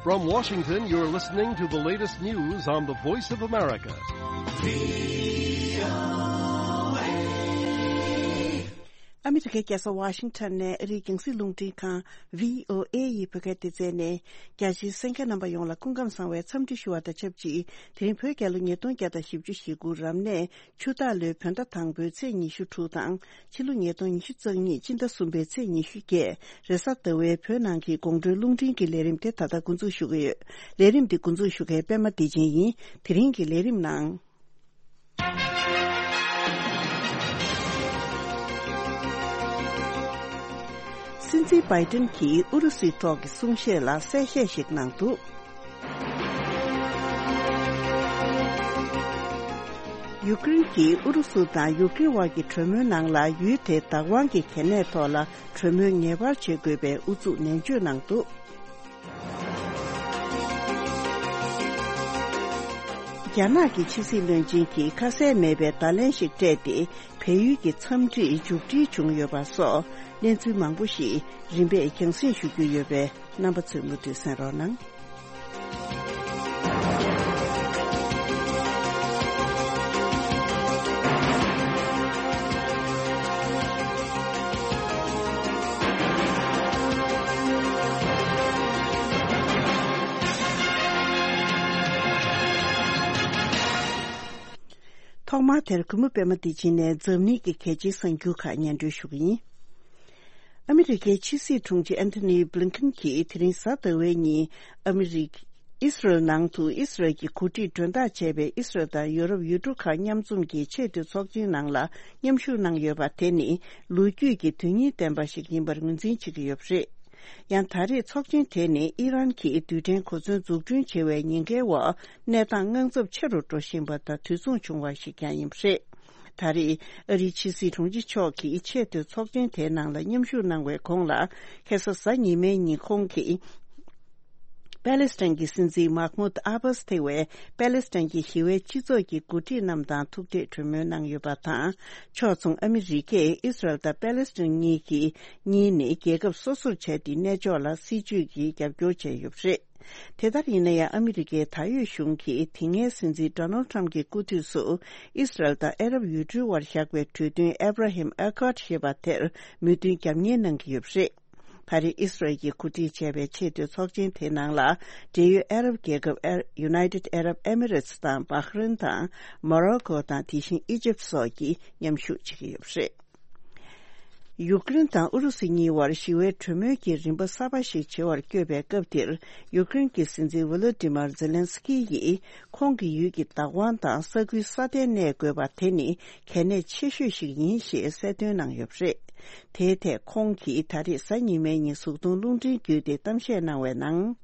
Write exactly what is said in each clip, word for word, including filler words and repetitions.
From Washington, you're listening to the latest news on the Voice of America. ཨ་མི་རི་ཀའི་རྒྱལ་ས་ཝ་ཤིང་ཊོན་ནས་ཨ་རིའི་རྒྱང་སྲིང་རླུང་འཕྲིན་ཁང་བྷི་ཨོ་ཨེ་ཡི་བོད་སྐད་སྡེ་ཚན་ནས། རྒྱ་ཆེའི་གསན་མཁན་རྣམ་པ་ཡོངས་ལ་སྐུ་ཁམས་བཟང་བའི་འཚམས་འདྲི་ཞུ་བ་དང་ཆབས་ཅིག་དེ་རིང་བོད་རྒྱལ་ལོ་ཉིས་སྟོང་བརྒྱ་དང་བཞི་བཅུ་ཞེ་དགུ་རབ་གནས་ཆུ་སྟག་ལོའི་བོད་ཟླ་དང་པོའི་ཚེས་ཉི་ཤུ་དྲུག་དང་། ཕྱི་ལོ་ཉིས་སྟོང་ཉི་ཤུ་རྩ་གཉིས་སྤྱི་ཟླ་གསུམ་པའི་ཚེས་ཉི་ཤུ་བརྒྱད། རེས་གཟའ་ཟླ་བའི་བོད་ནང་གི་དགོང་དྲོའི་རླུང་འཕྲིན་གྱི་ལས་རིམ་དེ་ད་ལྟ་འགོ་འཛུགས་ཞུ་གི་ཡོད། ལས་རིམ་འདི་འགོ་འཛུགས་ཞུ་མཁན་པད་མ་བདེ་ཆེན་ཡིན། དེ་རིང་གི་ལས་རིམ་ནང་། སྲིད་འཛིན་བྷའི་ཏིན་གྱིས་ཨུ་རུ་སུའི་ཐོག་གི་གསུང་བཤད་ལ་གསལ་བཤད་ཞིག་གནང་འདུག་ཡུ་ཀེ་རེན་གྱིས་ཨུ་རུ་སུ་དང་ཡུ་ཀེ་རེན་དབར་གྱི་གྲོས་མོལ་ནང་ལ་ཡུལ་དེའི་བདག་དབང་གི་གལ་གནད་ཐོག་ལ་གྲོས་མོལ་ངེས་པར་བྱེད་དགོས་པའི་ཨུ་ཚུགས་ནན་བརྗོད་གནང་འདུག་རྒྱ་ནག་གི་ཕྱི་སྲིད་བློན་ཆེན་གྱིས་ཁ་གསལ་མེད་པའི་བརྡ་ལན་ཞིག་སྤྲད་དེ། བལ་ཡུལ་གྱི་འཚམས་འདྲིར་མཇུག་སྒྲིལ་བྱུང་ཡོད་པ་སོགས་གནས་ཚུལ་མང་པོ་ཞིག་རིམ་པས་རྒྱང་སྲིང་ཞུ་རྒྱུ་ཡོད་པས། རྣམ་པ་ཚོས་མུ་མཐུད་གསན་རོགས་གནང་། ཐོག་མར་དེར་གུས་མོ་པད་མ་བདེ་ཆེན་ནས་འཛམ་གླིང་གི་གལ་ཆེའི་གསར་འགྱུར་ཁག་སྙན་སྒྲོན་ཞུ་གི་ཡིན། ཨ་མི་རི་ཀའི་ཕྱི་སྲིད་དྲུང་ཆེ་ཨན་ཐོ་ནི་བྷི་ལིན་ཁན་གྱིས་དེ་རིང་གཟའ་ཟླ་བའི་ཉིན་ཨ་མི་རི་ཀ་ཨི་སི་རལ་ནང་དུ་ཨི་སི་རལ་གྱི་འགོ་ཁྲིད་མགྲོན་བདག་བྱས་པའི་ཨི་སི་རལ་དང་ཡོ་རོབ་ཡུལ་གྲུ་ཁག་མཉམ་འཛོམས་ཀྱི་ཆེས་མཐོའི་ཚོགས་ཆེན་ནང་ལ་མཉམ་ཞུགས་གནང་ཡོད་པ་དེ་ནི་ལོ་རྒྱུས་ཀྱི་དོན་སྙིང་ལྡན་པ་ཞིག་ཡིན་པར་ངོས་འཛིན་བྱེད་ཀྱི་ཡོད་པ་རེད། ཡང་ད་རེས་ཚོགས་ཆེན་དེ་ནི་ཨི་རན་གྱིས་རྡུལ་ཕྲན་གོ་མཚོན་འཛུགས་སྐྲུན་བྱེད་པའི་ཉེན་ཁའི་འོག་གནས་སྟངས་དངངས་འཚབ་ཆེ་རུ་འགྲོ་བཞིན་པ་དང་དུས་མཚུངས་བྱུང་བ་ཞིག་ཀྱང་ཡིན་པ་རེད། ད་རེས་ཨ་རིའི་ཕྱི་སྲིད་དྲུང་ཆེ་མཆོག་གིས་ཆེས་མཐོའི་ཚོགས་ཆེན་དེའི་ནང་ལ་མཉམ་ཞུགས་གནང་བའི་གོང་ལ། ཁ་སང་གཟའ་ཉི་མའི་ཉིན་ཁོང་གིས་པེ་ལེ་སི་ཐན་གྱི་སྲིད་འཛིན་མཱ་ཁ་མུད་ཨ་བྷ་སི་ཐེ་བའི་པེ་ལེ་སི་ཐན་གྱི་ཞི་བའི་སྤྱི་ཚོགས་ཀྱི་འགོ་ཁྲིད་རྣམས་དང་ཐུག་འཕྲད་གྲོས་མོལ་གནང་ཡོད་པ་དང་། ཕྱོགས་མཚུངས་ཨ་མི་རི་ཀས་ཨི་སི་རལ་དང་པེ་ལེ་སི་ཐན་གཉིས་ཀྱི་གཉིས་ནི་རྒྱལ་ཁབ་སོ་སོར་བྱས་ཏེ་གནས་ཕྱོགས་ལ་སྲིད་ཇུས་ཀྱི་རྒྱབ་སྐྱོར་བྱས་ཡོད་པ་རེད། དེ་ལྟར་ཡིན་ན་ཡང་ཨ་མི་རི་ཀའི་ད་ཡོད་གཞུང་གིས་དེ་སྔའི་སྲིད་འཛིན་ཌོ་ནལ་ཊམ་གྱི་སྐུ་དུས་སུ་ཨི་སི་རལ་དང་ཨ་རབ་ཡུལ་གྲུའི་དབར་བཞག་པའི་གྲོས་མཐུན་ཨེབ་ར་ཧིམ་ཨེ་ཁོཌ་ཞེས་པ་དེར་མོས་མཐུན་རྒྱབ་གཉེར་གནང་གི་ཡོད་པ་རེད། ད་རེས་ཨི་སི་རལ་གྱིས་གོ་སྒྲིག་བྱས་པའི་ཆེས་མཐོའི་ཚོགས་ཆེན་དེའི་ནང་ལ་འབྲེལ་ཡོད་ཨ་རབ་རྒྱལ་ཁབ་ཨེ་ཡུ་ནའི་ཊེཌ་ཨ་རབ་ཨེ་མི་རེ་ཊི་དང་བྷ་ཧ་རིན་དང་མོ་རོ་ཀོ་དང་དེ་བཞིན་ཨི་ཇིབ་སོགས་ཀྱིས་མཉམ་ཞུགས་བྱེད་ཀྱི་ཡོད་པ་རེད། ཡུཀ་རེན་དང་ཨུ་རུ་སུ་གཉིས་དབར་ཞི་བའི་གྲོས་མོལ་གྱི་རིམ་པ་གསར་པ་ཞིག་བྱེད་པར་བསྐྱོད་པའི་སྐབས་འདིར། ཡུཀ་རེན་གྱི་སྲིད་འཛིན་ཝོ་ལོ་ཏི་མར་ཛེ་ལན་སི་ཀི་ཡིས་ཁོང་གི་ཡུལ་གྱི་བདག་དབང་དང་ས་ཁུལ་སྲ་བརྟན་གནས་དགོས་པ་དེ་ནི་གལ་གནད་ཆེ་ཤོས་ཤིག་ཡིན་ཞེས་གསལ་སྟོན་གནང་ཡོད་པ་རེད། དེའི་ཐད་ཁོང་གིས་ད་རེས་གཟའ་ཉི་མའི་ཉིན་གཟུགས་མཐོང་རླུང་འཕྲིན་བརྒྱུད་དེ་གཏམ་བཤད་གནང་བའི་ནང་།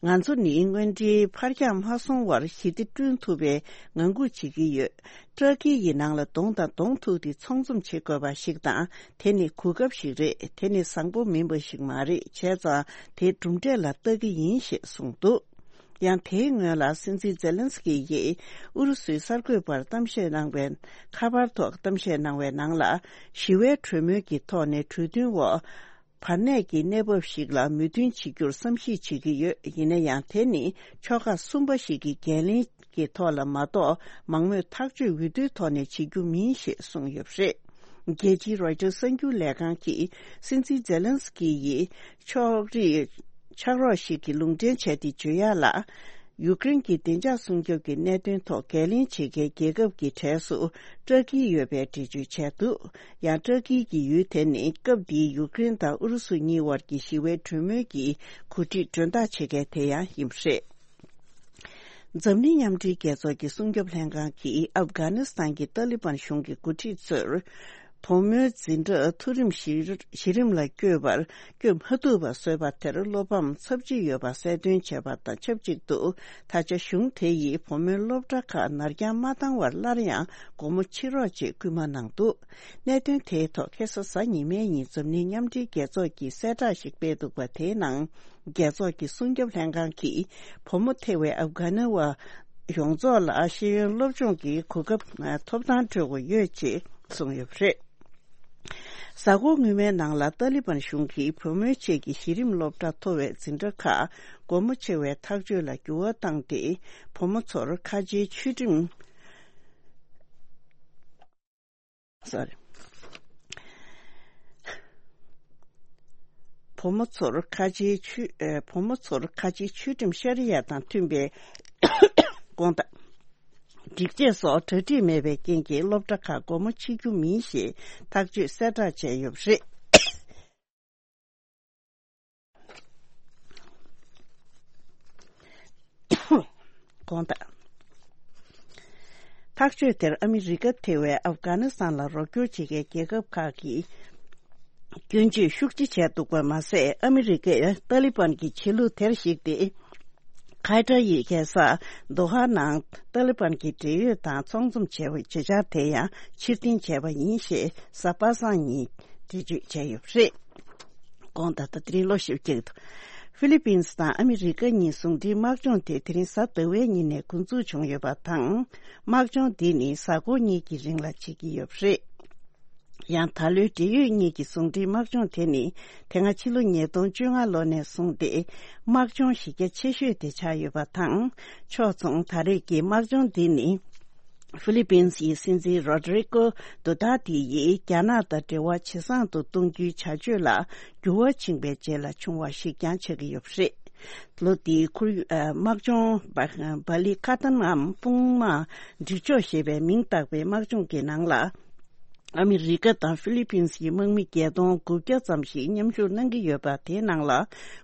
ང་ཚོ་ནི་དངོས་འབྲེལ་ཕར་འགྱངས་མ་སོང་བར་ཞི་བདེ་བསྐྲུན་ཐུབ་པའི་ངང་སྒུག་བྱེད་ཀྱི་ཡོད། ཏྲ་ཀི་ཡི་ནང་ལ་གདོང་དང་གདོང་ཐུག་སྟེ་ཚོང་འཛོམས་བྱེད་དགོས་པ་ཞིག་དང་། དེ་ནི་གོ་སྐབས་ཤིག་རེད། དེ་ནི་བཟང་པོ་མིན་པ་ཞིག་མ་རེད། བྱས་ཙང་དེ་གྲུབ་འབྲས་ལ་ལྟ་གི་ཡིན་ཞེས་གསུངས་འདུག་ཡང་དེའི་སྔོན་ལ་སྲིད་འཛིན་ཛེ་ལན་སི་ཀི་ཡིས་ཨུ་རུ་སུའི་གསར་འགོད་པར་གཏམ་བཤད་གནང་བའི་ཁ་པར་ཐོག་གཏམ་བཤད་གནང་བའི་ནང་ལ། ཞི་བའི་གྲོས་མོལ་གྱི་ཐོག་ནས་གྲོས་མཐུན་འོག་བར་གནས་ཀྱི་གནས་བབ་ཞིག་ལ་མོས་མཐུན་བྱེད་རྒྱུར་བསམ་གཞིག་བྱེད་ཀྱི་ཡོད། ཡིན་ན་ཡང་དེ་ནི་ཕྱོགས་ཁག་གསུམ་པ་ཞིག་གི་འགན་ལེན་གྱི་ཐོག་ལ་མ་གཏོགས་མང་མོས་ཐག་གཅོད་འོས་བསྡུའི་ཐོག་ནས་བྱེད་རྒྱུ་མིན་ཞེས་གསུངས་ཡོད་པ་རེད། རྒྱལ་སྤྱིའི་རོའི་ཊར་གསར་འགྱུར་ལས་ཁང་གིས་སྲིད་འཛིན་ཛེ་ལན་སི་ཀི་ཡིས་ཕྱོགས་རིས་ཕྱག་རོགས་ཤིག་གི་ལུང་འདྲེན་བྱས་ཏེ་བརྗོད་ཡག་ལ། ཡུཀ་རེན་གྱི་བདེ་འཇགས་སྲུང་སྐྱོབ་ཀྱི་གནད་དོན་ཐོག་འགན་ལེན་བྱེད་མཁན་རྒྱལ་ཁབ་ཀྱི་གྲས་སུ་ཏྲ་ཀི་ཡོད་པའི་འགྲེལ་བརྗོད་བྱས་འདུག་ཡང་ཏྲ་ཀི་གི་ཡུལ་དེ་ནི་སྐབས་འདིའི་ཡུཀ་རེན་དང་ཨུ་རུ་སུ་གཉིས་དབར་གྱི་ཞི་བའི་གྲོས་མོལ་གྱི་གོ་སྒྲིག་མགྲོན་བདག་བྱེད་མཁན་དེ་ཡང་ཡིན་པ་རེད། འཛམ་གླིང་མཉམ་འབྲེལ་རྒྱལ་ཚོགས་ཀྱི་སྲུང་སྐྱོབ་ལྷན་ཁང་གིས་ཨབ་གྷ་ནི་སི་ཐན་གྱི་ཏཱ་ལི་བན་གཞུང་གི་འགོ་ཁྲིད་ཚོར། བུ་མོའི་འཛིན་གྲྭ་མཐོ་རིམ་གཞི་གཞི་རིམ་ལ་བསྐྱོད་པར་བསྐྱོད་མ་ཐུབ་པ་བཟོས་པ་དེར་བློ་ཕམ་ཚབས་ཆེ་ཡོད་པ་གསལ་སྟོན་བྱས་པ་དང་ཆབས་ཅིག་ཏུ། ད་ཆ་གཞུང་དེ་ཡིས་བུ་མོའི་སློབ་གྲྭ་ཁག་ནར་འགྱངས་མ་བཏང་བར་སླར་ཡང་སྒོ་མོ་ཕྱེ་རོགས་ཅེས་སྐུལ་མ་གནང་འདུག་གནད་དོན་དེའི་ཐོག་ཁ་སང་གཟའ་ཉི་མའི་ཉིན་འཛམ་གླིང་མཉམ་འབྲེལ་རྒྱལ་ཚོགས་ཀྱིས་གསལ་བསྒྲགས་ཤིག་སྤེལ་འདུག་པ་དེའི་ནང་། རྒྱལ་ཚོགས་ཀྱི་སྲུང་སྐྱོབ་ལྷན་ཁང་གིས་བུ་མོ་ཐེ་བའི་ཨབ་གྷ་ནི་བ་ཡོངས་རྫོགས་ལ་ཤེས་ཡོན་སློབ་སྦྱོང་གི་གོ་སྐབས་ཐོབ་ཐང་སྤྲོད་དགོས་ཡོད་ཅེས་གསུངས་ཡོད་པ་རེད། གཟའ་འཁོར་སྔོན་མའི་ནང་ལ་ཏཱ་ལི་བན་གཞུང་གིས་བུ་མོའི་ཆེད་ཀྱི་གཞི་རིམ་སློབ་གྲྭ་མཐོ་བའི་འཛིན་གྲྭ་ཁག་སྒོ་མོ་ཕྱེ་བའི་ཐག་གཅོད་ལ་འགྱུར་བ་བཏང་སྟེ། བུ་མོ་ཚོར་ཁ་ཆེའི་ཆོས་ཁྲིམས། སོ་རི། བུ་མོ་ཚོར་ཁ་ཆེའི་ཆོས། ཨེ། བུ་མོ་ཚོར་ཁ་ཆེའི་ཆོས་ཁྲིམས་ཤ་རི་ཡ་དང་མཐུན་པའི་དགོངས་དག་སྒྲིག་ཆས་སོགས་གྲ་སྒྲིག་མེད་པའི་རྐྱེན་གྱིས་སློབ་གྲྭ་ཁག་སྒོ་མོ་ཕྱེ་རྒྱུ་མིན་ཞེས་ཐག་གཅོད་གསལ་བསྒྲགས་བྱས་ཡོད་པ་རེད། དགོངས་དག་ཐག་གཅོད་དེར་ཨ་མི་རི་ཀ་ཐེ་བའི་ཨབ་གྷ་ནི་སི་ཐན་ལ་རོགས་སྐྱོར་བྱེད་མཁན་རྒྱལ་ཁབ་ཁག་གིས་སྐྱོན་བརྗོད་ཤུགས་ཆེ་བྱས་འདུག་པ་མ་ཟད། ཨ་མི་རི་ཀས་ཏཱ་ལི་བན་གྱི་བྱེད་ལུགས་དེར་གཞིགས་ཏེ། ཁ་ཏར་ཡི་རྒྱལ་ས་དོ་ཧ་ནང་ཏཱ་ལི་བན་གྱི་འབྲེལ་ཡོད་དང་ཚོགས་འཛོམས་བྱས་པའི་བྱེད་འཆར་དེ་ཡང་ཕྱིར་འཐེན་བྱས་པ་ཡིན་ཞེས་གཟའ་པ་སངས་ཉིན་འགྲེལ་བརྗོད་བྱས་ཡོད་པ་རེད། དགོངས་དག་ད་དེ་རིང་ལོ་བཞི་བཅུ་དུ། ཧྥི་ལི་པིན་སི་དང་ཨ་མི་རི་ཀ་གཉིས་ཟུང་འབྲེལ་དམག་སྦྱོང་དེ་དེ་རིང་གཟའ་ཟླ་བའི་ཉིན་ནས་འགོ་འཛུགས་བྱུང་ཡོད་པ་དང་། དམག་སྦྱོང་འདི་ནི་གཟའ་འཁོར་གཉིས་ཀྱི་རིང་ལ་བྱེད་ཀྱི་ཡོད་པ་རེད། ཡང་ད་ལོའི་འབྲེལ་ཡོད་གཉིས་ཀྱི་ཟུང་འབྲེལ་དམག་སྦྱོང་དེ་ནི་དེ་སྔ་ཕྱི་ལོ་ཉིས་སྟོང་བཅོ་ལྔ་ལོ་ནས་བཟུང་སྟེ་དམག་སྦྱོང་གཞི་རྒྱ་ཆེ་ཤོས་དེ་ཆགས་ཡོད་པ་དང་། ཕྱོགས་མཚུངས་ད་རེས་ཀྱི་དམག་སྦྱོང་འདི་ནི། ཧྥི་ལི་པིན་སི་ཡི་སྲིད་འཛིན་རོ་ཌི་རི་ཀོ་ཌུ་ཏར་ཏེ་ཡིས་རྒྱ་ནག་དང་འབྲེལ་བ་ཇེ་བཟང་དུ་གཏོང་རྒྱུའི་བྱ་སྤྱོད་ལ་འགྱུར་བ་ཕྱིན་པའི་རྗེས་ལ་བྱུང་བ་ཞིག་ཀྱང་ཆགས་ཀྱི་ཡོད་པ་རེད། ལོ་འདིའི་ཁོར་ཡུག་ཨ། དམག་སྦྱོང་བ་ལི་ཁ་ཏན་ནམ་དཔུང་དམག་འགྲིག་ཕྱོགས་ཞེས་པའི་མིང་བཏགས་པའི་དམག་སྦྱོང་གི་ནང་ལ། ཨ་མི་རི་ཀ་དང་ཧྥི་ལི་པིན་སི་ཡི་དམག་མི་བརྒྱད་སྟོང་དགུ་བརྒྱ་ཙམ་ཞིག་མཉམ་ཞུགས་གནང་གི་ཡོད་པ། དེའི་ནང་ལ་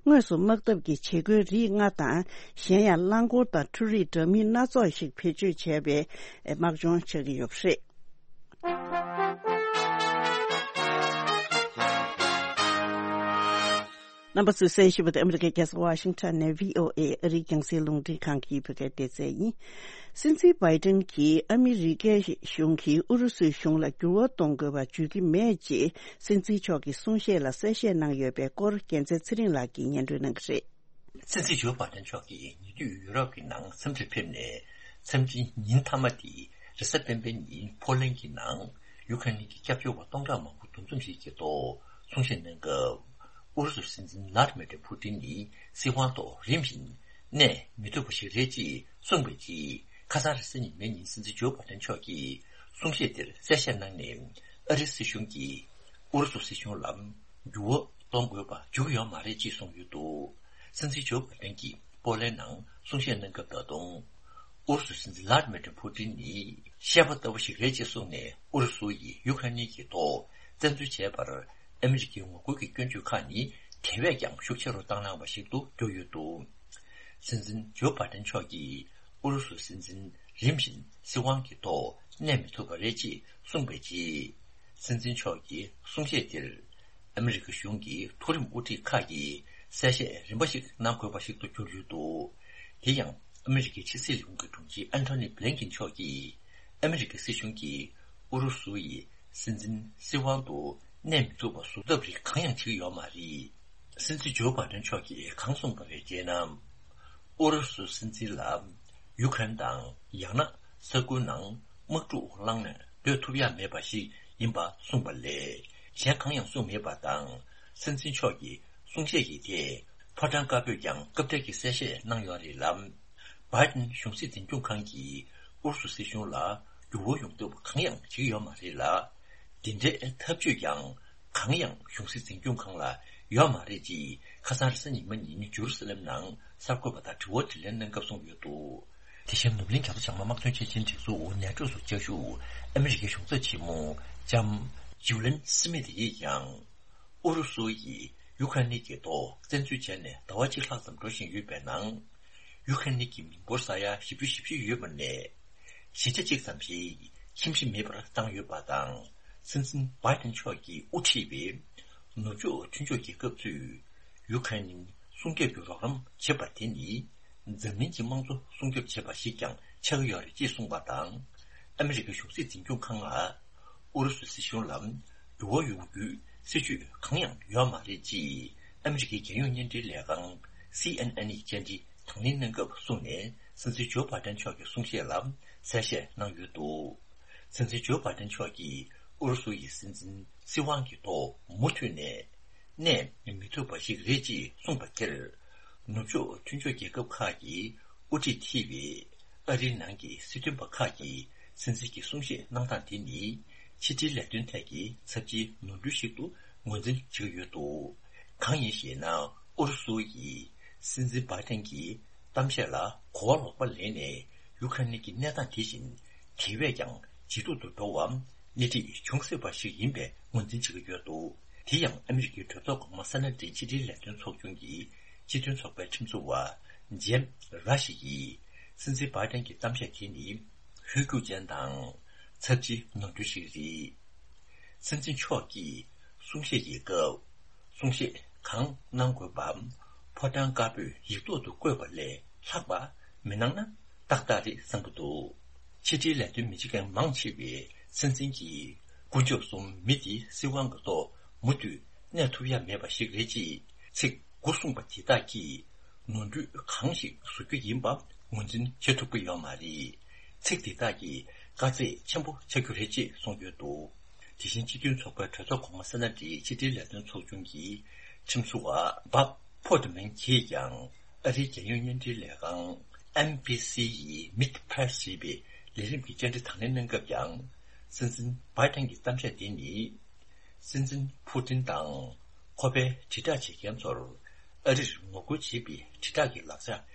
དངོས་སུ་དམག་འཐབ་ཀྱི་བྱེད་སྒོའི་རིགས་ལྔ་དང་། གཞན་ཡང་རླངས་འཁོར་དང་འཕྲུལ་རིག་འདྲ་མིན་སྣ་ཚོགས་ཤིག་བེད་སྤྱོད་བྱས་པའི་དམག་སྦྱོང་ཆགས་ཀྱི་ཡོད་པ་རེད། རྣམ་པ་ཚོས་གསན་བཞིན་པ་དེ་ཨ་མི་རི་ཀའི་རྒྱལ་ས་ཝ་ཤིང་ཊོན་ནས་བྷི་ཨོ་ཨེ་ཨ་རིའི་རྒྱང་སྲིང་རླུང་འཕྲིན་ཁང་གི་བོད་སྐད་སྡེ་ཚན་ཡིན། སྲིད་འཛིན་བྷའི་ཏིན་གྱིས་ཨ་མི་རི་ཀའི་གཞུང་གིས་ཨུ་རུ་སུའི་གཞུང་ལ་འགྱུར་བ་གཏོང་དགོས་པ་བརྗོད་ཀྱི་མེད་ཅེས་སྲིད་འཛིན་མཆོག་གི་གསུང་བཤད་ལ་གསལ་བཤད་གནང་ཡོད་པའི་སྐོར་རྒྱལ་མཚན་ཚེ་རིང་ལགས་ཀྱིས་སྙན་སྒྲོན་གནང་གི་རེད། སྲིད་འཛིན་ཇོ་བྷའི་ཏིན་མཆོག་གིས་ཉེ་དུས་ཡུ་རོབ་ཀྱི་ནང་འཚམས་འདྲིར་ཕེབས་ནས། འཚམས་འདྲིའི་ཉིན་མཐའ་མ་དེ་རེས་གཟའ་སྤེན་པའི་ཉིན་ཕོ་ལན་གྱི་ནང་ཡུ་ཁ་ནི་གི་སྐྱབས་བཅོལ་བ་སྟོང་ཕྲག་མང་པོ་འདུ་འཛོམས་ཤིག་གི་ཐོག་གསུང་བཤད་གནང་སྐབས། ཨུ་རུ་སུའི་སྲིད་འཛིན་ལྷ་དི་མི་ཏྲི་ཕུ་ཏིན་ནི་སྲིད་དབང་ཐོག་རིམ་བཞིན་གནས་མི་ཐུབ་པ་ཞིག་རེད་ཅེས་གསུངས་པའི་རྗེས། ཁ་སང་རེས་གཟའ་ཉི་མའི་ཉིན་སྲིད་འཛིན་ཇོ་བྷའི་ཏིན་མཆོག་གིས་གསུང་བཤད་དེར་གསལ་བཤད་གནང་ནས། ཨ་རིའི་སྲིད་གཞུང་གིས་ཨུ་རུ་སུ་སྲིད་གཞུང་ལ་འགྱུར་བ་གཏོང་དགོས་པ་འཇུག་ཡོད་མ་རེད་ཅེས་གསུངས་ཡོད་འདུག་སྲིད་འཛིན་ཇོ་བྷའི་ཏིན་གྱིས་པོ་ལན་ནང་གསུང་བཤད་གནང་སྐབས། ད་དུང་ཨུ་རུ་སུ་སྲིད་འཛིན་ལྷ་དི་མི་ཏྲི་ཕུ་ཏིན་ནི་བཤད་པ་ལྟ་བུ་ཞིག་རེད་ཅེས་གསུངས་ནས། ཨུ་རུ་སུ་ཡིས་ཡུ་ཁ་ནི་གི་ཐོག་བཙན་འཛུལ་བྱས་པར་ཨ་མི་རི་ཀའི་ངོ་རྒོལ་གྱི་སྐྱོན་བརྗོད་ཁག་ནི་དེ་བས་ཀྱང་ཤུགས་ཆེ་རུ་བཏང་གནང་བ་ཞིག་ཏུ་གྱུར་ཡོད་འདུག་སྲིད་འཛིན་ཇོ་བྷའི་ཏིན་མཆོག་གིས་ཨུ་རུ་སུའི་སྲིད་འཛིན་རིམ་བཞིན་སྲིད་དབང་གི་ཐོག་གནས་མི་ཐུབ་པ་རེད་ཅེས་གསུངས་པའི་རྗེས། སྲིད་འཛིན་མཆོག་གི་གསུང་བཤད་དེར་ཨ་མི་རི་ཀ་གཞུང་གི་མཐོ་རིམ་དབུ་ཁྲིད་ཁག་གིས་གསལ་བཤད་རིམ་པ་ཞིག་གནང་དགོས་པ་ཞིག་ཏུ་གྱུར་ཡོད་འདུག་དེ་ཡང་ཨ་མི་རི་ཀའི་ཕྱི་སྲིད་ལས་ཁུངས་ཀྱི་དྲུང་ཆེ་ཨན་ཐོ་ནི་བྷི་ལིན་ཀིན་མཆོག་གིས། ཨ་མི་རི་ཀའི་སྲིད་གཞུང་གིས་ཨུ་རུ་སུ་ཡི་སྲིད་འཛིན་སྲིད་དབང་དུ་གནས་མི་ཐུབ་པ་བཟོ་ཐབས་རིགས་གང་ཡང་བྱེད་ཀྱི་ཡོད་མ་རེད། སྲིད་འཛིན་ཇོ་བྷའི་ཏིན་མཆོག་གིས་གང་གསུངས་པ་རེད་ཅེ་ན། ཨུ་རུ་སུ་སྲིད་འཛིན་ལ་ཡུ་ཁ་རེན་དང་ཡང་ན་ས་ཁུལ་ནང་དམག་འཁྲུག་བསླངས་ནས་སྡོད་ཐུབ་ཡ་མེད་པ་ཞིག་ཡིན་པ་གསུངས་པ་ལས་གཞན་གང་ཡང་གསུངས་མེད་པ་དང་། སྲིད་འཛིན་མཆོག་གི་གསུང་བཤད་ཀྱི་ཐད་ཕོ་བྲང་དཀར་པོས་ཀྱང་སྐབས་འཕྲལ་གྱི་གསལ་བཤད་གནང་ཡོད་རེད་ལ། བྷའི་ཏིན་གཞུང་སྲིད་འཛིན་སྐྱོང་ཁང་གིས་ཨུ་རུ་སུ་སྲིད་གཞུང་ལ་འགྱུར་བ་ཡོང་ཐབས་གང་ཡང་བྱེད་ཀྱི་ཡོད་མ་རེད་ལ། དེ་འདྲའི་ཐབས་ཇུས་ཀྱང་གང་ཡང་གཞུང་སྲིད་འཛིན་སྐྱོང་ཁང་ལ་ཡོད་མ་རེད་ཅེས་ཁ་སང་རེས་གཟའ་ཉི་མ་ཉིན་ཇུ་རུ་སི་ལེམ་ནང་གསར་འགོད་པ་དང་དྲི་བ་དྲིས་ལན་གནང་སྐབས་གསུངས་ཡོད་འདུག་དེ་བཞིན་ནུབ་གླིང་རྒྱ་མཚོ་བྱང་མ་དམག་དོན་ཆེད་ཆེའི་སྒྲིག་འཛུགས་ནེ་ཊོ་སུ་བཅའ་བཞུགས་ཨ་མི་རི་ཀའི་གཞུང་ཚབ་ཆེན་མོ་ལྕམ་ཇུ་ལིན་སི་མིད་ཡིས་ཀྱང་། ཨུ་རུ་སུ་ཡིས་ཡུ་ཁ་ནི་གི་ཐོག་བཙན་འཛུལ་བྱས་ནས་ཟླ་བ་གཅིག་ལྷག་ཙམ་འགྲོ་བཞིན་ཡོད་པའི་ནང་། ཡུ་ཁ་ནི་གི་མི་འབོར་ས་ཡ་བཞི་བཅུ་ཞེ་བཞི་ཡོད་པ་ནས། བཞི་ཆ་གཅིག་ཙམ་ཞིག་ཁྱིམ་གཞིས་མེད་པར་བཏང་ཡོད་པ་དང་། སྲིད་འཛིན་བྷའི་ཏིན་མཆོག་གིས་དབུ་ཁྲིད་པའི་ནུབ་ཕྱོགས་མཐུན་ཕྱོགས་རྒྱལ་ཁབ་ཚོས་ཡུ་ཁ་ནི་སྲུང་སྐྱོབ་ཀྱི་རོགས་རམ་བྱེད་པ་དེ་ནི། འཛམ་གླིང་གི་དམངས་གཙོ་སྲུང་སྐྱོབ་བྱེད་པ་ཞིག་ཀྱང་ཆགས་ཀྱི་ཡོད་རེད་ཅེས་གསུངས་པ་དང་། ཨ་མི་རི་ཀའི་གཞུང་སྲིད་འཛིན་སྐྱོང་ཁང་ལ། ཨུ་རུ་སུའི་སྲིད་གཞུང་ལ་འགྱུར་བ་ཡོང་རྒྱུའི་སྲིད་ཇུས་གང་ཡང་ཡོད་མ་རེད་ཅེས་ཨ་མི་རི་ཀའི་རྒྱལ་ཡོངས་བརྙན་འཕྲིན་ལས་ཁང་སི་ཨེན་ཨེན་ཡི་བཅར་འདྲི་དང་ལེན་གནང་སྐབས་གསུངས་ནས། སྲིད་འཛིན་ཇོ་བྷའི་ཏིན་མཆོག་གི་གསུང་བཤད་ལ་གསལ་བཤད་གནང་ཡོད་འདུག་སྲིད་འཛིན་ཇོ་བྷའི་ཏིན་མཆོག་གིས། ཨུ་རུ་སུ་ཡི་སྲིད་འཛིན་སྲིད་དབང་གི་ཐོག་མུ་མཐུད་ནས་གནས་མི་ཐུབ་པ་ཞིག་རེད་ཅེས་གསུངས་པ་དེར། ནུབ་ཕྱོགས་མཐུན་ཕྱོགས་རྒྱལ་ཁབ་ཁག་གིས་དབུ་ཁྲིད་ཐེ་བའི་ཨ་རིའི་ནང་གི་སྲིད་དོན་པ་ཁག་གིས་སྲིད་འཛིན་གྱི་གསུང་བཤད་གནང་སྟངས་དེ་ནི་ཕྱི་འབྲེལ་ལས་དོན་ཐད་ཀྱི་ཚབས་ཆེའི་ནོར་འཁྲུལ་ཞིག་ཏུ་ངོས་འཛིན་བྱེད་ཀྱི་ཡོད་འདུག་གང་ཡིན་ཞེ་ན། ཨུ་རུ་སུ་ཡིས་སྲིད་འཛིན་བྷའི་ཏན་གྱི་གཏམ་བཤད་ལ་གོ་བ་ལོག་པ་ལེན་ནས། ཡུ་ཁ་རེན་གྱི་གནས་སྟངས་དེ་བཞིན་དེ་བས་ཀྱང་ཇེ་སྡུག་ཏུ་འགྲོ་བར་སྣེ་ཁྲིད་བྱུང་སྲིད་པ་ཞིག་ཡིན་པའི་ངོས་འཛིན་བྱེད་ཀྱི་ཡོད་འདུག་དེ་ཡང་ཨ་མི་རི་ཀའི་གྲོས་ཚོགས་གོང་མ་ས་ན་ཌི་ཕྱི་འབྲེལ་ལས་དོན་ཚོགས་ཆུང་གི་སྤྱི་མཐུན་ཚོགས་པའི་ཁྲིམས་བཟོ་བ་ཇེམ་ར་ཤི་ཡིས་སྲིད་འཛིན་བྷའི་ཏན་གྱི་གཏམ་བཤད་དེ་ནི་ཧོལ་རྒྱུག་ཅན་དང་ཚབས་ཆེའི་ནོར་འཁྲུལ་ཞིག་རེད། སྲིད་འཛིན་མཆོག་གིས་གསུང་བཤད་ཀྱི་སྐབས། གསུང་བཤད་གང་གནང་དགོས་པ། ཕོ་བྲང་དཀར་པོས་ཡིག་ཐོག་ཏུ་བཀོད་པ་ལས་ལྷག་པ་མི་གནང་ན་ཏག་ཏག་རེད་བསམ་གྱི་འདུག་ཕྱི་འབྲེལ་ལས་དོན་མི་བྱེད་མཁན་མང་ཆེ་བས་སྲིད་འཛིན་གྱིས་དཀོན་མཆོག་གསུམ་མི་དེའི་སྲིད་དབང་གི་ཐོག་མུ་མཐུད་གནས་ཐུབ་ཡ་མེད་པ་ཞིག་རེད་ཅེས་ཚིག་དགུ་གསུངས་པ་དེ་དག་གིས་ནོར་འཁྲུལ་གང་ཞིག་བཟོ་རྒྱུ་ཡིན་པ་ངོས་འཛིན་བྱེད་ཐུབ་ཀྱི་ཡོད་མ་རེད། ཚིག་དེ་དག་གིས་དཀའ་ཚེགས་ཆེན་པོ་ཆགས་རྒྱུ་རེད་ཅེས་གསུངས་ཡོད་འདུག་དེ་བཞིན་སྤྱི་མཐུན་ཚོགས་པའི་གྲོས་ཚོགས་གོང་མ་ས་ན་ཌིའི་ཕྱི་འབྲེལ་ལས་དོན་ཚོགས་ཆུང་གི་ཁྲིམས་བཟོ་བ་བྷབ་ཕོ་ཏི་མན་གྱིས་ཀྱང་ཨ་རིའི་རྒྱལ་ཡོངས་བརྙན་འཕྲིན་ལས་ཁང་ཨེན་བྷི་སི་ཡི་མིད་པྲེ་སི་ཞེས་པའི་ལས་རིམ་གྱི་བཅར་འདྲི་དང་ལེན་གནང་སྐབས་ཀྱང་སྲིད་འཛིན་བྷའི་ཏན་གྱི་གཏམ་བཤད་དེ་ནི། སྲིད་འཛིན་ཕུ་ཏིན་དང་ཁོ་པའི་དྲིལ་བསྒྲགས་བྱེད་མཁན་ཚོར་ཨ་རིར་ངོ་རྒོལ་བྱེད་པའི་དྲིལ་བསྒྲགས་ཀྱི་ལག་ཆ་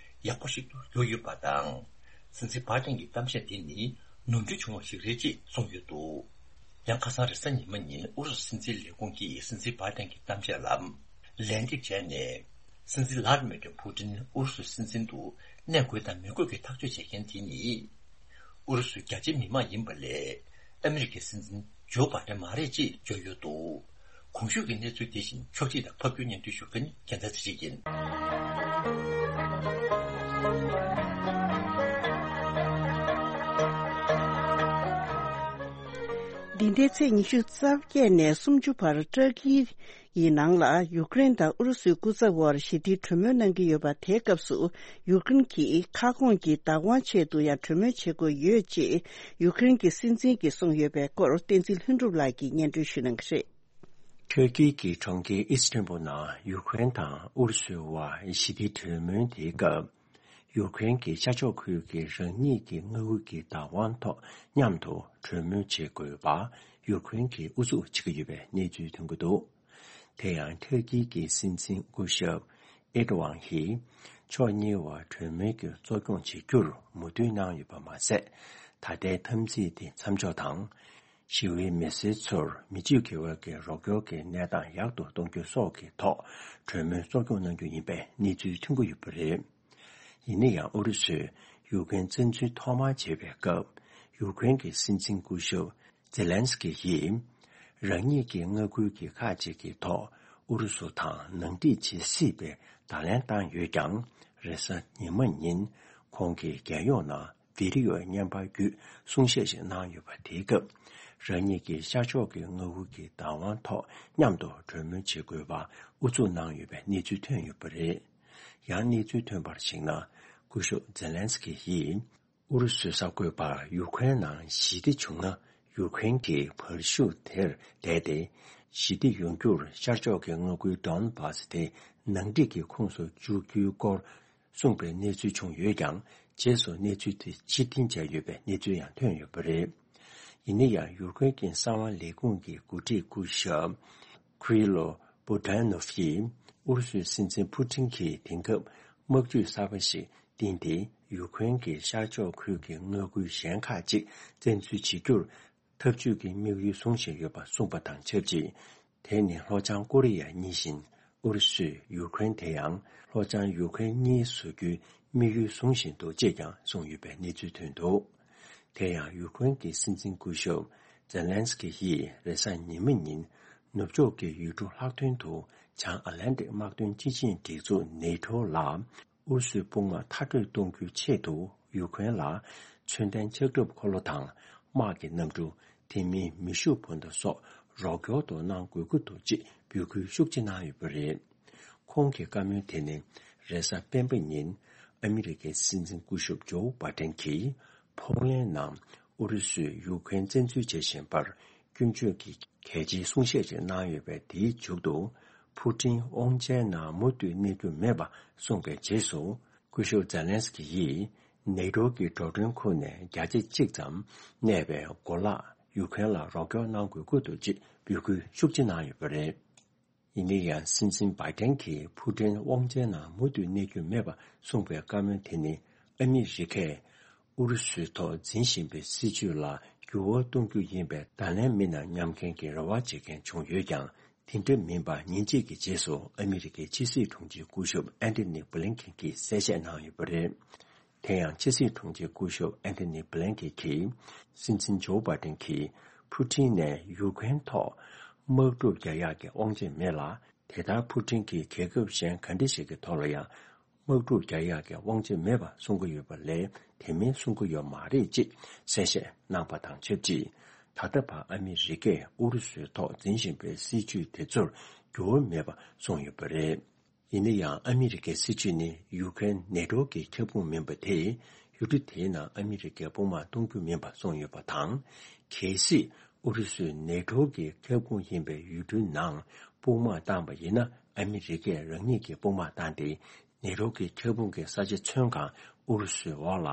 ཡག་པོ་ཞིག་ཏུ་གྱུར་ཡོད་པ་དང་། སྲིད་འཛིན་བྷའི་ཏན་གྱི་གཏམ་བཤད་དེ་ནི་ནོར་འཁྲུལ་བྱུང་བ་ཞིག་རེད་ཅེས་གསུངས་ཡོད་འདུག་ཡང་ཁ་སང་རེས་གཟའ་ཉི་མ་ཉིན་ཨུ་རུ་སུ་སྲིད་འཛིན་ལས་ཁུངས་ཀྱིས་སྲིད་འཛིན་བྷའི་ཏན་གྱི་གཏམ་བཤད་ལ་ལན་འདེབས་བྱས་ནས། སྲིད་འཛིན་ལྷ་དྷི་མི་ཏྲ་ཕུ་ཏིན་ཨུ་རུ་སུའི་སྲིད་འཛིན་དུ་གནས་དགོས་དང་མི་དགོས་ཀྱི་ཐག་གཅོད་བྱེད་མཁན་དེ་ནི། ཨུ་རུ་སུའི་རྒྱ་ཆེའི་མི་མང་ཡིན་པ་ལས། ཨ་མི་རི་ཀའི་སྲིད་འཛིན་ཇོ་བྷའི་ཏན་མ་རེད་ཅེས་བརྗོད་ཡོད་འདུག་གོང་ཞུས་ཀྱི་གནས་ཚུལ་དེ་བཞིན་ཕྱོགས་སྒྲིག་དང་ཕབ་སྒྱུར་སྙན་སྒྲོན་ཞུ་མཁན་རྒྱལ་མཚན་ཚེ་རིང་ཡིན། འདི་ཟླའི་ཚེས་ཉི་ཤུ་རྩ་བརྒྱད་ནས་སུམ་ཅུ་བར་ཏུར་ཀི་ཡི་ནང་ལ་ཡུཀ་རེན་དང་ཨུ་རུ་སུའི་སྐུ་ཚབ་དབར་ཞི་བདེའི་གྲོས་མོལ་གནང་གི་ཡོད་པ། དེའི་སྐབས་སུ་ཡུཀ་རེན་གྱིས་ཁ་སྐོང་གི་བདག་དབང་ཆེད་དུ་ཡང་གྲོས་མོལ་བྱེད་དགོས་ཡོད་ཅེས་ཡུཀ་རེན་གྱི་སྲིད་འཛིན་གྱིས་གསུངས་ཡོད་པའི་སྐོར་བསྟན་འཛིན་ལྷུན་གྲུབ་ལགས་ཀྱིས་སྙན་སྒྲོན་ཞུ་གནང་གི་རེད། ཏུར་ཀི་གི་གྲོང་ཁྱེར་ཨིས་ཏན་བུལ་ནང་ཡུཀ་རེན་དང་ཨུ་རུ་སུའི་དབར་ཞི་བདེའི་གྲོས་མོལ་དེའི་སྐབས། ཡུཀ་རེན་གྱི་ཤར་ཕྱོགས་ཁུལ་གྱི་རང་ཉིད་ཀྱི་མངའ་ཁུལ་གྱི་བདག་དབང་ཐོག་མཉམ་དུ་གྲོས་མོལ་བྱེད་དགོས་པ་ཡུཀ་རེན་གྱིས་ཨུ་ཚུགས་བྱེད་ཀྱི་ཡོད་པའི་གནས་ཚུལ་ཐོན་གྱི་འདུག་དེ་ཡང་ཏུར་ཀི་གི་སྲིད་འཛིན་སྐུ་ཞབས་ཨེར་ཏོ་ཝང་ཧིས་ཕྱོགས་གཉིས་བར་གྲོས་མོལ་གྱི་གཙོ་སྐྱོང་བྱེད་རྒྱུར་མོས་མཐུན་གནང་ཡོད་པ་མ་ཟད། ད་ལྟའི་འཐབ་འཛིང་དེ་མཚམས་འཇོག་དང་། ཞི་བའི་མི་སེར་ཚོར་མི་གཅིག་དགེ་བའི་གི་རོགས་སྐྱོར་གྱི་གནས་སྟངས་ཡག་ཏུ་གཏོང་རྒྱུ་སོགས་ཀྱི་ཐོག་གྲོས་མོལ་གཙོ་སྐྱོང་གནང་རྒྱུ་ཡིན་པའི་གནས་ཚུལ་ཐོན་གྱི་ཡོད་པ་རེད། ཡིན་ན་ཡང་ཨུ་རུ་སུས་ཡུཀ་རེན་བཙན་འཛུལ་ཐོག་མར་བྱས་པའི་སྐབས་ཡུཀ་རེན་གྱི་སྲིད་འཛིན་སྐུ་ཞབས་ཛེ་ལན་སི་ཀི་ཡིས་རང་ཉིད་ཀྱི་མངའ་ཁུལ་གྱི་ཁག་ཅིག་གི་ཐོག་ཨུ་རུ་སུ་དང་ནང་འགྲིག་བྱེད་སྲིད་པའི་བརྡ་ལན་བཏང་ཡོད་ཀྱང་། རེས་གཟའ་ཉི་མ་ཉིན་ཁོང་གིས་རྒྱལ་ཡོངས་ནང་བི་ཌི་ཡོ་བརྙན་པར་བརྒྱུད་གསུང་བཤད་ཞིག་གནང་ཡོད་པ། དེའི་སྐབས་རང་ཉིད་ཀྱི་ཤར་ཕྱོགས་ཀྱི་མངའ་ཁུལ་གྱི་བདག་དབང་ཐོག་མཉམ་དུ་གྲོས་མོལ་བྱེད་དགོས་པ་ཨུ་ཚུགས་གནང་ཡོད་པའི་གནས་ཚུལ་ཐོན་ཡོད་པ་རེད། ཡང་གནས་ཚུལ་ཐོན་པར་གཞིགས་ན། སྐུ་ཞབས་ཛེ་ལན་སི་ཀི་ཡིས་ཨུ་རུ་སུའི་གསར་འགོད་པར་ཡུ་ཀེ་རེན་ནང་ཞི་བདེ་བྱུང་ན་ཡུ་ཀེ་རེན་གྱི་བར་ཤུགས་དེར་བསྡད་དེ། ཞི་བདེ་ཡོང་རྒྱུར་ཤར་ཕྱོགས་ཀྱི་མངའ་ཁུལ་ཌོན་བྷ་སི་དེ་ནང་འགྲིག་གི་ཁོངས་སུ་འཇུག་རྒྱུའི་སྐོར་གསུངས་པའི་གནས་ཚུལ་བྱུང་ཡོད་ཀྱང་། རྗེས་སུ་གནས་ཚུལ་དེ་ཕྱིར་འཐེན་བྱས་ཡོད་པའི་གནས་ཚུལ་ཡང་ཐོན་ཡོད་པ་རེད། ཡིན་ན་ཡང་ཡུ་ཀེ་རེན་གྱི་གསང་བ་ལས་ཁུངས་ཀྱི་འགོ་ཁྲིད་སྐུ་ཞབས་ཀི་རི་ལོ་བུ་ཏན་ནོ་ཕ་ཡིས་ཨུ་རུ་སུའི་སྲིད་འཛིན་ཕུ་ཏིན་གྱིས་དེང་སྐབས་དམག་ཇུས་གསར་པ་ཞིག་བཏིང་སྟེ། ཡུ་ཀེ་རེན་གྱི་ཤར་ཕྱོགས་ཁུལ་གྱི་མངའ་ཁུལ་གཞན་ཁག་ཅིག་བཙན་འཛུལ་བྱེད་རྒྱུར་འཐབ་ཇུས་ཀྱི་དམིགས་ཡུལ་བཟུང་བཞིན་ཡོད་པ་གསུངས་པ་དང་ཆབས་ཅིག་དེ་ནི་ལྷོ་བྱང་ཀོ་རི་ཡ་གཉིས་བཞིན་ཨུ་རུ་སུས་ཡུ་ཀེ་རེན་དེ་ཡང་ལྷོ་བྱང་ཡུ་ཀེ་རེན་གཉིས་བཟོ་རྒྱུའི་དམིགས་ཡུལ་བཟུང་བཞིན་འདུག་ཅེས་ཀྱང་གསུངས་ཡོད་པའི་གནས་ཚུལ་ཐོན་འདུག་དེ་ཡང་ཡུ་ཀེ་རེན་གྱི་སྲིད་འཛིན་སྐུ་ཞབས་ཛེ་ལན་སི་ཀི་ཡིས་རེས་གཟའ་ཉི་མ་ཉིན་ནུབ་ཕྱོགས་ཀྱི་ཡུལ་གྲུ་ལྷག་དོན་དུ་བྱང་ཨ་ལན་ཏིག་དམག་དོན་སྤྱི་ཆིངས་སྒྲིག་འཛུགས་ནེ་ཊོ་ལ། ཨུ་རུ་སུའི་དཔུང་དམག་མཐར་སྐྲོད་གཏོང་རྒྱུའི་ཆེད་དུ་ཡུ་ཀེ་རེན་ལ་མཚོན་ལྡན་ལྕགས་ཁྲབ་འཁོར་ལོ་དང་དམག་གི་གནམ་གྲུ། དེ་མིན་མེ་ཤུགས་འཕུར་མདའ་སོགས་རོགས་སྐྱོར་དུ་གནང་དགོས་ཀྱི་འདུག་ཅེས་འབོད་སྐུལ་ཤུགས་ཆེ་གནང་ཡོད་པ་རེད། ཁོང་གི་བཀའ་མོལ་དེ་ནི་རེས་གཟའ་སྤེན་པ་ཉིན་ཨ་མི་རི་ཀའི་སྲིད་འཛིན་སྐུ་ཞབས་ཇོ་བྷ་ཏན་གྱིས་ཕོ་ལན་ནང་ཨུ་རུ་སུས་ཡུ་ཀེ་རེན་བཙན་འཛུལ་བྱེད་བཞིན་པར། སྐྱོན་བརྗོད་ཀྱི་གལ་ཆེའི་གསུང་བཤད་ཅིག་གནང་ཡོད་པས། དེའི་མཇུག་ཏུ་ཕུ་ཀྲིན་དབང་ཆའི་ནང་མུ་མཐུད་གནས་རྒྱུ་མེད་པ་གསུངས་པའི་རྗེས་སུ། སྐུ་ཞབས་ཛེ་ལན་སི་ཀི་ཡིས་ནེ་ཏོ་གི་འགྲོ་གྲོན་ཁུལ་ནས་བརྒྱ་ཆ་གཅིག་ཙམ་གནས་པའི་གོ་ལག་ཡུ་ཁུ་རེན་ལ་རོགས་སྐྱོར་གནང་དགོས་ཀྱི་འདུག་ཅེས་འབོད་སྐུལ་ཤུགས་ཆེ་གནང་ཡོད་པ་རེད། ཡིན་ན་ཡང་སྲིད་འཛིན་བྷའི་ཏན་གྱིས་ཕུ་ཀྲིན་དབང་ཆའི་ནང་མུ་མཐུད་གནས་རྒྱུ་མེད་པ་གསུངས་པའི་བཀའ་མོལ་དེ་ནི། ཨ་མི་རི་ཀས་ཨུ་རུ་སུའི་ཐོག་འཛིན་བཞིན་པའི་སྲིད་བྱུས་ལ་འགྱུར་བ་གཏོང་རྒྱུ་ཡིན་པའི་ད་ལན་མིན་ན་མཉམ་འགན་གྱི་རེ་བ་བྱེད་མཁན་བྱུང་ཡོད་ཀྱང་། དེ་འདྲ་མིན་པ་ཉིན་གཅིག་གི་རྗེས་སུ་ཨ་མི་རི་ཀའི་ཕྱི་སྲིད་དྲུང་ཆེ་སྐུ་ཞབས་ཨན་ཐོ་ནི་བྷི་ལིན་ཀེན་གྱིས་གསལ་བཤད་གནང་ཡོད་པ་རེད། དེ་ཡང་ཕྱི་སྲིད་དྲུང་ཆེ་སྐུ་ཞབས་ཨན་ཐོ་ནི་བྷི་ལིན་ཀེན་གྱིས། སྲིད་འཛིན་ཇོ་བྷའི་ཏན་གྱིས་ཕུ་ཀྲིན་ནས་ཡུ་ཀེ་རེན་ཐོག་དམག་འཁྲུག་རྒྱག་ཡག་གི་དབང་ཆ་མེད་ལ། དེ་ལྟར་ཕུ་ཀྲིན་གྱིས་རྒྱལ་ཁབ་གཞན་ག་འདྲ་ཞིག་གི་ཐོག་ལ་ཡང་དམག་འཁྲུག་རྒྱག་ཡག་གི་དབང་ཆ་མེད་པ་གསུང་གི་ཡོད་པ་ལས། དེ་མིན་གསུང་གི་ཡོད་མ་རེད་ཅེས་གསལ་བཤད་གནང་པ་དང་ཆབས་ཅིག་ད་ལྟ་བར་ཨ་མི་རི་ཀས་ཨུ་རུ་སུའི་ཐོག་འཛིན་བཞིན་པའི་སྲིད་བྱུས་དེ་ཚོར་འགྱུར་བ་མེད་པ་གསུངས་ཡོད་པ་རེད། ཡིན་ན་ཡང་ཨ་མི་རི་ཀའི་སྲིད་བྱུས་ནི་ཡུ་ཀེ་རེན་ནེ་ཏོ་གི་ཁྱབ་ཁོངས་མིན་པ་དེ། ཡུལ་གྲུ་དེའི་ནང་ཨ་མི་རི་ཀའི་དཔུང་དམག་གཏོང་རྒྱུ་མིན་པ་གསུངས་ཡོད་པ་དང་། གལ་སྲིད་ཨུ་རུ་སུས་ནེ་ཏོ་གི་ཁྱབ་ཁོངས་ཡིན་པའི་ཡུལ་གྲུའི་ནང་དཔུང་དམག་བཏང་པ་ཡིན་ན། ཨ་མི་རི་ཀས་རང་ཉིད་ཀྱི་དཔུང་དམག་བཏང་སྟེ། ནེ་ཏོ་གི་ཁྱབ་ཁོངས་ཀྱི་ས་ཆ་ཚུན་གང་ཨུ་རུ་སུའི་འོག་ལ་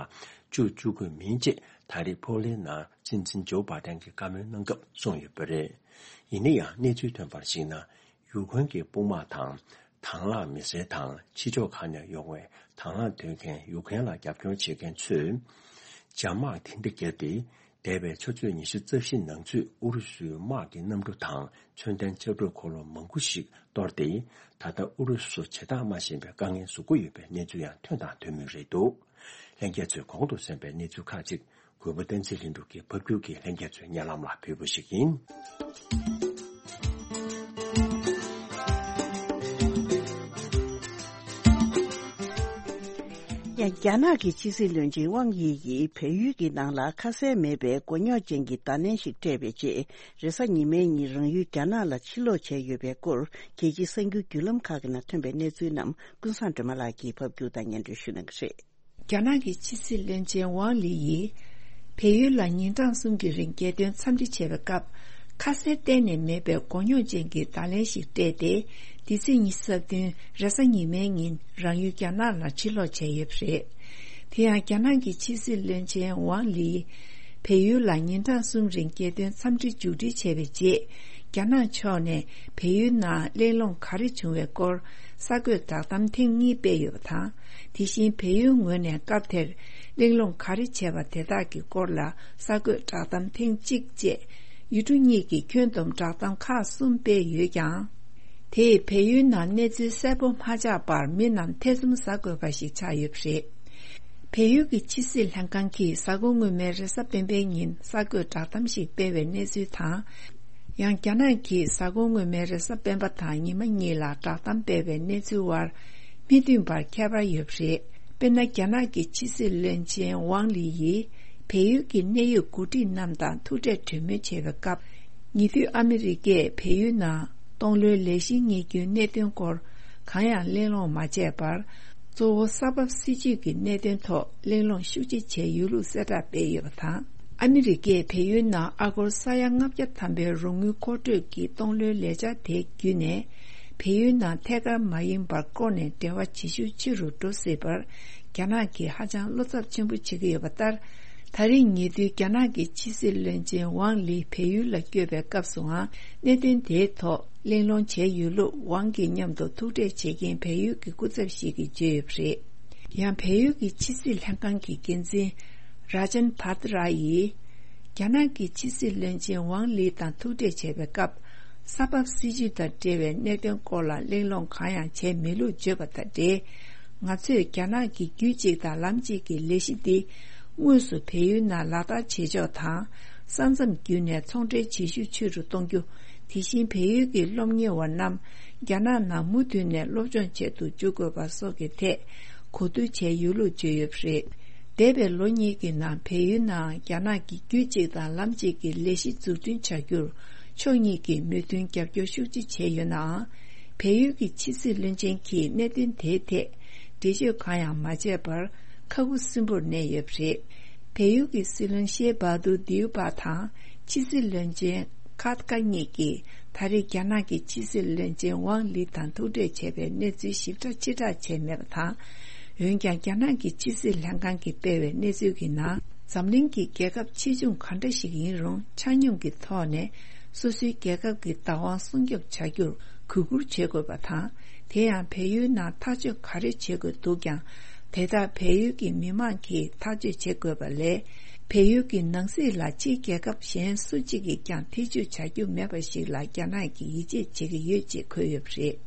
བཅུག་བཅུག་དགོས་མིན་ཅེས། ད་རེས་པོ་ལན་ནང་སྲིད་འཛིན་ཇོ་བྷའི་ཏན་གྱིས་བཀའ་མོལ་གནང་སྐབས་གསུངས་ཡོད་པ་རེད། ཡིན་ན་ཡང་གནས་ཚུལ་ཐོན་པར་གཞིགས་ན། ཡུ་ཀེ་རེན་གྱི་དཔུང་དམག་དང་། དང་བླངས་མི་སེར་དང་ཕྱི་ཕྱོགས་ཁག་ནས་ཡོང་བའི་དང་བླངས་འདོན་མཁན་ཡུ་ཀེ་རེན་ལ་རྒྱབ་སྐྱོར་བྱེད་མཁན་ཚོས། འཇབ་དམག་དེ་འདྲ་བརྒྱབ་སྟེ། འདས་པའི་ཆུ་ཚོད་ཉི་ཤུ་རྩ་བཞི་ནང་ཚུད་ཨུ་རུ་སུའི་དམག་གི་གནམ་གྲུ་དང་མཚོན་ལྡན་ཆར་གྲུ་འཁོར་ལོ་མང་པོ་ཞིག་གཏོར་ཏེ། ད་ལྟ་ཨུ་རུ་སུ་བྱེ་བྲག་སྨྲ་བཞིན་པའི་དཀའ་ངལ་བཟོ་གི་ཡོད་པའི་གནས་ཚུལ་ཡང་ཐོན་དང་ཐོན་མུས་རེད་འདུག་ལྷན་རྒྱས་ཚོས་གོང་དུ་གསན་པའི་གནས་ཚུལ་ཁག་ཅིག་གུས་པ་བསྟན་འཛིན་ལྷུན་གྲུབ་ཀྱིས་ཕབ་སྒྱུར་གྱིས་ལྷན་རྒྱས་ཚོའི་སྙན་ལམ་ལ་ཕུལ་བ་ཞིག་ཡིན། ཡང་རྒྱ་ནག་གི་ཕྱི་སྲིད་བློན་ཆེན་ཝང་དབྱི་ཡིས་བལ་ཡུལ་གྱི་ནང་ལ་ཁ་གསལ་མེད་པའི་མགོ་རྙོག་ཅན་གྱི་བརྡ་ལན་ཞིག་སྤྲད་པའི་རྗེས། རེས་གཟའ་ཉི་མའི་ཉིན་རང་ཡུལ་རྒྱ་ནག་ལ་ཕྱིར་ལོག་བྱས་ཡོད་པའི་སྐོར། རྒྱལ་སྤྱིའི་གསར་འགྱུར་བརྒྱུད་ལམ་ཁག་གི་ནང་ཐོན་པའི་གནས་ཚུལ་རྣམས་ཀུན་བཟང་སྒྲོལ་མ་ལགས་ཀྱིས་ཕབ་སྒྱུར་དང་སྙན་སྒྲོན་ཞུ་གནང་གི་རེད། རྒྱ་ནག་གི་ཕྱི་སྲིད་བློན་ཆེན་ཝང་ལི་ཡིས། བལ་ཡུལ་ལ་ཉིན་གྲངས་གསུམ་གྱི་རིང་རྒྱལ་དོན་འཚམས་འདྲི་བྱས་པའི་སྐབས། ཁ་གསལ་གཏན་ནས་མེད་པའི་མགོ་རྙོག་ཅན་གྱི་བརྡ་ལན་ཞིག་སྤྲད་དེ། འདི་ཚེས་ཉི་ཤུ་རྩ་བདུན་རེས་གཟའ་ཉི་མའི་ཉིན་རང་ཡུལ་རྒྱ་ནག་ལ་ཕྱིར་ལོག་བྱས་ཡོད་པ་རེད། དེ་ཡང་རྒྱ་ནག་གི་ཕྱི་སྲིད་བློན་ཆེན་ཝང་ལི། བལ་ཡུལ་ལ་ཉིན་གྲངས་གསུམ་རིང་རྒྱལ་དོན་འཚམས་འདྲི་མཇུག་སྒྲིལ་བྱས་པའི་རྗེས། རྒྱ་ནག་ཕྱོགས་ནས་བལ་ཡུལ་ནང་གླེང་སློང་ག་རེ་བྱུང་བའི་སྐོར་གསར་འགོད་བསྒྲགས་གཏམ་ཐེངས་གཉིས་སྤེལ་ཡོད་པ་དང་། དེ་བཞིན་བལ་ཡུལ་ངོས་ནས་སྐབས་དེར་གླེང་སློང་ག་རེ་བྱས་པ་དེ་དག་གི་སྐོར་ལ་གསར་འགོད་བསྒྲགས་གཏམ་ཐེངས་གཅིག་བཅས་ཡུལ་གྲུ་གཉིས་ཀྱི་ཁྱོན་བསྡོམས་བསྒྲགས་གཏམ་ཁག་གསུམ་སྤེལ་ཡོད་ཀྱང་། དེས་བལ་ཡུལ་ནང་གནས་ཚུལ་གསལ་པོ་མ་ཆགས་པར་མི་རྣམས་ཐེ་ཚོམ་ཟ་དགོས་པ་ཞིག་ཆགས་ཡོད་པ་རེད། བལ་ཡུལ་གྱི་ཕྱི་སྲིད་ལྷན་ཁང་གིས་གཟའ་འཁོར་སྔོན་མའི་རེས་གཟའ་སྤེན་པའི་ཉིན་གསར་འགོད་བསྒྲགས་གཏམ་ཞིག་སྤེལ་བའི་གནས་ཚུལ་དང་། ཡང་རྒྱ་ནག་གིས་གཟའ་འཁོར་སྔོན་མའི་རེས་གཟའ་སྤེན་པ་དང་ཉི་མ་གཉིས་ལ་བསྒྲགས་གཏམ་སྤེལ་བའི་གནས་ཚུལ་བར་མི་མཐུན་པར་ཁྱད་པར་ཡོད་པ་རེད། དཔེར་ན། རྒྱ་ནག་གི་ཕྱི་སྲིད་བློན་ཆེན་ཝང་ལི་ཡིས་བལ་ཡུལ་གྱི་གནད་ཡོད་འགོ་ཁྲིད་རྣམས་དང་ཐུག་འཕྲད་གྲོས་མོལ་བྱས་པའི་སྐབས། ཉེ་དུས་ཨ་མི་རི་ཀས་བལ་ཡུལ་ནང་སྟོང་ལོའི་ལས་གཞི་གཉེར་རྒྱུའི་གནད་དོན་སྐོར་གང་ཡང་གླེང་སློང་མ་བྱས་པར། གཙོ་བོ་ས་བབ་སྲིད་ཇུས་ཀྱི་གནད་དོན་ཐོག་གླེང་སློང་ཤུགས་ཆེ་བྱས་ཡོད་ལུགས་གསལ་བསྒྲགས་སྤེལ་ཡོད་པ་དང་། ཨ་མི་རི་ཀས་བལ་ཡུལ་ནང་ཨ་སྒོར་ས་ཡ་ལྔ་བརྒྱ་ཐམ་པའི་རོགས་དངུལ་མཁོ་སྤྲོད་ཀྱི་སྟོང་ལོའི་ལས་འཆར་དེ་བརྒྱུད་ནས། བལ་ཡུལ་ནང་ཐད་ཀར་མ་ཡིན་པར་བསྐོར་ནས་འབྲེལ་བ་བྱེད་ཤུགས་ཆེ་རུ་འགྲོ་སྲིད་པར། རྒྱ་ནག་གིས་ཧ་ཅང་བློ་འཚབ་ཆེན་པོ་བྱེད་ཀྱི་ཡོད་པ་ལྟར། ད་རེས་ཉེ་དུས་རྒྱ་ནག་གི་ཕྱི་སྲིད་བློན་ཆེན་ཝང་ལི་བལ་ཡུལ་ལ་བསྐྱོད་པའི་སྐབས་སུའང་གནད་དོན་དེའི་ཐོག་གླེང་སློང་བྱས་ཡོད་ལུགས་ཝང་གི་མཉམ་དུ་ཐུག་འཕྲད་བྱེད་མཁན་བལ་ཡུལ་གྱི་སྐུ་ཚབ་ཞིག་གིས་བརྗོད་ཡོད་པ་རེད། ཡང་བལ་ཡུལ་གྱི་ཕྱི་སྲིད་ལྷན་ཁང་གི་འགན་འཛིན་ར་ཇན་བྷ་ཏི་ར་ཡིས། རྒྱ་ནག་གི་ཕྱི་སྲིད་བློན་ཆེན་ཝང་ལི་དང་ཐུག་འཕྲད་བྱས་པའི་སྐབས། ས་བབ་སྲིད་ཇུས་དང་འབྲེལ་བའི་གནད་དོན་སྐོར་ལ་གླེང་སློང་གང་ཡང་བྱས་མེད་ལུགས་བརྗོད་པ་དང་འབྲེལ། ང་ཚོས་རྒྱ་ནག་གི་རྒྱུད་གཅིག་དང་ལམ་གཅིག་གི་ལས་གཞི་འདི། དངོས་སུ་བལ་ཡུལ་ནང་ལག་བསྟར་བྱེད་ཕྱོགས་དང་། ས་མཚམས་བརྒྱུད་ནས་ཚོང་འབྲེལ་བྱེད་ཤུགས་ཆེ་རུ་གཏོང་རྒྱུ། དེ་བཞིན་བལ་ཡུལ་གྱི་སློབ་གཉེར་བ་རྣམས། རྒྱ་ནག་ནང་མུ་མཐུད་ནས་སློབ་སྦྱོང་བྱེད་དུ་འཇུག་དགོས་པ་སོགས་ཀྱི་ཐད། གོ་བསྡུར་བྱས་ཡོད་ལུགས་བརྗོད་ཡོད་པ་རེད། འདས་པའི་ལོ་གཉིས་ཀྱི་ནང་བལ་ཡུལ་ནང་རྒྱ་ནག་གི་རྒྱུད་གཅིག་དང་ལམ་གཅིག་གི་ལས་གཞི་འཛུགས་སྐྲུན་བྱ་རྒྱུར། ཕྱོགས་གཉིས་ཀྱིས་མོས་མཐུན་རྒྱབ་སྐྱོར་ཤུགས་ཆེ་བྱས་ཡོད་ནའང་། བལ་ཡུལ་གྱི་ཕྱི་སྲིད་བློན་ཆེན་གྱིས་གནད་དོན་དེའི་ཐད། འགྲེལ་བརྗོད་གང་ཡང་མ་བྱས་པར། ཁ་ཁུ་སིམ་པོར་གནས་ཡོད་པ་རེད། བལ་ཡུལ་གྱི་སྲིད་བློན་ཤེ་བྷ་དུ་དིའུ་པ་དང་། ཕྱི་སྲིད་བློན་ཆེན། ཁཱ་ཏི་ཀཱ་གཉིས་ཀྱིས་ད་རེས་རྒྱ་ནག་གི་ཕྱི་སྲིད་བློན་ཆེན་ཝང་ལི་དང་ཐུག་འཕྲད་བྱས་པའི་གནས་ཚུལ་ཞིབ་ཕྲ་ཕྱིར་བསྒྲགས་བྱས་མེད་པ་དང་། འོན་ཀྱང་རྒྱ་ནག་གི་ཕྱི་སྲིད་ལྷན་ཁང་གིས་སྤེལ་བའི་གནས་ཚུལ་གྱི་ནང་། འཛམ་གླིང་གི་རྒྱལ་ཁབ་ཆེ་ཆུང་ག་འདྲ་ཞིག་ཡིན་རུང་ཆ་སྙོམས་ཀྱི་ཐོག་ནས་སོ་སོའི་རྒྱལ་ཁབ་ཀྱི་བདག་དབང་སྲུང་སྐྱོབ་བྱ་རྒྱུར་གུས་བཀུར་བྱེད་དགོས་པ་དང་། དེ་ཡང་བལ་ཡུལ་ནང་ཐག་གཅོད་ག་རེ་བྱེད་དགོས་འདུག་ཀྱང་། དེ་དག་བལ་ཡུལ་གྱི་མི་མང་གིས་ཐག་གཅོད་བྱེད་དགོས་པ་ལས། བལ་ཡུལ་གྱི་ནང་སྲིད་ལ་ཕྱིའི་རྒྱལ་ཁབ་གཞན་སུ་གཅིག་གིས་ཀྱང་ཐེ་ཇུས་བྱ་རྒྱུ་མེད་པ་ཞིག་ལ་རྒྱ་ནག་གིས་ཡིད་ཆེས་བྱེད་ཀྱི་ཡོད་ཅེས་འཁོད་ཡོད་པ་རེད།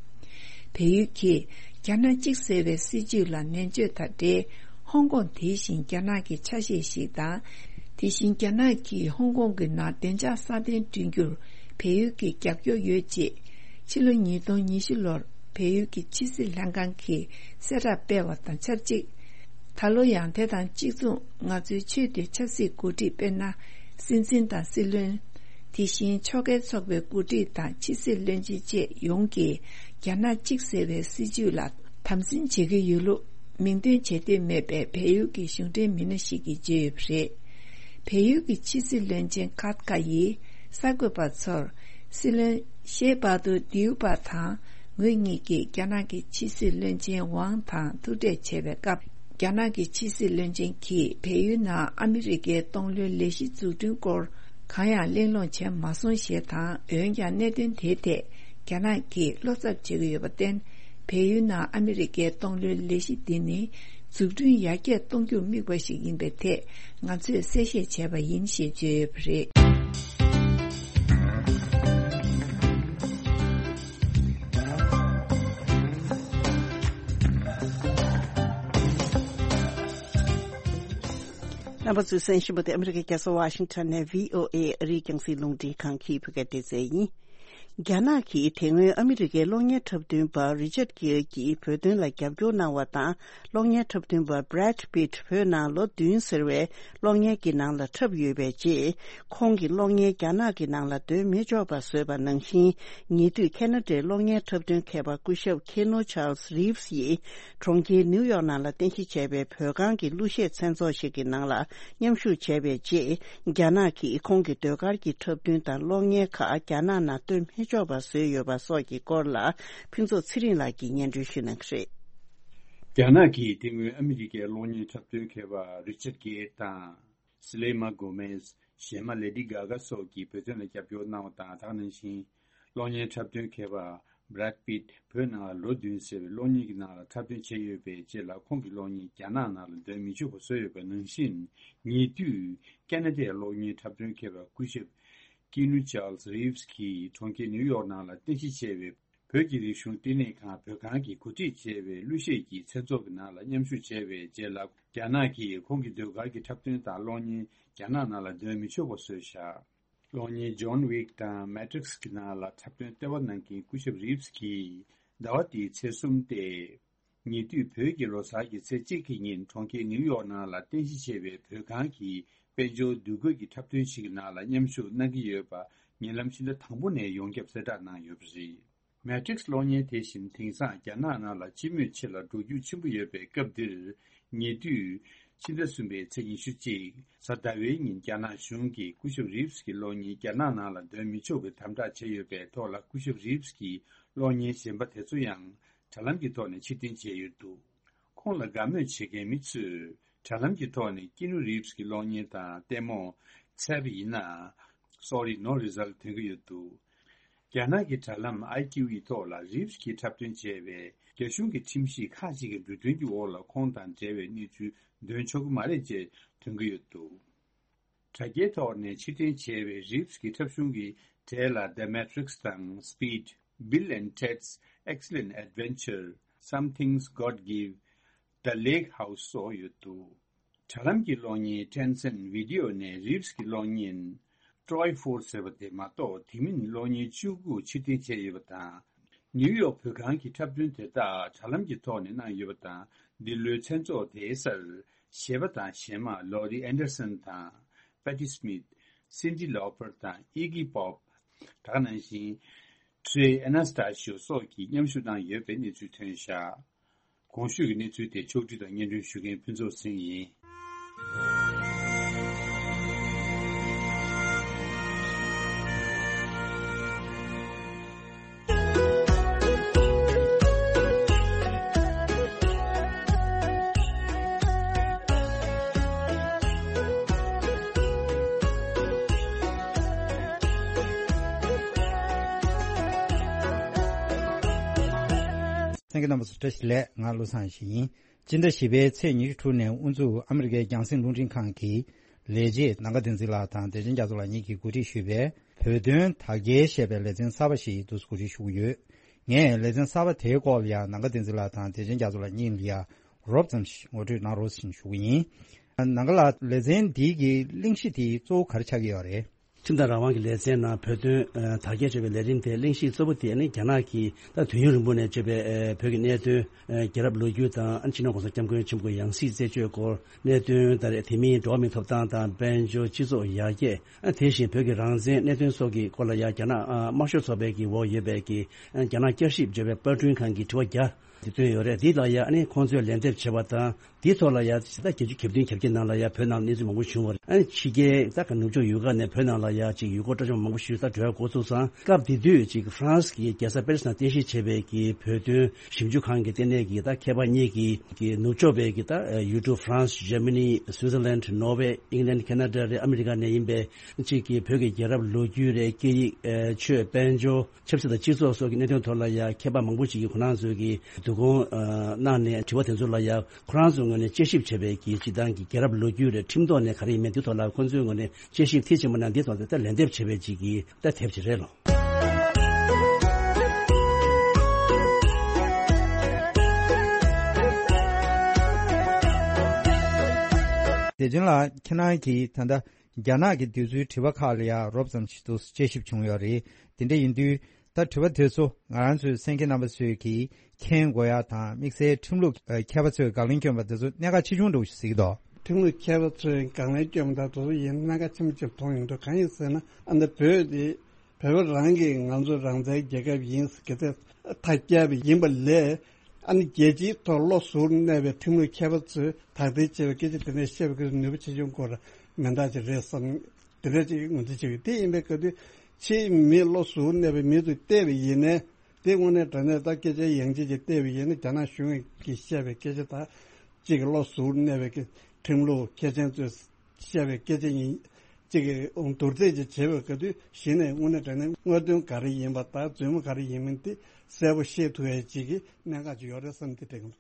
བལ་ཡུལ་གྱིས་རྒྱ་ནག་གཅིག་ཟེར་བའི་སྲིད་བྱུས་ལ་ནན་བརྗོད་དང་འབྲེལ། ཧོང་ཀོང་དེ་བཞིན་རྒྱ་ནག་གི་ཆ་ཤས་ཤིག་དང་། དེ་བཞིན་རྒྱ་ནག་གིས་ཧོང་ཀོང་གི་ནང་བདེ་འཇགས་སྲ་བརྟན་བསྐྲུན་རྒྱུར་བལ་ཡུལ་གྱི་རྒྱབ་སྐྱོར་ཡོད་ཅེས། ཕྱི་ལོ་ཉིས་སྟོང་ཉི་ཤུ་ལོར་བལ་ཡུལ་གྱི་ཕྱི་སྲིད་ལྷན་ཁང་གིས་གསལ་བསྒྲགས་སྤེལ་བ་དང་ཆབས་ཅིག་ད་ལོ་ཡང་དེ་དང་གཅིག་མཚུངས་ང་ཚོའི་ཆེས་མཐོའི་ཆབ་སྲིད་འགོ་ཁྲིད། དཔེར་ན། སྲིད་འཛིན་དང་སྲིད་བློན། དེ་བཞིན་ཕྱོགས་འགལ་ཚོགས་པའི་འགོ་ཁྲིད་དང་ཕྱི་སྲིད་བློན་ཆེན་བཅས་ཡོངས་ཀྱིས་རྒྱ་ནག་གཅིག་ཟེར་བའི་སྲིད་བྱུས་ལ་དམ་འཛིན་བྱེད་ཀྱི་ཡོད་ལུགས་མིང་འདོན་བྱེད་འདོད་མེད་པའི་བལ་ཡུལ་གྱི་གཞུང་འབྲེལ་མི་སྣ་ཞིག་གིས་བརྗོད་ཡོད་པ་རེད། བལ་ཡུལ་གྱི་ཕྱི་སྲིད་བློན་ཆེན་ཁཱ་ཏི་ཀཱ་ཡིས་གསར་འགོད་པ་ཚོར། སྲིད་བློན་ཤེ་པ་ཏུ་དིའུ་པ་དང་ངོས་གཉིས་ཀྱིས་རྒྱ་ནག་གི་ཕྱི་སྲིད་བློན་ཆེན་ཝང་དང་ཐུག་འཕྲད་བྱས་པའི་སྐབས། རྒྱ་ནག་གི་ཕྱི་སྲིད་བློན་ཆེན་གྱིས་བལ་ཡུལ་ནང་ཨ་མི་རི་ཀའི་གཏོང་ལོའི་ལས་གཞི་འཛུགས་སྐྲུན་སྐོར་གང་ཡང་གླེང་སློང་བྱས་མ་སོང་ཞེས་དང་། འོན་ཀྱང་གནད་དོན་དེའི་ཐད་རྒྱ་ནག་གིས་བློ་འཚབ་བྱེད་ཀྱི་ཡོད་པར་བརྟེན། བལ་ཡུལ་ནང་ཨ་མི་རི་ཀའི་གཏོང་ལོའི་ལས་གཞི་འདི་ནི་འཛུགས་སྐྲུན་ཡར་རྒྱས་གཏོང་རྒྱུར་དམིགས་པ་ཞིག་ཡིན་པའི་ཐད་ང་ཚོས་གསལ་བཤད་བྱས་པ་ཡིན་ཞེས་བརྗོད་ཡོད་པ་རེད། རྣམ་པ་ཚོས་གསན་བཞིན་པ་དེ་ཨ་མི་རི་ཀའི་རྒྱལ་ས་ཝ་ཤིང་ཊོན་ནས་བྷི་ཨོ་ཨེ་ཨ་རིའི་རྒྱང་སྲིང་རླུང་འཕྲིན་ཁང་གི་བོད་སྐད་སྡེ་ཚན་ཡིན། རྒྱ་ནག་གིས་དེ་སྔོན་ཨ་མི་རི་ཀའི་གློག་བརྙན་འཁྲབ་སྟོན་པ་རི་ཅར་གིར་གྱིས་བོད་དོན་ལ་རྒྱབ་སྐྱོར་གནང་བ་དང་། གློག་བརྙན་འཁྲབ་སྟོན་པ་Brad Pitt་བོད་ནང་ལོ་བདུན་ཟེར་བའི་གློག་བརྙན་གྱི་ནང་ལ་འཁྲབ་ཡོད་པའི་རྗེས། ཁོང་གི་གློག་བརྙན་རྒྱ་ནག་གི་ནང་ལ་འདོན་མི་ཆོག་པ་བཟོས་པ་ནང་བཞིན། ཉེ་དུས་ཁ་ན་ཌའི་གློག་བརྙན་འཁྲབ་སྟོན་མཁས་པ་སྐུ་ཞབས་Keanu Charles Reeves་ཡིས་གྲོང་ཁྱེར་ནིའུ་ཡོག་ནང་ལ་རྟེན་གཞི་བྱས་པའི་བོད་ཁང་གི་གླུ་གཞས་མཚན་ཚོགས་ཤིག་གི་ནང་ལ་མཉམ་ཞུགས་བྱས་པའི་རྗེས། རྒྱ་ནག་གིས་ཁོང་གི་ཟློས་གར་གྱི་འཁྲབ་སྟོན་དང་གློག་བརྙན་ཁག་རྒྱ་ནག་ནང་སྟོན་མི་ཆོག་པ་བཟོས་ཡོད་པ་སོགས་ཀྱི་སྐོར་ལ་ཕུན་ཚོགས་ཚེ་རིང་ལགས་ཀྱིས་སྙན་སྒྲོན་ཞུ་གནང་གི་རེད། རྒྱ་ནག་གིས་དེ་སྔོན་ཨ་མི་རི་ཀའི་གློག་བརྙན་འཁྲབ་སྟོན་མཁས་པ་Richard Gere་དང་། Selena Gomez། གཞས་མ་Lady Gaga་སོགས་ཀྱིས་བོད་དོན་ལ་རྒྱབ་སྐྱོར་གནང་བ་དང་། དེ་ག་ནང་བཞིན། གློག་བརྙན་འཁྲབ་སྟོན་མཁས་པ་Brad Pitt་བོད་ནང་ལ་ལོ་བདུན་ཟེར་བའི་གློག་བརྙན་གྱི་ནང་ལ་འཁྲབ་སྟོན་བྱས་ཡོད་པའི་རྗེས་ལ། ཁོང་གི་གློག་བརྙན་རྒྱ་ནག་ནང་ལ་འདོན་མི་ཆོག་པ་བཟོས་ཡོད་པ་ནང་བཞིན། ཉེ་དུས་ཁ་ན་ཌའི་གློག་བརྙན་འཁྲབ་སྟོན་མཁས་པ་སྐུ་ཞབས་Keanu Charles Reeves་གིས་གྲོང་ཁྱེར་ནིའུ་ཡོག་ནང་ལ་རྟེན་གཞི་བྱས་པའི་བོད་ཀྱི་རིག་གཞུང་བསྟི་གནས་ཁང་བོད་ཁང་གི་གོ་སྒྲིག་བྱས་པའི་གླུ་གཞས་ཀྱི་མཚན་ཚོགས་ཀྱི་ནང་ལ་མཉམ་ཞུགས་བྱས་པའི་རྗེས་ལ། རྒྱ་ནག་གིས་ཁོང་གི་ཟློས་གར་གྱི་འཁྲབ་སྟོན་དང་གློག་བརྙན་རྒྱ་ནག་ནང་ལ་འདོན་མི་ཆོག་པ་བཟོས་བཞག་གློག་བརྙན་John Wick་དང་Matrix་གི་ནང་ལ་འཁྲབ་སྟོན་ལྟེ་བ་གནང་མཁན་སྐུ་ཞབས་Reeves་གིས་ཟླ་བ་འདིའི་ཚེས་གསུམ་སྟེ། ཉེ་དུས་བོད་ཀྱི་ལོ་གསར་གྱི་ཚེས་གཅིག་གི་ཉིན་གྲོང་ཁྱེར་ནིའུ་ཡོག་ནང་ལ་རྟེན་གཞི་བྱས་པའི་བོད་ཁང་གི་དཔལ་འབྱོར་འདུ་འགོད་ཀྱི་འཁྲབ་སྟོན་ཞིག་གི་ནང་ལ་མཉམ་ཞུགས་གནང་གི་ཡོད་པ་ཉེ་ལམ་ཕྱི་ཟླ་དང་པོ་ནས་ཡོངས་ཁྱབ་གསལ་བསྒྲགས་གནང་ཡོད་པ་རེད། Matrix་གློག་བརྙན་དེ་བཞིན་དེང་སང་རྒྱ་ནག་ནང་ལ་སྤྱི་མོས་ཆེ་ལ་འགྲོ་རྒྱུག་ཆེན་པོ་ཡོད་པའི་སྐབས་འདིར། ཉེ་དུས་ཕྱི་ཟླ་གསུམ་པའི་ཚེས་ཉི་ཤུ་གཅིག་གཟའ་ཟླ་བའི་ཉིན་རྒྱ་ནག་གཞུང་གིས་སྐུ་ཞབས་Reeves་གྱི་གློག་བརྙན་རྒྱ་ནག་ནང་ལ་འདོན་མི་ཆོག་པའི་དམ་དྲག་བྱས་ཡོད་པའི་ཐོག་ལ། སྐུ་ཞབས་Reeves་གྱི་གློག་བརྙན་གཞན་པ་དེ་ཚོ་ཡང་དྲ་ལམ་གྱི་ཐོག་ནས་ཕྱིར་འཐེན་བྱས་ཡོད་འདུག་ཁོང་ལ་དགའ་མོས་བྱེད་མཁན་མི་ཚོས་དྲ་ལམ་གྱི་ཐོག་ནས་Keanu Reeves་གྱི་གློག་བརྙན་དང་ལྟད་མོ་འཚོལ་བ་ཡིན་ན། Sorry, no result་ཐོན་གྱི་ཡོད་འདུག་རྒྱ་ནག་གི་དྲ་ལམ་I Q E་ཐོག་ལ་Reeves་གྱིས་འཁྲབ་སྟོན་བྱས་པའི་རྒྱ་གཞུང་གི་ཁྲིམས་གཞི་ཁག་ཅིག་གི་འབྲུ་དོན་གྱི་འོག་ལ་ཁོང་དང་འབྲེལ་བའི་གནས་ཚུལ་འདོན་ཆོག་གི་མ་རེད་ཅེས་ཐོན་གྱི་ཡོད་འདུག་དྲ་རྒྱའི་ཐོག་ནས་ཕྱིར་འཐེན་བྱས་པའི་Reeves་གྱི་འཁྲབ་གཞུང་གི་གྲས་ལ་The Matrix་དང་Speed། Bill and Ted's Excellent Adventure། Some Things God Give། The Lake House་སོགས་ཡོད་འདུག་དྲ་ལམ་གྱི་གློག་བརྙན་Tencent Video་ནས་Reeves་གྱི་གློག་བརྙན་Troy Ford་ཟེར་བ་དེ་མ་གཏོགས། དེ་མིན་གློག་བརྙན་བཅུ་དགུ་ཕྱིར་འཐེན་བྱས་ཡོད་པ་དང་། ནིའུ་ཡོག་བོད་ཁང་གི་འཁྲབ་སྟོན་དེ་དག་དྲ་ལམ་གྱི་ཐོག་ནས་གནང་ཡོད་པ་དང་། འདི་ལོའི་མཚན་ཚོགས་དེའི་སར་གཞས་པ་དང་གཞས་མ་Laurie Anderson་དང་Patti Smith། Cyndi Lauper་དང་Iggy Pop། དེ་ག་ནང་བཞིན་Trey Anastasio་སོགས་ཀྱིས་མཉམ་ཞུགས་གནང་ཡོད་པའི་གནས་ཚུལ་ཐོན་བཞག་གོང་ཞུས་ཀྱི་གནས་ཚུལ་དེ་ཕྱོགས་བསྒྲིགས་དང་སྙན་སྒྲོན་ཞུ་མཁན་ཕུན་ཚོགས་སེང་ཡིན། གསན་མཁན་རྣམ་པ་ཚོ་བཀྲ་ཤིས་བདེ་ལེགས། ང་བློ་བཟང་ཡེ་ཤེས་ཡིན། སྤྱི་ཟླ་བཞི་པའི་ཚེས་ཉི་ཤུ་དྲུག་ནས་དབུ་འཛུགས་ཨ་མི་རི་ཀའི་རྒྱང་སྲིང་རླུང་འཕྲིན་ཁང་གི་ལས་བྱེད་ནམ་མཁའ་བསྟན་འཛིན་ལགས་དང་བདེ་ཆེན་རྒྱ་མཚོ་ལགས་གཉིས་ཀྱིས་གོ་སྒྲིག་ཞུས་པའི་བོད་དོན་དར་རྒྱས་ཞེས་པའི་ལེ་ཚན་གསར་པ་ཞིག་འདུག་སེ་གོ་སྒྲིག་ཞུ་གི་ཡོད། ངས་ལེ་ཚན་གསར་པ་དེའི་སྐོར་ལ་ཡང་ནམ་མཁའ་བསྟན་འཛིན་ལགས་དང་བདེ་ཆེན་རྒྱ་མཚོ་ལགས་གཉིས་ལ་ཡང་རོབ་ཙམ་ཞིག་ངོ་སྤྲོད་གནང་རོགས་ཞེས་ཞུ་གི་ཡིན། ནམ་མཁའ་ལགས། ལེ་ཚན་འདི་གི་གླེང་གཞི་དེ་གཙོ་བོ་ག་རེ་ཆགས་ཀྱི་ཡོད་རེད། ཁྲིམས་དང་རང་དབང་གི་ལེ་ཚན་ནང་བོད་དོན་ཨ་དར་རྒྱས་ཆེ་བའི་ལས་རིམ་དེ་གླེང་གཞི་གཙོ་བོ་དེ་ནི་རྒྱ་ནག་གིས་ད་དུས་ཡུན་རིང་པོ་ནས་བྱས་པའི་ཨ་བོད་ཀྱི་གནད་དོན། ཨ་རྒྱལ་རབས་ལོ་རྒྱུས་དང་། ཨ་སྤྱི་ནོར་༸གོང་ས་༸སྐྱབས་མགོན་ཆེན་པོ་ཡང་སྲིད་རྩད་གཅོད་སྐོར་གནད་དོན་དང་། དེ་མིན་འགྲོ་བ་མིའི་ཐོབ་ཐང་དང་། དཔལ་འབྱོར། སྤྱི་ཚོགས་ཡར་རྒྱས། ཨ་དེ་བཞིན་བོད་ཀྱི་རང་བཙན་གནད་དོན་སོགས་ཀྱི་སྐོར་ལ་ཡང་རྒྱ་ནག་ཨ་དམར་ཤོག་ཚོགས་པའི་གི་འོག་ཡོད་པའི་གི་ཨ་རྒྱ་ནག་བསྐྱར་ཞིབ་བརྗོད་པའི་པར་སྐྲུན་ཁང་གིས་དྲི་བ་བརྒྱ་དེ་བཏོན་ཡོད་རེད། འདི་ལ་ཡང་ཨ་ནི་ཁོང་ཚོས་ལན་འདེབས་བྱས་པ་དང་། འདིའི་ཐོག་ལ་ཡང་ད་བརྒྱད་ཅུ་གྱ་བདུན་གྱ་བརྒྱད་ནང་ལ་ཡང་བོད་ནང་གནས་ཚུལ་མང་པོ་བྱུང་བ་རེད། ཨ་ནི་ཕྱི་རྒྱལ་ད་ག་ནུབ་ཕྱོགས་ཡུལ་ཁག་ནས་བོད་ནང་ལ་ཡང་ཅིག་ཡུལ་སྐོར་སྤྲོ་འཆམ་མང་པོ་ཞིག་ད་འགྲོ་ཡ་འགོ་ཚུགས་ཙང་། སྐབས་དེ་དུས་ཅིག་ཧྥ་རན་སི་གི་རྒྱལ་ས་པེ་རི་སི་ནང་རྟེན་གཞི་བྱས་པའི་གི་བོད་དོན་ཞིབ་འཇུག་ཁང་གི་ལྟེ་གནས་ཀྱི་ད་མཁས་པ་གཉིས་ཀྱིས་གི་ནུབ་ཕྱོགས་པའི་གི་ད་ཡུལ་གྲུ་ཧྥ་རན་སི། ཇར་མ་ནི། སུའི་ཙར་ལན། ནོར་ཝེ། ཨིང་ལན། ཁེ་ན་ཌ་རེད། ཨ་མི་རི་ཀ་ནས་ཡིན་པའི་ཅིག་གི་བོད་ཀྱི་རྒྱལ་རབས་ལོ་རྒྱུས་རེད། སྐད་ཡིག་ཨེ་ཆོས། དཔལ་འབྱོར། ཆབ་སྲིད་དང་སྤྱི་ཚོགས་སོགས་ཀྱི་གནད་དོན་ཐོག་ལ་ཡང་མཁས་པ་མང་པོ་ཞིག་གིས་ཁོ་རང་ཚོའི་གི་བསྡུ་སྐོང་ཨ་གནང་ནས། དྲི་བ་དེ་ཚོ་ལ་ཡང་ཁོ་རང་ཚོའི་ངོས་ནས་དཔྱད་ཞིབ་བྱས་པའི་གི་སྤྱིར་བཏང་གི་རྒྱལ་རབས་ལོ་རྒྱུས་རེད། ཁྲིམས་ཐོག་ནས་ག་རེ་ཡིན་མིན་དེ་ཐོག་ལ་ཁོ་ཚོའི་ངོས་ནས་དཔྱད་ཞིབ་མཐིལ་ཕྱིན་པ་ན། འདི་ཐོག་ཏུ་ད་ལན་འདེབས་བྱས་པའི་ཅིག་གི་ད་དེབ་ཅིག་རེད་ལོ། བདེ་ཆེན་ལགས། ཁྱེད་རང་གིས་ད་ལྟ་རྒྱ་ནག་གི་འདི་ཚོའི་དྲི་བ་ཁག་ལ་ཡང་རོབ་ཙམ་ཞིག་ཏུ་དཔྱད་ཞིབ་བྱུང་ཡོད་རེད། དེ་འདྲ་ཡིན་དུས། ད་དྲི་བ་དེ་ཚོ་ང་རང་ཚོའི་གསན་མཁན་རྣམ་པ་ཚོས་ཀྱིས་མཁྱེན་དགོས་ཡ་དང་། དམིགས་བསལ་ཁྲིམས་ལུགས་མཁས་པ་ཚོས་དགག་ལན་བསྐྱོན་པ་དེ་ཚོ་གནད་འགག་ཆེ་ཆུང་འདྲ་བོ་ཞིག་གཟིགས་འདུག་ཁྲིམས་ལུགས་མཁས་པ་ཚོས་དགག་ལན་བསྐྱོན་པ་དང་དེ་ཚོ་ཡིན་གནད་འགག་ཆེན་པོ་ཅིག་མཐོང་ཡོང་དུས། གང་ཡིན་ཟེར་ན། ཨ་ནི་བོད་དེ་བོད་པ་རང་གིས་ང་ཚོ་རང་བཙན་རྒྱལ་ཁབ་ཡིན་ཟེར་སྐད་ཆ་ཐག་བཅད་པ་ཡིན་པ་ལས། ཨ་ནི་རྒྱལ་སྤྱིའི་ཐོག་བློ་གཟུར་གནས་པའི་ཁྲིམས་ལུགས་མཁས་པ་ཚོས་དག་ཐེར་བྱས་པའི་སྐད་ཆ་དེ་འདྲ་བཤད་པའི་སྐད་ཆ་ནུས་པ་ཆེ་ཆུང་སྐོར་མི་འདྲ་ཅིག་རེད་བསམ། དེ་འདྲ་ཅིག་ངོས་འཛིན་བྱེད་ཀྱི་ཡོད། དེ་ཡིན་པའི་སྐབས་དུས་ཕྱིའི་མི་བློ་གཟུར་གནས་པའི་མི་ཚོས་བལྟས་པ་ཡིན་ནའི། དེ་དངོས་གནས་དྲང་གནས་ད་སྐད་ཆ་ཡང་ཅིག་ཅིག་བལྟས་པ་ཡིན་ན། རྒྱ་ནག་གཞུང་གིས་བཤད་པའི་སྐད་ཆ་དང་། གཅིག་གི་བློ་གཟུར་གནས་པའི་ཁྲིམས་ལུགས་མཁས་ཅན་ཚོས་བཤད་པའི་སྐད་ཆ་ཡིན། གཅིག་གི་བསྡུར་ཚད་ཅིག་བྱེད་པའི་སྐབས་དུས་གཞི་ནས་དངོས་གནས་དྲང་གནས་དངོས་དོན་ག་རེ་ཡིན་པ་དང་རྫུན་མ་ག་རེ་ཡིན་མིན་དེ་གསལ་པོ་ཤེས་ཐུབ་ཡ་གཅིག་གི་གནད་འགག་ཅིག་ཡོད་རེད་བསམ། དེ་དྲན་གྱི་འདུག་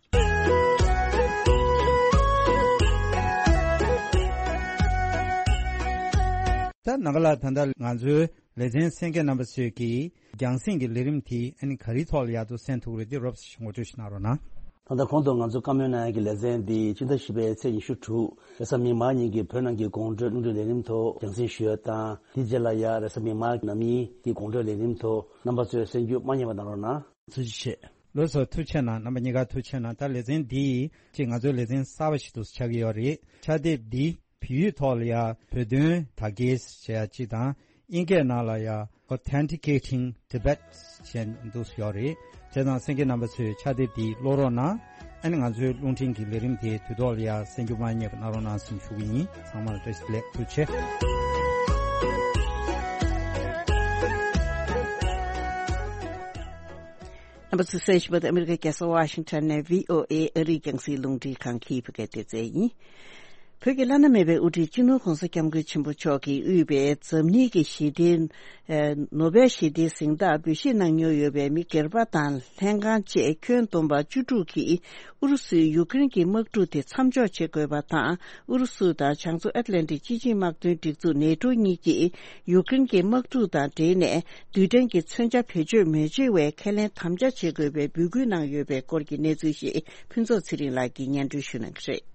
ད་ནམ་མཁའ་ལགས། ད་ལྟ་ང་ཚོའི་ལེ་ཚན་གསན་མཁན་རྣམ་པ་ཚོས་ཀྱིས་རྒྱང་སྲིང་གི་ལས་རིམ་དེ་ཨ་ནི་ག་རེའི་ཐོག་ལ་ཡག་ཏུ་གསན་ཐུབ་ཀྱི་རེད། དེ་རོབ་ཙམ་ཞིག་ངོ་སྤྲོད་ཞིག་གནང་རོགས་གནང་། ད་ལྟ་གོང་དུ་ང་ཚོ་བཀའ་མོལ་གནང་ཡག་གི་ལེ་ཚན་འདི་སྤྱི་ཟླ་བཞི་པའི་ཚེས་ཉི་ཤུ་དྲུག་རེས་གཟའ་མིག་དམར་ཉིན་གྱི་བོད་ནང་གི་དགོང་དྲོའི་རླུང་འཕྲིན་ལས་རིམ་ཐོག་རྒྱང་སྲིང་ཞུ་ཡ་དང་། དེའི་རྗེས་ལ་ཡང་རེས་གཟའ་མིག་དམར་ནམ་ཡིན་གྱི་དགོང་དྲོའི་ལས་རིམ་ཐོག་རྣམ་པ་ཚོས་གསན་རྒྱུ་མ་བསྙེལ་བ་གནང་རོགས་གནང་། ཐུགས་རྗེ་ཆེ། ལགས་སོ། ཐུགས་རྗེ་གནང་། རྣམ་པ་གཉིས་ཀ་ཐུགས་རྗེ་གནང་། ད་ལེ་ཚན་འདི་ཅིག་ང་ཚོའི་ལེ་ཚན་གསར་པ་ཞིག་ཏུ་ཆགས་ཀྱི་ཡོད་རེད། ཕྱག་དེབ་འདི་བོད་ཡིག་ཐོག་ལ་ཡང་བོད་དོན་དར་རྒྱས་ཞེས་ཡ་གཅིག་དང་། དབྱིན་སྐད་ནང་ལ་ཡང་Authenticating Tibet ཞེས་འདུག་ཡོད་རེད། བྱས་ཙང་གསན་མཁན་རྣམ་པ་ཚོས་ཕྱག་དེབ་འདི་ཀློག་རོགས་གནང་། ཨ་ནི་ང་ཚོའི་རླུང་འཕྲིན་གྱི་ལས་རིམ་དེ་དུས་ཐོག་ལ་ཡང་གསན་རྒྱུ་མ་བསྙེལ་བ་གནང་རོགས་གནང་ཞེས་ཞུ་གི་ཡིན། ཚང་མར་བཀྲ་ཤིས་བདེ་ལེགས། ཐུགས་རྗེ་ཆེ། རྣམ་པ་ཚོས་གསན་བཞིན་པ་དེ་ཨ་མི་རི་ཀའི་རྒྱལ་ས་ཝ་ཤིང་ཊོན་ནས་བྷི་ཨོ་ཨེ་ཨ་རིའི་རྒྱང་སྲིང་རླུང་འཕྲིན་ཁང་གི་བོད་སྐད་སྡེ་ཚན་ཡིན། བོད་ཀྱི་བླ་ན་མེད་པའི་དབུ་ཁྲིད་སྤྱི་ནོར་༸གོང་ས་༸སྐྱབས་མགོན་ཆེན་པོ་མཆོག་གིས་དབུས་པའི་འཛམ་གླིང་གི་ཞི་བདེའི་ཨ་ནོ་བེལ་ཞི་བདེའི་གཟེངས་རྟགས་འབུལ་བཞེས་གནང་མྱོང་ཡོད་པའི་མི་སྒེར་པ་དང་ལྷན་ཁང་བཅས་ཁྱོན་བསྡོམས་པ་བཅུ་དྲུག་གིས་ཨུ་རུ་སུས་ཡུཀ་རེན་གྱི་དམག་འཁྲུག་དེ་མཚམས་འཇོག་བྱེད་དགོས་པ་དང་། ཨུ་རུ་སུ་དང་བྱང་མཚོ་ཨེཊ་ལན་ཊིག་སྤྱི་ཆིངས་དམག་དོན་སྒྲིག་འཛུགས་ནེ་ཊོ་གཉིས་ཀྱིས་ཡུཀ་རེན་གྱི་དམག་འཁྲུག་དང་འབྲེལ་ནས་རྡུལ་ཕྲན་གྱི་མཚོན་ཆ་བེད་སྤྱོད་མི་བྱེད་པའི་ཁས་ལེན་དམ་བཅའ་བྱེད་དགོས་པའི་འབོད་སྐུལ་གནང་ཡོད་པའི་སྐོར་གྱི་གནས་ཚུལ་ཞིག་ཕུན་ཚོགས་ཚེ་རིང་ལགས་ཀྱིས་སྙན་སྒྲོན་ཞུ་གནང་གི་རེད།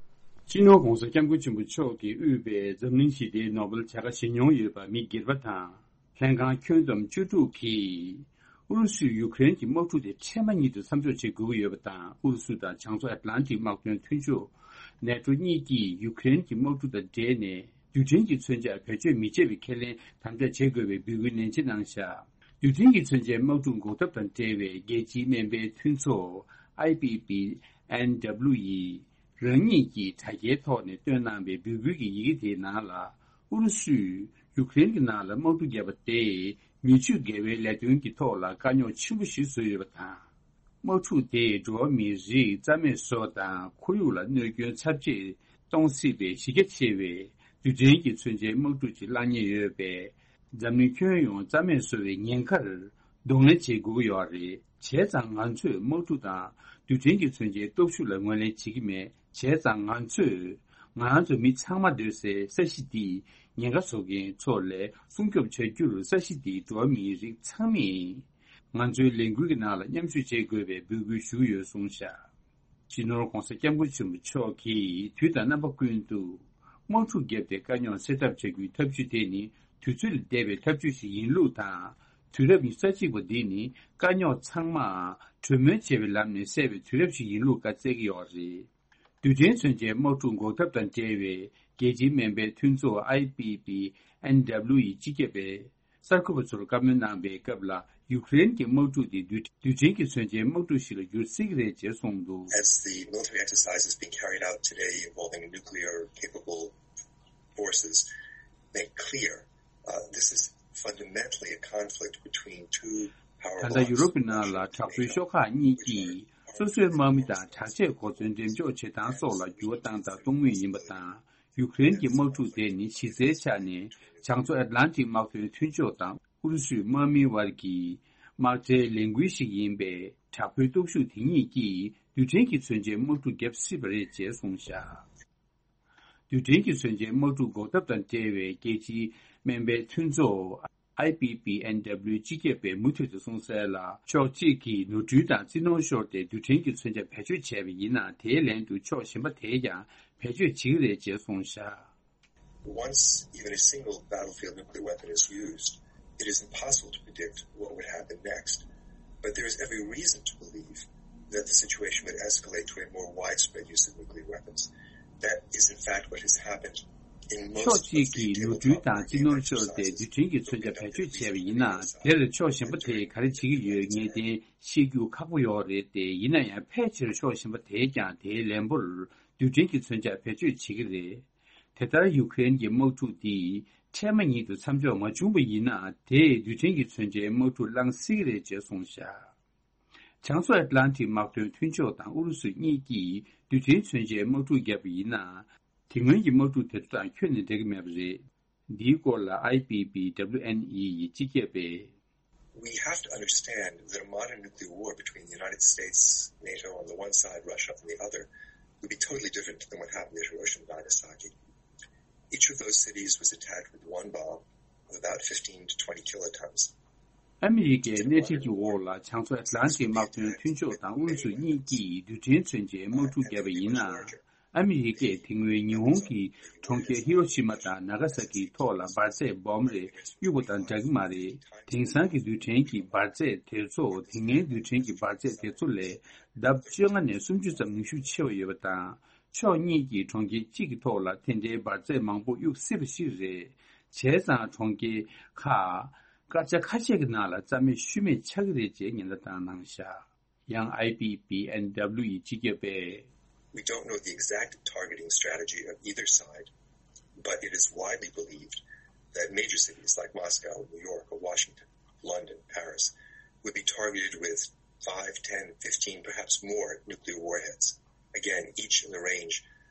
སྤྱི་ནོར་༸གོང་ས་༸སྐྱབས་མགོན་ཆེན་པོ་མཆོག་གིས་དབུས་པའི་འཛམ་གླིང་ཞི་བདེའི་ནོ་བེལ་བྱ་དགའ་བཞེས་མྱོང་ཡོད་པ་མི་སྒེར་པ་དང་། ལྷན་ཁང་ཁྱོན་བསྡོམས་བཅུ་དྲུག་གིས། ཨུ་རུ་སུས་ཡུཀ་རེན་གྱི་དམག་འཁྲུག་དེ་འཕྲལ་མ་ཉིད་དུ་མཚམས་འཇོག་བྱེད་དགོས་ཀྱི་ཡོད་པ་དང་། ཨུ་རུ་སུ་དང་བྱང་མཚོ་ཨེཊ་ལན་ཊིག་དམག་དོན་མཐུན་ཕྱོགས་ནེ་ཊོ་གཉིས་ཀྱིས་ཡུཀ་རེན་གྱི་དམག་འཁྲུག་དང་འབྲེལ་ནས་རྡུལ་ཕྲན་གྱི་མཚོན་ཆ་བེད་སྤྱོད་མི་བྱེད་པའི་ཁས་ལེན་དམ་བཅའ་བྱེད་དགོས་པའི་འབོད་སྐུལ་ནན་ཆེ་གནང་བཞག་རྡུལ་ཕྲན་གྱི་མཚོན་ཆའི་དམག་འཁྲུག་འགོག་ཐབས་དང་འབྲེལ་བའི་རྒྱལ་སྤྱིའི་སྨན་པའི་མཐུན་ཚོགས་ཨའི་པི་པི་ཨེན་ཌབ་ལུ་ཡིས། རང་ཉིད་ཀྱིས་དྲ་རྒྱའི་ཐོག་ནས་བཏོན་གནང་བའི་འབོད་སྐུལ་གྱི་ཡི་གེ་དེའི་ནང་ལ། ཨུ་རུ་སུས་ཡུཀ་རེན་གྱི་ནང་ལ་དམག་འཁྲུག་བརྒྱབ་པ་དེས་མི་ཆོས་འགལ་བའི་ལས་དོན་གྱི་ཐོག་ལ་དཀའ་རྙོག་ཆེན་པོ་ཞིག་བཟོས་ཡོད་པ་དང་། དམག་འཁྲུག་དེས་འགྲོ་བ་མིའི་རིགས་རྩ་མེད་བཟོ་བ་དང་། ཁོར་ཡུག་ལ་གནོད་སྐྱོན་ཚབས་ཆེ་གཏོང་སྲིད་པའི་གཞི་རྒྱ་ཆེ་བའི་རྡུལ་ཕྲན་གྱི་མཚོན་ཆའི་དམག་འཁྲུག་ཅིག་བསླང་ཉེན་ཡོད་པས། འཛམ་གླིང་ཁྱོན་ཡོངས་རྩ་མེད་བཟོ་བའི་ཉེན་ཁར་ གདོང་ལེན་བྱེད་དགོས་ཀྱི་ཡོད་རེད། བྱས་ཙང་ང་ཚོས་དམག་འཁྲུག་དང་རྡུལ་ཕྲན་གྱི་མཚོན་ཆའི་སྟོབས་ཤུགས་ལ་ངོས་ལེན་བྱེད་ཀྱི་མེད། བྱས་ཙང་ང་ཚོས་ང་རང་ཚོ་མི་ཚང་མ་སྡོད་སའི་ས་གཞི་འདིས་ཉེན་ཁ་བཟོ་མཁན་ཚོ་ལས་སྲུང་སྐྱོབ་བྱ་རྒྱུར་ས་གཞི་འདིའི་འགྲོ་བ་མིའི་རིགས་ཚང་མས་ང་ཚོའི་ལས་འགུལ་གྱི་ནང་ལ་མཉམ་ཞུགས་བྱེད་དགོས་པའི་འབོད་སྐུལ་ཞུས་ཡོད་གསུངས་བཞག་སྤྱི་ནོར་༧གོང་ས་༧སྐྱབས་མགོན་ཆེན་པོ་མཆོག་གིས་དུས་དང་རྣམ་པ་ཀུན་ཏུ་དམག་འཁྲུག་བརྒྱབ་སྟེ་དཀའ་རྙོག་སེལ་ཐབས་བྱ་རྒྱུའི་ཐབས་ཇུས་དེ་ནི་དུས་ཚོད་ལས་འདས་པའི་ཐབས་ཇུས་ཤིག་ཡིན་ལུགས་དང་། དུས་རབས་ཉི་ཤུ་རྩ་གཅིག་པ་འདི་ནི་དཀའ་རྙོག་ཚང་མ་གྲོས་མོལ་བྱས་པའི་ལམ་ནས་སེལ་བའི་དུས་རབས་ཤིག་ཡིན་ལུགས་བཀའ་སྩལ་གྱི་ཡོད་རེད། རྡུལ་ཕྲན་མཚོན་ཆའི་དམག་འཁྲུག་འགོག་ཐབས་དང་འབྲེལ་བའི་རྒྱལ་སྤྱིའི་སྨན་པའི་མཐུན་ཚོགས་I P P N W ཡི་སྤྱི་ཁྱབ་པས། གསར་འགོད་པ་ཚོར་བཀའ་མོལ་གནང་པའི་སྐབས་ལ། ཡུཀ་རེན་གྱི་དམག་འཁྲུག་དེ་རྡུལ་རྡུལ་ཕྲན་གྱི་མཚོན་ཆའི་དམག་འཁྲུག་ཞིག་ལ་འགྱུར་སྲིད་ཀྱི་རེད་ཅེས་གསུངས་འདུག As the military exercise is being carried out today involving nuclear capable forces make clear, uh, this is fundamentally a conflict between two ད་powerful ལྟ་ཡུ་རོབ་ཀྱི་ནང་ལ་དྲག་པོའི་ཤོག་ཁག་གཉིས་ཀྱིས་སོ་སོའི་དམག་མི་དང་དྲག་ཆས་གོ་མཚོན་འགྲེམས་འཇོག་བྱེད་སྟངས་སོགས་ལ་འགྱུར་བ་བཏང་དང་གཏོང་མུས་ཡིན་པ་དང་། ཡུཀ་རེན་གྱི་དམག་འཁྲུག་དེ་ནི་གཞི་རྩའི་ཆ་ནས་བྱང་མཚོ་ཨེཊ་ལན་ཊིག་དམག་དོན་མཐུན་ཕྱོགས་དང་ཨུ་རུ་སུའི་དམག་མིའི་དབར་གྱི་དམག་གྲའི་ལས་འགུལ་ཞིག་ཡིན་པས། དྲག་པོའི་སྟོབས་ཤུགས་དེ་གཉིས་ཀྱིས་རྡུལ་ཕྲན་གྱི་མཚོན་ཆའི་དམག་འཁྲུག་བརྒྱབ་སྲིད་པ་རེད་ཅེས་གསུངས་བཞག་རྡུལ་ཕྲན་གྱི་མཚོན་ཆའི་དམག་འཁྲུག་འགོག་ཐབས་དང་འབྲེལ་བའི་རྒྱལ་སྤྱིའི་སྨན་པའི་མཐུན་ཚོགས་I P P N W སྤྱི་ཁྱབ་པས་མུ་མཐུད་དུ་གསུངས་གསལ་ལ། ཕྱོགས་གཅིག་གིས་ནོར་འཁྲུལ་དང་རྩིས་ནོར་ཤོར་ཏེ་རྡུལ་ཕྲན་གྱི་མཚོན་ཆ་བེད་སྤྱོད་བྱས་པ་ཡིན་ན། དེའི་ལན་དུ་ཕྱོགས་གཞན་པ་དེས་ཀྱང་བེད་སྤྱོད་བྱེད་ཀྱི་རེད་ཅེས་གསུངས་བཞག Once even a single battlefield nuclear weapon is used, it is impossible to predict what would happen next. But there is every reason to believe that the situation would escalate to a more widespread use of nuclear weapons. That is, in fact, what has happened in most of the tabletop war game exercises that have been leading up to the Iran-Iran conflict. ཕྱོགས་གཅིག་གིས་ནོར་འཁྲུལ་དང་རྩིས་ནོར་ཤོར་ཏེ་རྡུལ་ཕྲན་གྱི་མཚོན་ཆ་བེད་སྤྱོད་བྱས་པ་ཡིན་ན། དེར་ཕྱོགས་གཞན་པ་དེས་ག་རེ་བྱེད་ཀྱི་ཡོད་ངེས་གཏན་ཤེས་རྒྱུ་ཁག་པོ་ཡོད་རེད་དེ། ཡིན་ན་ཡང་ཕལ་ཆེར་ཕྱོགས་གཞན་པ་དེས་ཀྱང་དེའི་ལན་པོར་རྡུལ་ཕྲན་གྱི་མཚོན་ཆ་བེད་སྤྱོད་བྱེད་ཀྱི་རེད། དེ་ལྟར་ཡུ་ཀེ་རེན་གྱི་དམག་འཁྲུག་འདི་འཕྲལ་མ་ཉིད་དུ་མཚམས་འཇོག་མ་བྱུང་བ་ཡིན་ན། དེས་རྡུལ་ཕྲན་གྱི་མཚོན་ཆའི་དམག་འཁྲུག་བསླང་སྲིད་ཀྱི་རེད་ཅེས་གསུངས་བཞག་བྱང་མཚོ་ཨེཊ་ལན་ཊིག་དམག་དོན་མཐུན་ཕྱོགས་དང་ཨུ་རུ་སུ་གཉིས་ཀྱིས་རྡུལ་ཕྲན་མཚོན་ཆའི་དམག་འཁྲུག་བརྒྱབ་པ་ཡིན་ན། དེ་སྔོན་གྱི་དམག་འཁྲུག་དེ་ཚོ་དང་ཁྱོན་ནས་འདྲ་གི་མེད་པ་རེད། འདིའི་སྐོར་ལ་I P P W N E ཡི་སྤྱི་ཁྱབ་པས། We have to understand that a modern nuclear war between the United States, NATO on the one side, Russia on the other, would be totally different than what happened at Hiroshima and Nagasaki. Each of those cities was attacked with one bomb of about fifteen to twenty kilotons. ཨ་མི་རི་ཀའི་སྣེ་ཁྲིད་ཀྱི་འོག་ལ་བྱང་མཚོ་ཨེཊ་ལན་ཊིག་དམག་དོན་མཐུན་ཕྱོགས་དང་ཨུ་རུ་སུ་གཉིས་ཀྱིས་རྡུལ་ཕྲན་མཚོན་ཆའི་དམག་འཁྲུག་བརྒྱབ་པ་ཡིན་ན། ཨ་མི་རི་ཀས་དེ་སྔོན་ཉི་ཧོང་གི་གྲོང་ཁྱེར་ཧི་རོ་ཤི་མ་དང་ན་ག་ས་ཀིའི་ཐོག་ལ་འབར་རྫས་སྦོམ་རེ་གཡུགས་པ་དང་འདྲ་གི་མ་རེད། དེང་སང་གི་རྡུལ་ཕྲན་གྱི་འབར་རྫས་དེ་ཚོ་དེ་སྔའི་རྡུལ་ཕྲན་གྱི་འབར་རྫས་དེ་ཚོ་ལས་ལྡབ་བཅོ་ལྔ་ནས་སུམ་ཅུ་ཙམ་ནུས་ཤུགས་ཆེ་བ་ཡོད་པ་དང་། ཕྱོགས་གཉིས་ཀྱིས་གྲོང་ཁྱེར་གཅིག་གི་ཐོག་ལ་དེ་འདྲའི་འབར་རྫས་མང་པོ་གཡུག་སྲིད་པ་ཞིག་རེད། བྱས་ཙང་གྲོང་ཁྱེར་ཁག་སྐར་ཆ་ཁ་ཤས་ཀྱི་ནང་ལ་རྩ་མེད་ཤུལ་མེད་ཆགས་ཀྱི་རེད་ཅེས་ཉེན་བརྡ་བཏང་གནང་བཞག་ཡང་I P P N W ཡི་སྤྱི་ཁྱབ་པས། We don't know the exact targeting strategy of either side, but it is widely believed that major cities like Moscow, New York, or Washington, London, Paris, would be targeted with five, ten, fifteen, perhaps more nuclear warheads. Again, each in the range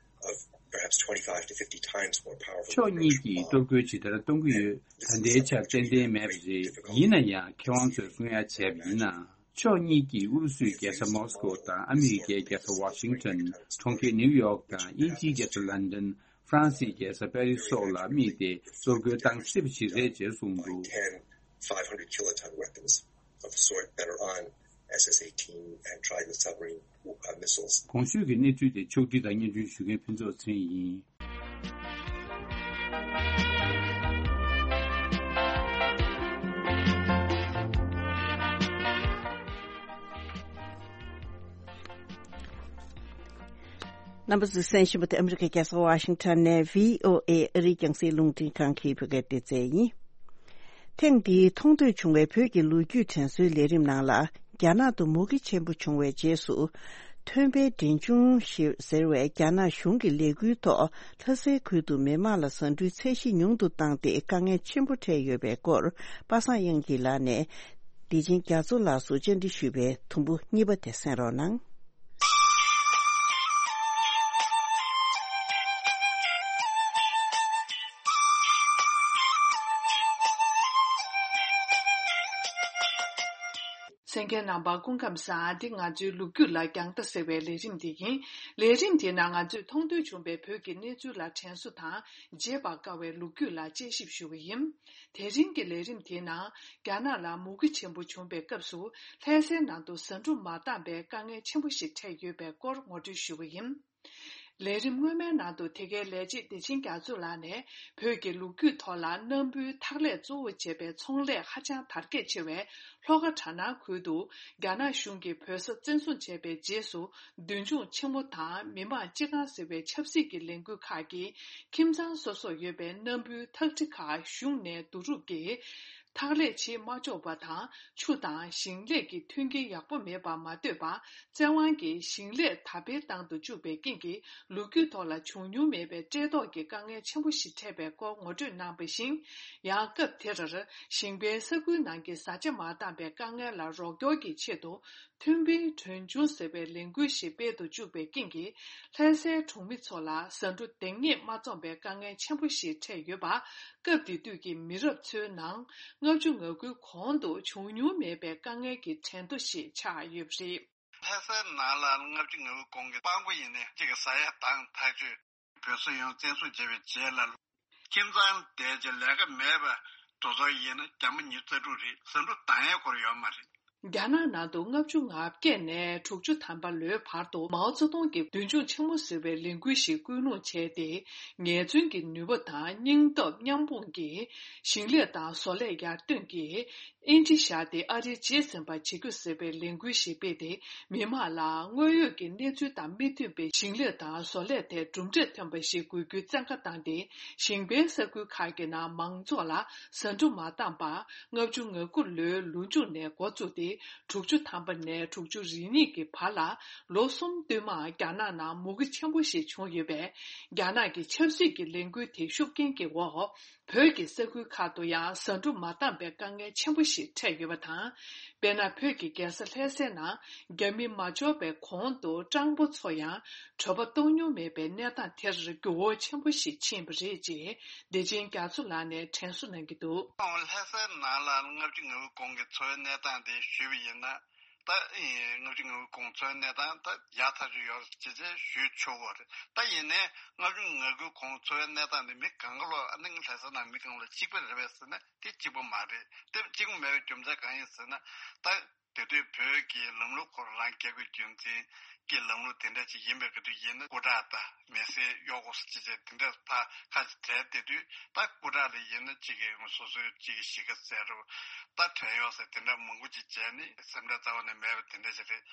of perhaps twenty-five to fifty times more powerful than Hiroshima bomb. ཕྱོགས་གཉིས་ཀྱིས་གཏོར་རྒོལ་ཇི་ལྟར་གཏོང་གི་ཡོད། ད་ལྟའི་ཆར་ཏན་ཏན་མེད་པ་རེད། ཡིན་ན་ཡང་མཁས་དབང་ཚོས་གསུང་ཡ་བྱས་པ་ཡིན་ན། ཕྱོགས་གཉིས་ཀྱིས་ཨུ་རུ་སུའི་རྒྱལ་ས་མོ་སི་ཀོ་དང་ཨ་མི་རི་ཀའི་རྒྱལ་ས་ཝ་ཤིང་ཊོན། གྲོང་ཁྱེར་ནིའུ་ཡོག་དང་དབྱིན་ཇིའི་རྒྱལ་ས་ལན་ཌན། ཧྥ་རན་སིའི་རྒྱལ་ས་པེ་རི་སི་སོགས་ལ་དམིགས་ཏེ་གཏོར་རྒོལ་བཏང་སྲིད་པ་ཞིག་རེད་ཅེས་གསུངས་འདུག Ten, five hundred kiloton weapons of the sort that are on S S eighteen and Trident submarine, uh, missiles. གོང་ཞུས་ཀྱི་གནས་ཚུལ་དེ་ཕྱོགས་སྒྲིག་དང་སྙན་སྒྲོན་ཞུ་མཁན་ཕུན་ཚོགས་ཚེ་རིང་ཡིན། རྣམ་པ་ཚོས་གསན་བཞིན་པ་དེ་ཨ་མི་རི་ཀའི་རྒྱལ་ས་ཝ་ཤིང་ཊོན་ནས་བྷི་ཨོ་ཨེ་ཨ་རིའི་རྒྱང་སྲིང་རླུང་འཕྲིན་ཁང་གི་བོད་སྐད་སྡེ་ཚན་ཡིན། ཐེངས་འདིའི་མཐོང་ཐོས་བྱུང་བའི་བོད་ཀྱི་ལོ་རྒྱུས་དྲན་གསོའི་ལས་རིམ་ནང་ལ། རྒྱ་ནག་ཏུ་མུ་གེ་ཆེན་པོ་བྱུང་བའི་རྗེས་སུ། ཐོན་པའི་འབྲས་ལྗོངས་ཞེས་ཟེར་བའི་རྒྱ་ནག་གཞུང་གི་ལས་འགུལ་ཐོག་ལྷ་སའི་ཁུལ་དུ་མི་མང་ལ་ཟ་འབྲུའི་ཚད་གཞི་ཉུང་དུ་བཏང་སྟེ་དཀའ་ངལ་ཆེན་པོ་འཕྲད་ཡོད་པའི་སྐོར། པ་སངས་དབྱངས་སྐྱིད་ལགས་ནས་བདེ་ཆེན་རྒྱ་མཚོ་ལགས་སུ་བཅར་འདྲི་ཞུས་པའི་དུམ་བུ་གཉིས་པ་དེ་གསན་རོགས་གནང་། གསན་མཁན་རྣམ་པ་སྐུ་ཁམས་བཟང་། འདི་ང་ཚོའི་ལོ་རྒྱུས་ལ་རྒྱང་ལྟ་ཟེར་བའི་ལས་རིམ་དེ་ཡིན། ལས་རིམ་དེའི་ནང་ང་ཚོས་མཐོང་ཐོས་བྱུང་བའི་བོད་ཀྱི་གནས་ཚུལ་ལ་དྲན་གསོ་དང་བརྗེད་པར་དཀའ་བའི་ལོ་རྒྱུས་ལ་དཔྱད་ཞིབ་ཞུ་བ་ཡིན། དེ་རིང་གི་ལས་རིམ་དེའི་ནང་རྒྱ་ནག་ལ་མུ་གེ་ཆེན་པོ་བྱུང་བའི་སྐབས་སུ་ལྷ་སའི་ནང་དུ་ཟ་འབྲུ་མ་འདང་པའི་དཀའ་ངལ་ཆེན་པོ་ཞིག་འཕྲད་ཡོད་པའི་སྐོར་ངོ་སྤྲོད་ཞུ་བ་ཡིན། ལས་རིམ་སྔོན་མའི་ནང་དུ་དེ་གའི་ལས་བྱེད་བདེ་ཆེན་རྒྱ་མཚོ་ལགས་ནས་བོད་ཀྱི་ལོ་རྒྱུས་ཐོག་ལ་སྣམ་བུའི་འཐག་ལས་གཙོ་བོ་བྱས་པའི་ཚོང་ལས་ཧ་ཅང་དར་རྒྱས་ཆེ་བའི་ལྷོ་ཁ་གྲ་ནང་ཁུལ་དུ་རྒྱ་ནག་གཞུང་གིས་བོད་ས་བཙན་བཟུང་བྱས་པའི་རྗེས་སུ། མདུན་ལྗོངས་ཆེན་མོ་དང་མི་དམངས་སྤྱི་ཁང་ཟེར་བའི་ཆབ་སྲིད་ཀྱི་ལས་འགུལ་ཁག་གིས་ཁྱིམ་ཚང་སོ་སོར་ཡོད་པའི་སྣམ་བུའི་འཐག་ཁྲི་ཁག་གཞུང་ནས་བསྡུ་རུབ་ཀྱིས། འཐག་ལས་བྱེད་མ་ཆོག་པ་དང་ཆུ་དང་ཞིང་ལས་ཀྱི་མཐུན་རྐྱེན་ཡག་པོ་མེད་པར་མ་ལྟོས་པར་བཙན་དབང་གིས་ཞིང་ལས་དར་སྤེལ་བཏང་དུ་བཅུག་པའི་རྐྱེན་གྱིས་ལོ་རྒྱུས་ཐོག་ལ་བྱུང་མྱོང་མེད་པའི་བཀྲེས་ལྟོགས་ཀྱི་དཀའ་ངལ་ཆེན་པོ་ཞིག་འཕྲད་པའི་སྐོར་ངོ་སྤྲོད་གནང་བ་བཞིན། ཡང་སྐབས་དེར་ཞིང་པའི་ས་ཁུལ་ནང་གི་བཟའ་བཅའ་མ་འདང་པའི་དཀའ་ངལ་ལ་རོགས་སྐྱོར་གྱི་ཆེད་དུ། མཐུན་སྒྲིལ་གྲོན་ཆུང་ཟེར་བའི་ལས་འགུལ་ཞིག་སྤེལ་དུ་བཅུག་པའི་རྐྱེན་གྱིས། ལྷ་སའི་གྲོང་མི་ཚོ་ལ་ཟ་འབྲུ་འདང་ངེས་མ་འཛོམས་པའི་དཀའ་ངལ་ཆེན་པོ་ཞིག་འཕྲད་ཡོད་པ། སྐབས་དེ་དུས་ཀྱི་མི་རབས་ཚོའི་ནང་ལྔ་བཅུ་ང་དགུའི་གོང་དུ་བྱུང་མྱོང་མེད་པའི་དཀའ་ངལ་གྱི་ཁྲལ་རྡོ་ཞིག་ཆགས་ཡོད་པ་རེད། ལྷ་སའི་ནང་ལ་ལྔ་བཅུ་ང་དགུའི་གོང་གི་སྤང་གོ་ཡིན་ནའི་གཅིག་གི་ཟ་ཡ་དང་ཐག་ཆོད། བོད་ས་ཡོངས་བཙན་བཟུང་བྱས་པའི་རྗེས་ལ། ཁྱིམ་ཚང་བསྡད་ཀྱི་ལས་ཀ་མེད་པ་དེ་ཚོ་ཡིན་ན་རྒྱ་མ་ཉི་ཤུ་རྩ་དྲུག་རེད། ཟ་འབྲུ་འདང་ཡས་སྐོར་ཡོད་མ་རེད། རྒྱ་ནག་ནང་དུ་ལྔ་བཅུ་ང་བརྒྱད་ནས་དྲུག་ཅུ་ཐམ་པ་ལོའི་བར་དུ་མའོ་ཙེ་ཏུང་གིས་མདུན་ལྗོངས་ཆེན་མོ་ཟེར་བའི་ལས་འགུལ་ཞིག་སྐུལ་སློང་བྱས་ཏེ། ངལ་རྩོལ་གྱི་ནུས་པ་དང་སྙིང་སྟོབས་མཉམ་སྤུངས་ཀྱིས་ཞིང་ལས་དང་བཟོ་ལས་ཡར་ཐོན་གྱིས། ཨིན་ཇི་བཞག་སྟེ་ཨ་རིར་རྗེས་ཟིན་པ་བྱེད་རྒྱུ་ཟེར་བའི་ལས་འགུལ་ཞིག་སྤེལ་ཏེ། མི་མང་ལ་དངོས་ཡོད་ཀྱི་གནས་ཚུལ་དང་མི་མཐུན་པའི་ཞིང་ལས་དང་བཟོ་ལས་ཐད་གྲུབ་འབྲས་ཐོན་པ་ཞིག་དགོས་རྒྱུའི་བཙན་བཀའ་བཏང་སྟེ། ཞིང་པའི་ས་ཁུལ་ཁག་གི་ནང་མང་ཚོགས་ལ་ཟ་འབྲུ་མ་འདང་པ། ལྔ་བཅུ་ང་དགུ་ལོའི་ལོ་མཇུག་ནས་འགོ་བཙུགས་ཏེ། དྲུག་ཅུ་ཐམ་པ་ནས་དྲུག་ཅུ་རེ་གཉིས་ཀྱི་བར་ལ་ལོ་གསུམ་བསྟུད་མར་རྒྱ་ནག་ནང་མུ་གེ་ཆེན་པོ་ཞིག་བྱུང་ཡོད་པས། རྒྱ་ནག་གི་ཆབ་སྲིད་ཀྱི་ལས་འགུལ་དེའི་ཤུགས་རྐྱེན་གྱི་འོག་བོད་ཀྱི་ས་ཁུལ་ཁག་ཏུ་ཡང་ཟ་འབྲུ་མ་འདང་པའི་དཀའ་ངལ་ཆེན་པོ་ཞིག་འཕྲད་ཡོད་པ་དང་། དཔེར་ན། བོད་ཀྱི་རྒྱལ་ས་ལྷ་སའི་ནང་རྒྱ་མི་མ་འབྱོར་བའི་གོང་དུ་སྤྲང་པོ་ཚོ་ཡང་གྲོད་པ་ལྟོགས་མྱོང་མེད་པའི་གནས་སྟངས་དེར་འགྱུར་བ་ཆེན་པོ་ཞིག་ཕྱིན་པ་རེད་ཅེས་བདེ་ཆེན་རྒྱ་མཚོ་ལགས་ནས་དྲན་གསོ་གནང་གི་འདུག་ལྷ་སའི་ནང་ལ་ལྔ་བཅུ་ང་དགུ་གོང་གི་འཚོ་བའི་གནས་སྟངས་དེ་ཞུས་པ་ཡིན་ན། ད་ཨེ་ལྔ་བཅུ་ང་དགུ་གོང་འཚོ་བའི་གནས་སྟངས་ད་ཡག་ཐག་ཆོད་ཡོད་ཅེས་ཅེས་ཞུས་ཆོག་གི་རེད། ད་ཡིན་ནའི་ལྔ་བཅུ་ང་དགུ་གོང་འཚོ་བའི་གནས་སྟངས་དེ་མི་གང་ག་ལོ། ཨ་ནི་ལྷ་ས་ནང་མི་གང་ལ་གཅིག་པ་རེད་པས་ཟེར་ན་དེ་གཅིག་པ་མ་རེད། དེ་གཅིག་པ་མེད་པའི་རྒྱུ་མཚན་གང་ཡིན་ཟེར་ན། ད་དེ་དུས་བོད་ཀྱི་ལམ་ལུགས་ཁོ་རང་རྒྱལ་པོའི་རྒྱུན་འཛིན་གྱི་ལམ་ལུགས་དེ་འདྲ་ཅིག་ཡིན་པའི་སྐབས་དུ་ཡིན་ན་སྐུ་དྲག་དང་མི་སེར་གཡོག་པོ་ཅེས་བྱས་དེ་འདྲ་ད་ཁ་ཅིག་བྲལ། དེ་དུས་ད་སྐུ་དྲག་ལ་ཡིན་ན་གཅིག་གི་སོ་སོའི་གཅིག་གི་གཞིས་ཀ་ཟེར་རོ། ད་བྲན་གཡོག་ཟེར་དེ་འདྲ་མང་པོ་ཅིག་བྱས་ནས་སེམས་ཁྲལ་རྩ་བ་ནས་མེད་པ་དེ་འདྲ་ཞིག་རེད།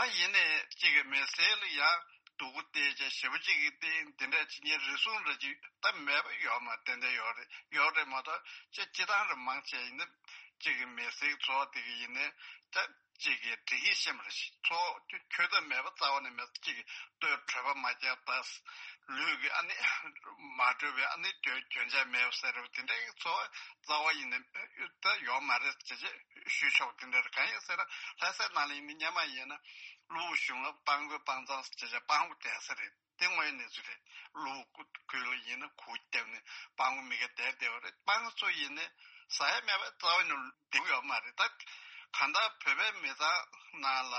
ད་ཡིན་ནའི་གཅིག་གི་མི་སེར་ལ་ཡང་སྡུག་པོ་བལྟས་བྱས་ཞེ་པོ་ཅིག་གི་བལྟས་དེ་འདྲ་ཅིག་ངའི་རེ་ཟུང་འདྲ་ཅིག་ད་མེད་པ་ཡོད་མ་ཏན་ཏན་ཡོད་རེད། ཡོད་རེད་མ་གཏོགས་ཅིག་སྤྱི་བཏང་རེ་མང་ཆེ་ཡིན་ན་གཅིག་གི་མི་སེར་ཚོ་དེ་གི་ཡིན་ནའི་ད་གཅིག་གི་སྒྲིག་ཡིག་ཤེས་མ་རེད། ཚོ་ཁྱོད་ད་མེད་པ་རྩ་བ་ནས་མེད། གཅིག་གི་ལྟོས་གྲོད་པ་མ་བརྒྱབ་ད་ལུས་ཀྱི་ཨ་ནི་མ་གྲོལ་བའི་ཨ་ནི་གྱོན་གྱོན་ཆས་མེད་པ་ཟེར་རོ། དེ་འདྲའི་ཚོ་རྩ་བ་ཡིན་ནའི་ད་ཡོད་མ་རེད་ཅེས་ཞུས་ཆོག་དེ་འདྲ་རེད། གང་ཡིན་ཟེར་ན་ལྷ་སའི་ནང་ལ་ཡིན་ནའི་སྔོན་མ་ཡིན་ན་གློ་བུར་གཞུང་ལ་སྤང་གོས་སྤང་ཚང་ཟེར་བྱས་སྤང་གོས་བསྡད་ས་རེད། དེ་དངོས་ཡོད་གནས་ཚུལ་རེད། གློ་བུར་ཁུལ་ལ་ཡིན་ན་གུར་བརྒྱབ་ནས་སྤང་གོས་མི་སྒེར་བསྡད་བསྡད་པ་རེད། སྤང་གོས་ཚོ་ཡིན་ནའི་ཟ་ཡ་མེད་པ་རྩ་བ་ནས་བསྡད་ཡོད་མ་རེད། ད་གང་ལྟར་བོད་པའི་མི་ཚང་ནང་ལ་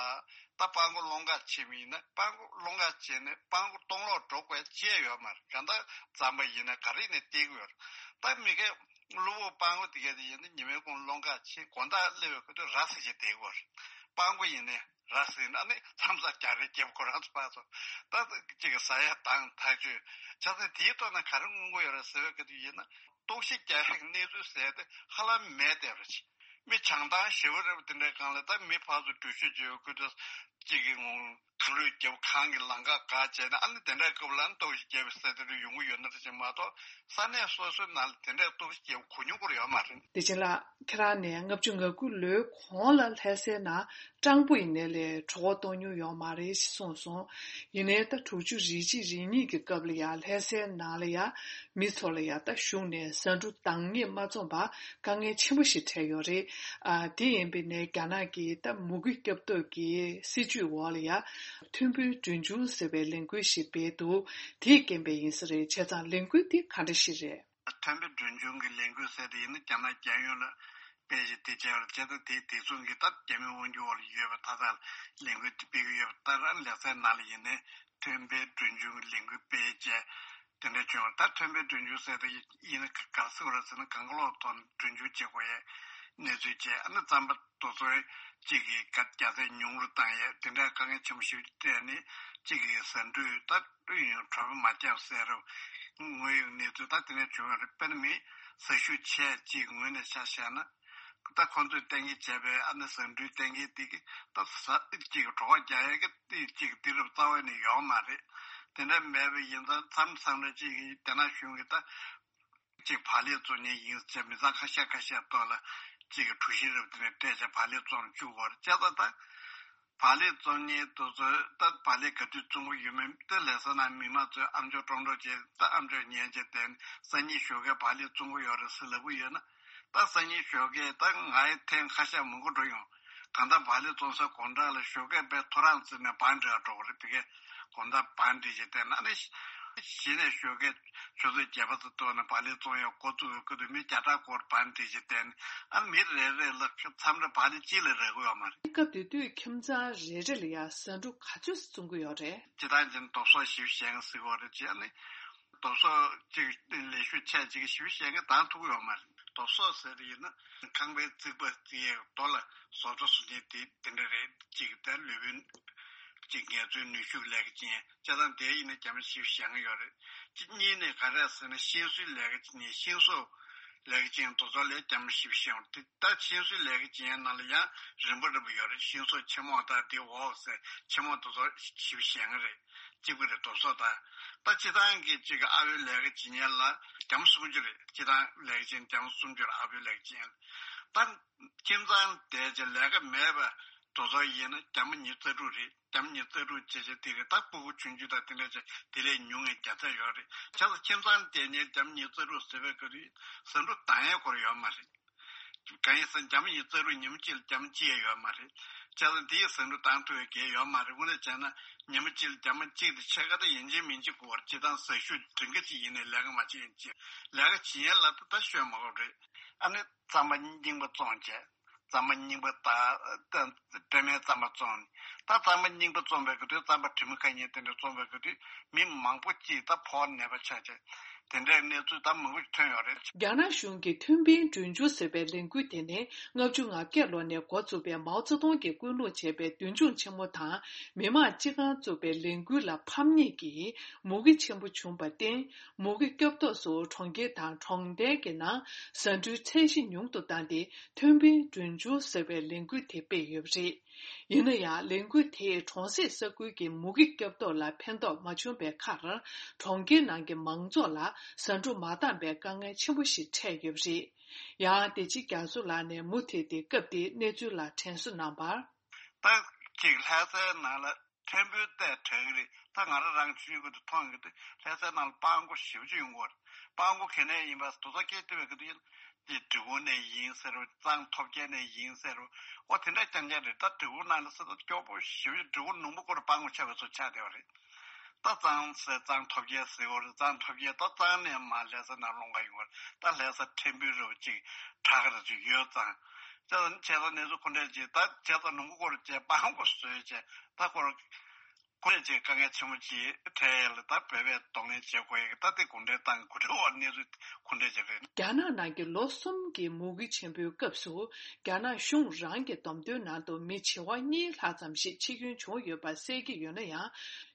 ད་སྤང་གོས་སློང་ག་ཕྱིན་པ་ཡིན་ན་སྤང་གོས་སློང་ག་ཕྱིན་ནས་སྤང་གོས་གཏོང་ལོག་འགྲོ་དགོས་ཅེས་ཡོད་མ་རེད། གང་ལྟར་རྩམ་པ་ཡིན་ན་ག་རེ་ནས་སྟེར་གི་ཡོད་རེད། ད་མི་སྒེར་གློ་བུར་སྤང་གོས་དེ་གས་དེ་ཡིན་ན་ཉི་མའི་གུང་སློང་ག་ཕྱིན་དགོང་དག་སླེབས་པའི་ཁུལ་དུ་ར་ཟིག་ཅིག་སྟེར་གི་ཡོད་རེད། སྤང་གོས་ཡིན་ནའི་ར་ཟིན་ཨ་ནི་མཚམས་ས་རྒྱ་རེ་རྒྱབ་ཁོ་རང་ཚོ་ཕར་ཚོ་ད་གཅིག་གི་ཟ་ཡ་དང་ཐག་ཆོད། ཆ་ཚང་དེའི་ཐོག་ན་ག་རེ་མངོན་གྱི་ཡོད་རེད་ཟེར་བའི་སྐབས་དུ་ཡིན་ན་གཏོར་བཤིག་རྒྱག་ཡག་གི་གནས་ཚུལ་ཟེར་ཏེ་ཧ་ལམ་མེད་བསྡད་པ་རེད། མི་བྱང་ཐང་ཞེ་པོ་རེད་པ། དེ་འདྲའི་སྒང་ལ་ད་མི་ཕར་ཚུར་འགྲུལ་བཞུད་བྱེད་པའི་ཁུལ་དུ་གཅིག་གི་ངོ་གངས་ལུད་རྒྱབ་གངས་ཀྱི་ལམ་ཁ་བཀག་བྱས་ནས་ཨ་ནི་དེ་འདྲའི་སྐབས་ལ་གཏོར་བཤིག་རྒྱག་པའི་ཟེར་དེ་འདྲ་ཡོང་གི་ཡོད་ན་རེད་ཅེས་མ་གཏོགས་ས་གནས་སོ་སོའི་ནང་ལ་དེ་འདྲའི་གཏོར་བཤིག་རྒྱག་པ་གོ་མྱོང་སྐོར་ཡོད་མ་རེད། བདེ་ཆེན་ལགས། ཁྱེད་རང་ནས་ལྔ་བཅུ་ང་དགུ་ལོའི་གོང་ལ་ལྷ་སའི་ནང་སྤྲང་པོ་ཡིན་ནའི་ལས་གྲོད་ཁོག་ལྟོགས་མྱོང་ཡོད་མ་རེད་ཞེས་གསུངས་སོང་། ཡིན་ནའི་ད་དྲུག་ཅུ་རེ་གཅིག་རེ་གཉིས་ཀྱི་སྐབས་ལ་ཡང་ལྷ་སའི་ནང་ལ་ཡང་མི་ཚོ་ལ་ཡང་ད་གཞུང་ནས་ཟ་འབྲུ་འདང་ངེས་མ་འཛོམས་པར་དཀའ་ངལ་ཆེན་པོ་ཞིག་འཕྲད་ཡོད་རེད། ཨ། དེ་ཡིན་པའི་ནས་རྒྱ་ནག་གིས་ད་མུ་གེ་སྐྱོབ་ཐབས་ཀྱི་སྲིད་ཇུས་འོག་ལ་ཡང་མཐུན་པའི་གྲོན་ཆུང་ཟེར་བའི་ལས་འགུལ་ཞིག་སྤེལ་འདུག་དེས་རྐྱེན་པས་ཡིན་ས་རེད། བྱས་ཙང་ལས་འགུལ་དེ་ག་འདྲ་ཞིག་རེད། མཐུན་པའི་གྲོན་ཆུང་གི་ལས་འགུལ་ཟེར་དེ་ཡིན་ན་རྒྱ་ནག་རྒྱལ་ཡོངས་ལ་ སྤེལ་བྱས་དེ་བྱས་པ་རེད། བྱས་ཙང་དེའི་དེ་མཚུངས་ཀྱི་ད་རྒྱ་མིའི་དབང་སྒྱུར་འོག་ལ་ཡོད་པའི་ད་ལྟ་ལས་འགུལ་དེ་སྤེལ་གྱི་ཡོད་པ། ད་རང་ལེ་ཚན་ནང་ལ་ཡིན་ནའི་ཐེམ་པའི་གྲོས་འཆར་གྱི་ལས་འགུལ་སྤེལ་བྱས་དེ་འདྲ་བྱུང་བ། ད་ཐེམ་པའི་གྲོས་འཆར་ཟེར་དེ་ཡིན་ན་ག་རེ་ཟེར་དགོས་རེད་ཟེར་ན། གང་ག་ལོག་ཐོག་ནས་གྲོས་འཆར་བྱེད་དགོས་ཡས་གནས་ཚུལ་བྱས། ཨ་ནི་རྩམ་པ་དེ་ཚོ་གཅིག་གི་ག་རྒྱ་ཚད་ཉུང་རུ་བཏང་ཡས་དེ་འདྲའི་དཀའ་ངལ་ཆེན་པོ་ཞིག་སྤྲད་ནས་གཅིག་གི་ཟ་འབྲུ་ད་དུས་ཡུན་གྲོན་མ་བརྒྱབ་ཟེར་རུ་དངོས་ཡོད་གནས་ཚུལ་ད་དེ་འདྲ་བྱུང་ཡོད་རེད། དཔེར་ན་མི་ཟ་ཤུགས་ཆེ་གཅིག་ངོས་ནས་ཆ་བཞག་ན། ད་ཁོང་ཚོས་གཏན་འཁེལ་བྱས་པའི་ཨ་ནི་ཟ་འབྲུའི་གཏན་འཁེལ་དེ་གི་ད་ཟ་གཅིག་གི་གྲོད་ཁོག་རྒྱག་ཡས་ཀྱི་དེ་གཅིག་དུས་རབས་རྩ་བ་ནས་ཡོད་མ་རེད། དེ་འདྲ་མེད་པ་ཡིན་ཙང་མཚམས་མཚམས་རེ་གཅིག་གི་རྒྱ་ནག་གཞུང་གི་ད་གཅིག་བག་ལེབ་བཙོང་མཁན་ཡིན་ཟེར་མི་ཚང་ཁ་ཤས་ཁ་ཤས་ཐོག་ལ་གཅིག་གི་གྲུ་བཞི་རེ་དེ་འདྲ་སྤྲད་བྱས་བག་ལེབ་བཙོང་བཅུག་གོ་རེད། བྱས་ཙང་ད་བག་ལེབ་བཙོང་མཁན་དེ་ཚོས་ད་བག་ལེབ་ག་དུས་བཙོང་གི་ཡོད་མེད་དེ་ལས་ས་ནང་མི་མང་ཚོས་ཨམ་ཅོག་ཀྲོང་ཀྲོང་བྱས། ད་ཨམ་ཅོག་ཉན་བྱས་དེ་སང་ཉིན་ཞོགས་ཀས་བག་ལེབ་བཙོང་གི་ཡོད་རེད་ཟེར་ལབ་གི་ཡོད་ན། ད་སང་ཉིན་ཞོགས་ཀས་ད་ང་ཡི་ཐེངས་ཁ་ཤས་མང་པོ་འགྲོ་ཡོང་། གང་ལྟར་བག་ལེབ་བཙོང་ས་དགོང་དག་ལ་ཞོགས་ཀས་དཔེ་ཐོ་རངས་བརྩིས་ནས་བང་སྒྲིག་འགྲོ་གི་རེད། དེ་གས་དགོང་དག་བང་སྒྲིག་བྱས་བསྡད་ན་ནི་གཞི་ནས་ཞོགས་ཀས་ཆུ་ཚོད་བརྒྱད་པ་ཙམ་ཐོག་ནས་བག་ལེབ་བཙོང་ཡག་འགོ་བཙུགས་ཡོང་སྐབས་དུས་མི་བརྒྱ་ཕྲག་སྐོར་བང་སྒྲིག་བྱས་བསྡད་ནས། ཨ་ནི་མི་རེ་རེ་ལ་མཚམས་རེ་བག་ལེབ་གཅིག་ལས་རག་གི་ཡོད་མ་རེད། སྐབས་དེ་དུས་ཁྱིམ་ཚང་རེ་རེ་ལ་ཡང་ཟ་འབྲུ་ག་ཚོད་བཙོང་གི་ཡོད་རེད། སྤྱིར་བཏང་ཅན་ལྡོག་ཟོག་ཞིབ་བཤེར་མཁན་ཟེར་གྱི་ཡོད་རེད། བྱས་ནས་ལྡོག་ཟོག་ཅིག་ལས་ཞུགས་ཆེ་ཅིག་ཞིབ་བཤེར་མཁན་བདམས་ཐུབ་ཀྱི་ཡོད་མ་རེད། ལྡོག་ཟོག་ཟེར་ཡིན་ན་ཁང་པའི་རྩིག་པ་རྩིག་ཡས་རྡོ་ལ་བཟོ་ལྟ་བཟོ་མཁན་དེ་དེ་འདྲ་རེད། གཅིག་དེ་ལུས་པོའི་གཅིག་ངལ་རྩོལ་ནུས་ཤུགས་ལས་ཀ་བྱེད་མཁན་བྱས་ཙང་དེ་ཡིན་ན་རྒྱ་མི་ཞིབ་བཤེར་མཁན་ཡོད་རེད། གཅིག་གཉིས་ནས་ག་རེ་ཟེར་ན་ཤིང་བཟོའི་ལས་ཀ་བྱེད་མཁན་ཤིང་བཟོ་ལས་ཀ་བྱེད་མཁན་དེ་ཚོ་ལ་རྒྱ་མི་ཞིབ་བཤེར་ཡོང་། དེ་ད་ཤིང་བཟོའི་ལས་ཀ་བྱེད་མཁན་ནང་ལ་ཡང་རིམ་པ་རིམ་པ་ཡོད་རེད། ཤིང་བཟོ་ཆེན་མོ་དང་དེ་འོག་ཟེར་ཆེན་མོ་དེ་ཚོ་ཞིབ་བཤེར་མཁན་རེད། གཅིག་པ་རེད། ལྡོག་ཟོག་དང་། ད་སྤྱིར་བཏང་གི་གཅིག་གི་ཨ་ཕོའི་ལས་ཀ་བྱེད་མཁན་ལ་རྒྱ་མི་སུམ་ཅུ་རེད། སྤྱིར་བཏང་ལས་ཀ་བྱེད་མཁན་རྒྱ་མི་སུམ་ཅུ་རེད། ཨ་ཕོའི་ལས་ཀ་བྱེད་མཁན་ལ། ད་ཁྱིམ་ཚང་བསྡད་བྱས་ལས་ཀ་མེད་པ་དེ་ཚོ་ཡིན་ན་རྒྱ་མི་ཉི་ཤུ་རྩ་དྲུག་རེད། རྒྱ་མི་ཉི་ཤུ་རྩ་དྲུག་བྱས་བྱས་དེ་རེད། ད་སྤུ་གུ་ཆུང་ཆུང་དང་དེ་འདྲ་བྱས་དེ་ལས་ཉུང་ངེས་བརྒྱ་ཆ་ཡོད་རེད། བྱས་ཙང་ཁྱིམ་ཚང་བསྡད་མཁན་རྒྱ་མི་ཉི་ཤུ་རྩ་དྲུག་ཟེར་བའི་སྐབས་དུས་ཟ་འབྲུ་བཏང་ཡས་སྐོར་ཡོད་མ་རེད། གང་ཡིན་ཟེར་ན་རྒྱ་མི་ཉི་ཤུ་རྩ་དྲུག་ཉིན་མོ་གཅིག་ལ་རྒྱ་མི་གཅིག་ཡང་ཡོད་མ་རེད། བྱས་ཙང་དེའི་ཟ་འབྲུ་བཏང་ཐུབ་ཡས་གང་ཡོད་མ་རེད། དངོས་གནས་བྱས་ན་ཉིན་མོ་གཅིག་ལ་རྒྱ་མི་གཅིག་དང་ཕྱེད་ཀ་དང་ཡིན་གཅིག་མིན་གཅིག་དགོས་པ་རེད། སྤྱིར་བཏང་ཟ་ཤུགས་སྒྲིང་ག་ཅིག་ཡིན་ནའི་ལས་ཀ་མ་བྱེད་ཡིན་གཅིག་ལས་ཀ་བྱེད་ཡས་ལ་ད་ལྟ་ཤོད་མ་དགོས་རེད། ཨ་ནི་རྩམ་པ་རྙིང་པ་བཙོང་བྱས། རྩམ་པ་རྙིང་པ་ད་ད་སྤྲད་མའི་རྩམ་པ་བཙོང་ནས། ད་རྩམ་པ་རྙིང་པ་བཙོང་བའི་སྐབས་དུས་རྩམ་པ་དྲི་མ་ཁ་ཉིན་དེ་འདྲ་བཙོང་བའི་སྐབས་དུས་མི་མང་པོ་གཅིག་ད་ཕོ་ནད་པ་ཆགས་བྱས། དེ་འདྲའི་གནས་ཚུལ་ད་མང་པོ་ཐོན་ཡོད་རེད། རྒྱ་ནག་གཞུང་གིས་ཐུན་སྤུན་གྲོས་འཆར་ཟེར་བའི་ལས་འགུལ་དེ་ནི་ལྔ་བཅུ་ང་བརྒྱད་ལོ་ནས་འགོ་བཙུགས་པའི་མའོ་ཙེ་ཏུང་གིས་སྐུལ་སློང་བྱས་པའི་མདུན་ལྗོངས་ཆེན་མོ་དང་མི་དམངས་སྤྱི་ཁང་བཙུགས་པའི་ལས་འགུལ་ལ་ཕམ་ཉེས་ཀྱིས་མུ་གེ་ཆེན་པོ་བྱུང་བར་བརྟེན། མུ་གེ་སྐྱོབ་ཐབས་སུ་གྲོང་ཁྱེར་དང་གྲོང་རྡལ་གྱི་ནང་ཟ་འབྲུའི་ཚད་གཞི་ཉུང་དུ་བཏང་སྟེ་ཐུན་སྤུན་གྲོས་འཆར་ཟེར་བའི་ལས་འགུལ་དེ་སྤེལ་ཡོད་པ་རེད། ཡིན་ན་ཡང་ལས་འགུལ་དེས་གྲོང་གསེབ་ས་ཁུལ་གྱི་མུ་གེ་སྐྱོབ་ཐབས་ལ་ཕན་ཐོགས་མ་བྱུང་བའི་ཁར། གྲོང་ཁྱེར་ནང་གི་མང་ཚོགས་ལ་ཟ་འབྲུ་མ་འདང་པའི་དཀའ་ངལ་ཆེན་པོ་ཞིག་འཕྲད་ཡོད་པ་རེད། ཡང་བདེ་སྐྱིད་རྒྱ་མཚོ་ལགས་ནས་མུ་མཐུད་དེ་སྐབས་དེའི་གནས་ཚུལ་ལ་དྲན་གསོ་གནང་བར། ད་ཅིག་ལྷ་སའི་ནང་ལ་ཐེམ་འབུའི་རྟ་དྲག་གི་རེད། ད་ང་རང་རང་ཆུང་ཆུང་སྐབས་དུས་མཐོང་གི་འདུག་ལྷ་སའི་ནང་ལ་སྤང་གོ་ཞེ་པོ་ཅིག་ཡོང་གི་ཡོད་རེད། སྤང་གོ་ག་ནས་ཡིན་པ་དེ་ཚོ་སྐད་བཏོན་པའི་སྐབས་དུས་ཡིན། འདི་འབྲི་གུང་ནས་ཡིན་ཟེར་རོ། གཙང་ཐོབ་རྒྱལ་ནས་ཡིན་ཟེར་རོ། ཨོ་དེ་འདྲ་རྐྱང་རྐྱང་རེད། ད་འབྲི་གུང་ནང་ལ་ས་ད་སྐྱོ་པོ་ཞེ་པོ་ཅིག་འབྲི་གུང་ལུང་པ་སྐོར་སྤང་གོ་ཆགས་པའི་ཚོ་ཆགས་བསྡད་པ་རེད། ད་གཙང་ཟེར་གཙང་ཐོབ་རྒྱལ་ཟེར་གོ་རེད། གཙང་ཐོབ་རྒྱལ་ད་གཙང་ནས་མར་ལྷ་ས་ནང་སློང་ག་ཡོང་བ་རེད། ད་ལྷ་ས་ཐེམ་འབུའི་རི་བོ་གཅིག་གྲགས་རེ་ཚོ་ཡོད་ཙང་། བྱས་ཙང་བྱས་ཙང་གནས་ཚུལ་ཁོ་འདྲ་ཅིག་ད་བྱས་ཙང་ལུང་པ་སྐོར་བྱས་སྤང་གོ་བཟོས་བྱས་ད་ཁོ་རང་ཁོ་རང་ཅིག་དཀའ་ངལ་ཆེན་པོ་ཅིག་འཕྲད་ཡས་ལ་ད་བོད་པས་གདོང་ལེན་བྱེད་དགོས་ཡས་ད་དེ་གུང་ཁྲན་ཏང་གི་འགོ་ཁྲིད་འོག་གནས་ཚུལ་ཁོ་འདྲ་ཅིག་རེད། རྒྱ་ནག་ནང་གི་ལོ་གསུམ་གྱི་མུ་གེ་ཆེན་པོའི་སྐབས་སུ་རྒྱ་ནག་གཞུང་རང་གི་བསྡོམས་ཐོན་ནང་དུ་མི་བྱེ་བ་གཉིས་ལྷག་ཙམ་ཞིག་འཆི་སྐྱོན་བྱུང་ཡོད་པ་གསལ་གྱི་ཡོད་ན་ཡང་།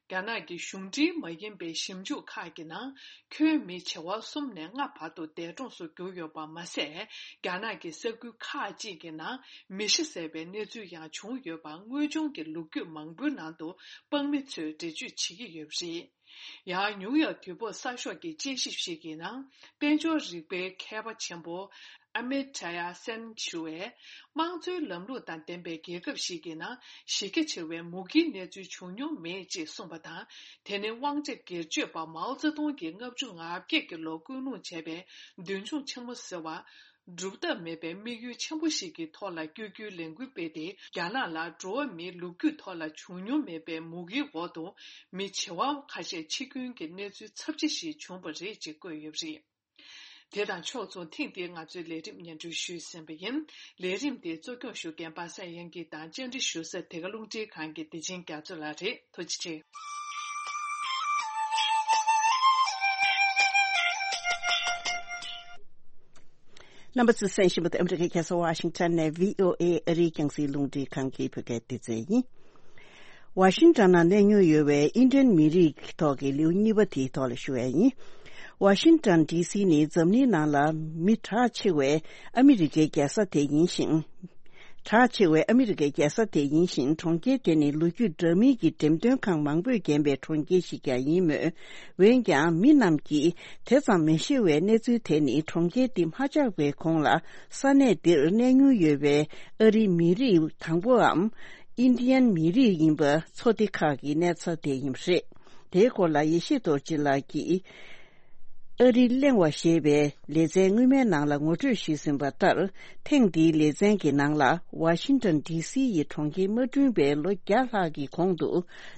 རྒྱ་ནག་གི་གཞུང་འབྲེལ་མ་ཡིན་པའི་ཞིབ་འཇུག་ཁག་གི་ནང་ཁྱོན་མི་བྱེ་བ་གསུམ་ནས་ལྔ་བར་དུ་འདས་གྲོངས་སུ་གྱུར་ཡོད་པ་མ་ཟད། རྒྱ་ནག་གི་ས་ཁུལ་ཁག་ཅིག་གི་ནང་མི་ཤི་བསད་པའི་གནས་ཚུལ་ཡང་བྱུང་ཡོད་པ་དངོས་བྱུང་གི་ལོ་རྒྱུས་མང་པོའི་ནང་དུ་དཔང་མི་ཚོས་འགྲེལ་བརྗོད་བྱེད་ཀྱི་ཡོད་པ་རེད། ཡང་ནིའུ་ཡོག་དུས་བབ་གསར་ཤོག་གི་དཔྱད་ཞིབ་ཞིག་གི་ནང་། དཔལ་འབྱོར་རིག་པའི་མཁས་པ་ཆེན་པོ་ཨ་མི་ཏྲ་ཡ་སན་ཞུ་བས། དམངས་གཙོའི་ལམ་ལུགས་དང་ལྡན་པའི་རྒྱལ་ཁབ་ཞིག་གི་ནང་གཞི་རྒྱ་ཆེ་བའི་མུ་གེའི་གནས་ཚུལ་བྱུང་མྱོང་མེད་ཅེས་གསུངས་པ་དང་། དེ་ནི་དབང་ཆ་སྒེར་གཅོད་པ་མའོ་ཙེ་ཏུང་གིས་ལྔ་བཅུ་ང་བརྒྱད་ཀྱི་ལོར་སྐུལ་སློང་བྱས་པའི་མདུན་ལྗོངས་ཆེན་མོ་ཟེར་བ། སྒྲུབ་ཐབས་མེད་པའི་དམིགས་ཡུལ་ཆེན་པོ་ཞིག་གི་ཐོག་ལ་བསྐྱོད་རྒྱུའི་ལས་འགུལ་སྤེལ་ཏེ། རྒྱ་ནག་ལ་འགྲོ་བ་མིའི་ལོ་རྒྱུས་ཐོག་ལ་བྱུང་མྱོང་མེད་པའི་མུ་གེའི་འོག་ཏུ་མི་བྱེ་བ་ཁ་ཤས་འཆི་སྐྱོན་གྱི་གནས་ཚུལ་ཚབས་ཆེ་ཞིག་བྱུང་བ་རེད་ཅེས་བཀོད་ཡོད་པ་རེད། དེ་དང་ཕྱོགས་མཚུངས་ཐེངས་འདིའི་ང་ཚོའི་ལས་རིམ་སྙན་སྒྲོན་ཞུས་ཟིན་པ་ཡིན། ལས་རིམ་འདི་གཙོ་སྐྱོང་ཞུ་མཁན་པ་སངས་དབྱངས་སྐྱིད་དང་བཅར་འདྲི་ཞུ་ས་དེ་ག་རླུང་འཕྲིན་ཁང་གི་བདེ་ཆེན་རྒྱ་མཚོ་ལགས་རེད། ཐུགས་རྗེ་ཆེ། རྣམ་པ་ཚོས་གསན་བཞིན་པ་དེ་ཨ་མི་རི་ཀའི་རྒྱལ་ས་ཝ་ཤིང་ཊོན་ནས་བྷི་ཨོ་ཨེ་ཨ་རིའི་རྒྱང་སྲིང་རླུང་འཕྲིན་ཁང་གི་བོད་སྐད་སྡེ་ཚན་ཡིན། ཝ་ཤིང་ཊོན་ནང་གནས་མྱོང་ཡོད་པའི་ཨིན་ཌི་ཡན་མི་རིགས་ཀྱི་ཐོག་གི་ལེའུ་གཉིས་པ་དེའི་ཐོག་ལ་ཞུ་ཡ་ཡིན། ཝ་ཤིང་ཊོན་ཌི་སི་ནི་འཛམ་གླིང་ནང་ལ་མི་གྲགས་ཆེ་བའི་ཨ་མི་རི་ཀའི་རྒྱལ་ས་དེ་ཡིན་ཞིང་། གྲགས་ཆེ་བའི་ཨ་མི་རི་ཀའི་རྒྱལ་ས་དེ་ཡིན་ཞིང་། གྲོང་ཁྱེར་དེ་ནི་ལོ་རྒྱུས་འདྲ་མིན་གྱི་འགྲེམས་སྟོན་ཁང་མང་པོས་བརྒྱན་པའི་གྲོང་ཁྱེར་ཞིག་ཀྱང་ཡིན་མོད། འོན་ཀྱང་མི་རྣམས་ཀྱིས་དེ་ཙམ་མི་ཤེས་པའི་གནས་ཚུལ་དེ་ནི་གྲོང་ཁྱེར་འདི་མ་ཆགས་པའི་གོང་ལ་ས་གནས་འདིར་གནས་མྱོང་ཡོད་པའི་ཨ་རིའི་མི་རིགས་དང་པོའམ་ཨིན་ཌི་ཡན་མི་རིགས་ཡིན་པ་ཚོ་སྡེ་ཁག་གི་གནས་ཚད་དེ་ཡིན་པ་རེད། དེའི་སྐོར་ལ་ཡེ་ཤེས་རྡོ་རྗེ་ལགས་ཀྱིས་ཨ་རི་གླེང་བ་ཞེས་པའི་ལེ་ཚན་སྔོན་མའི་ནང་ལ་ངོ་སྤྲོད་ཞུས་ཟིན་པ་ལྟར། ཐེངས་འདིའི་ལེ་ཚན་གྱི་ནང་ལ་ཝ་ཤིང་ཊོན་ཌི་སི་ཡི་གྲོང་ཁྱེར་མ་བསྐྲུན་པའི་ལོ་བརྒྱ་ལྷག་གི་གོང་དུ་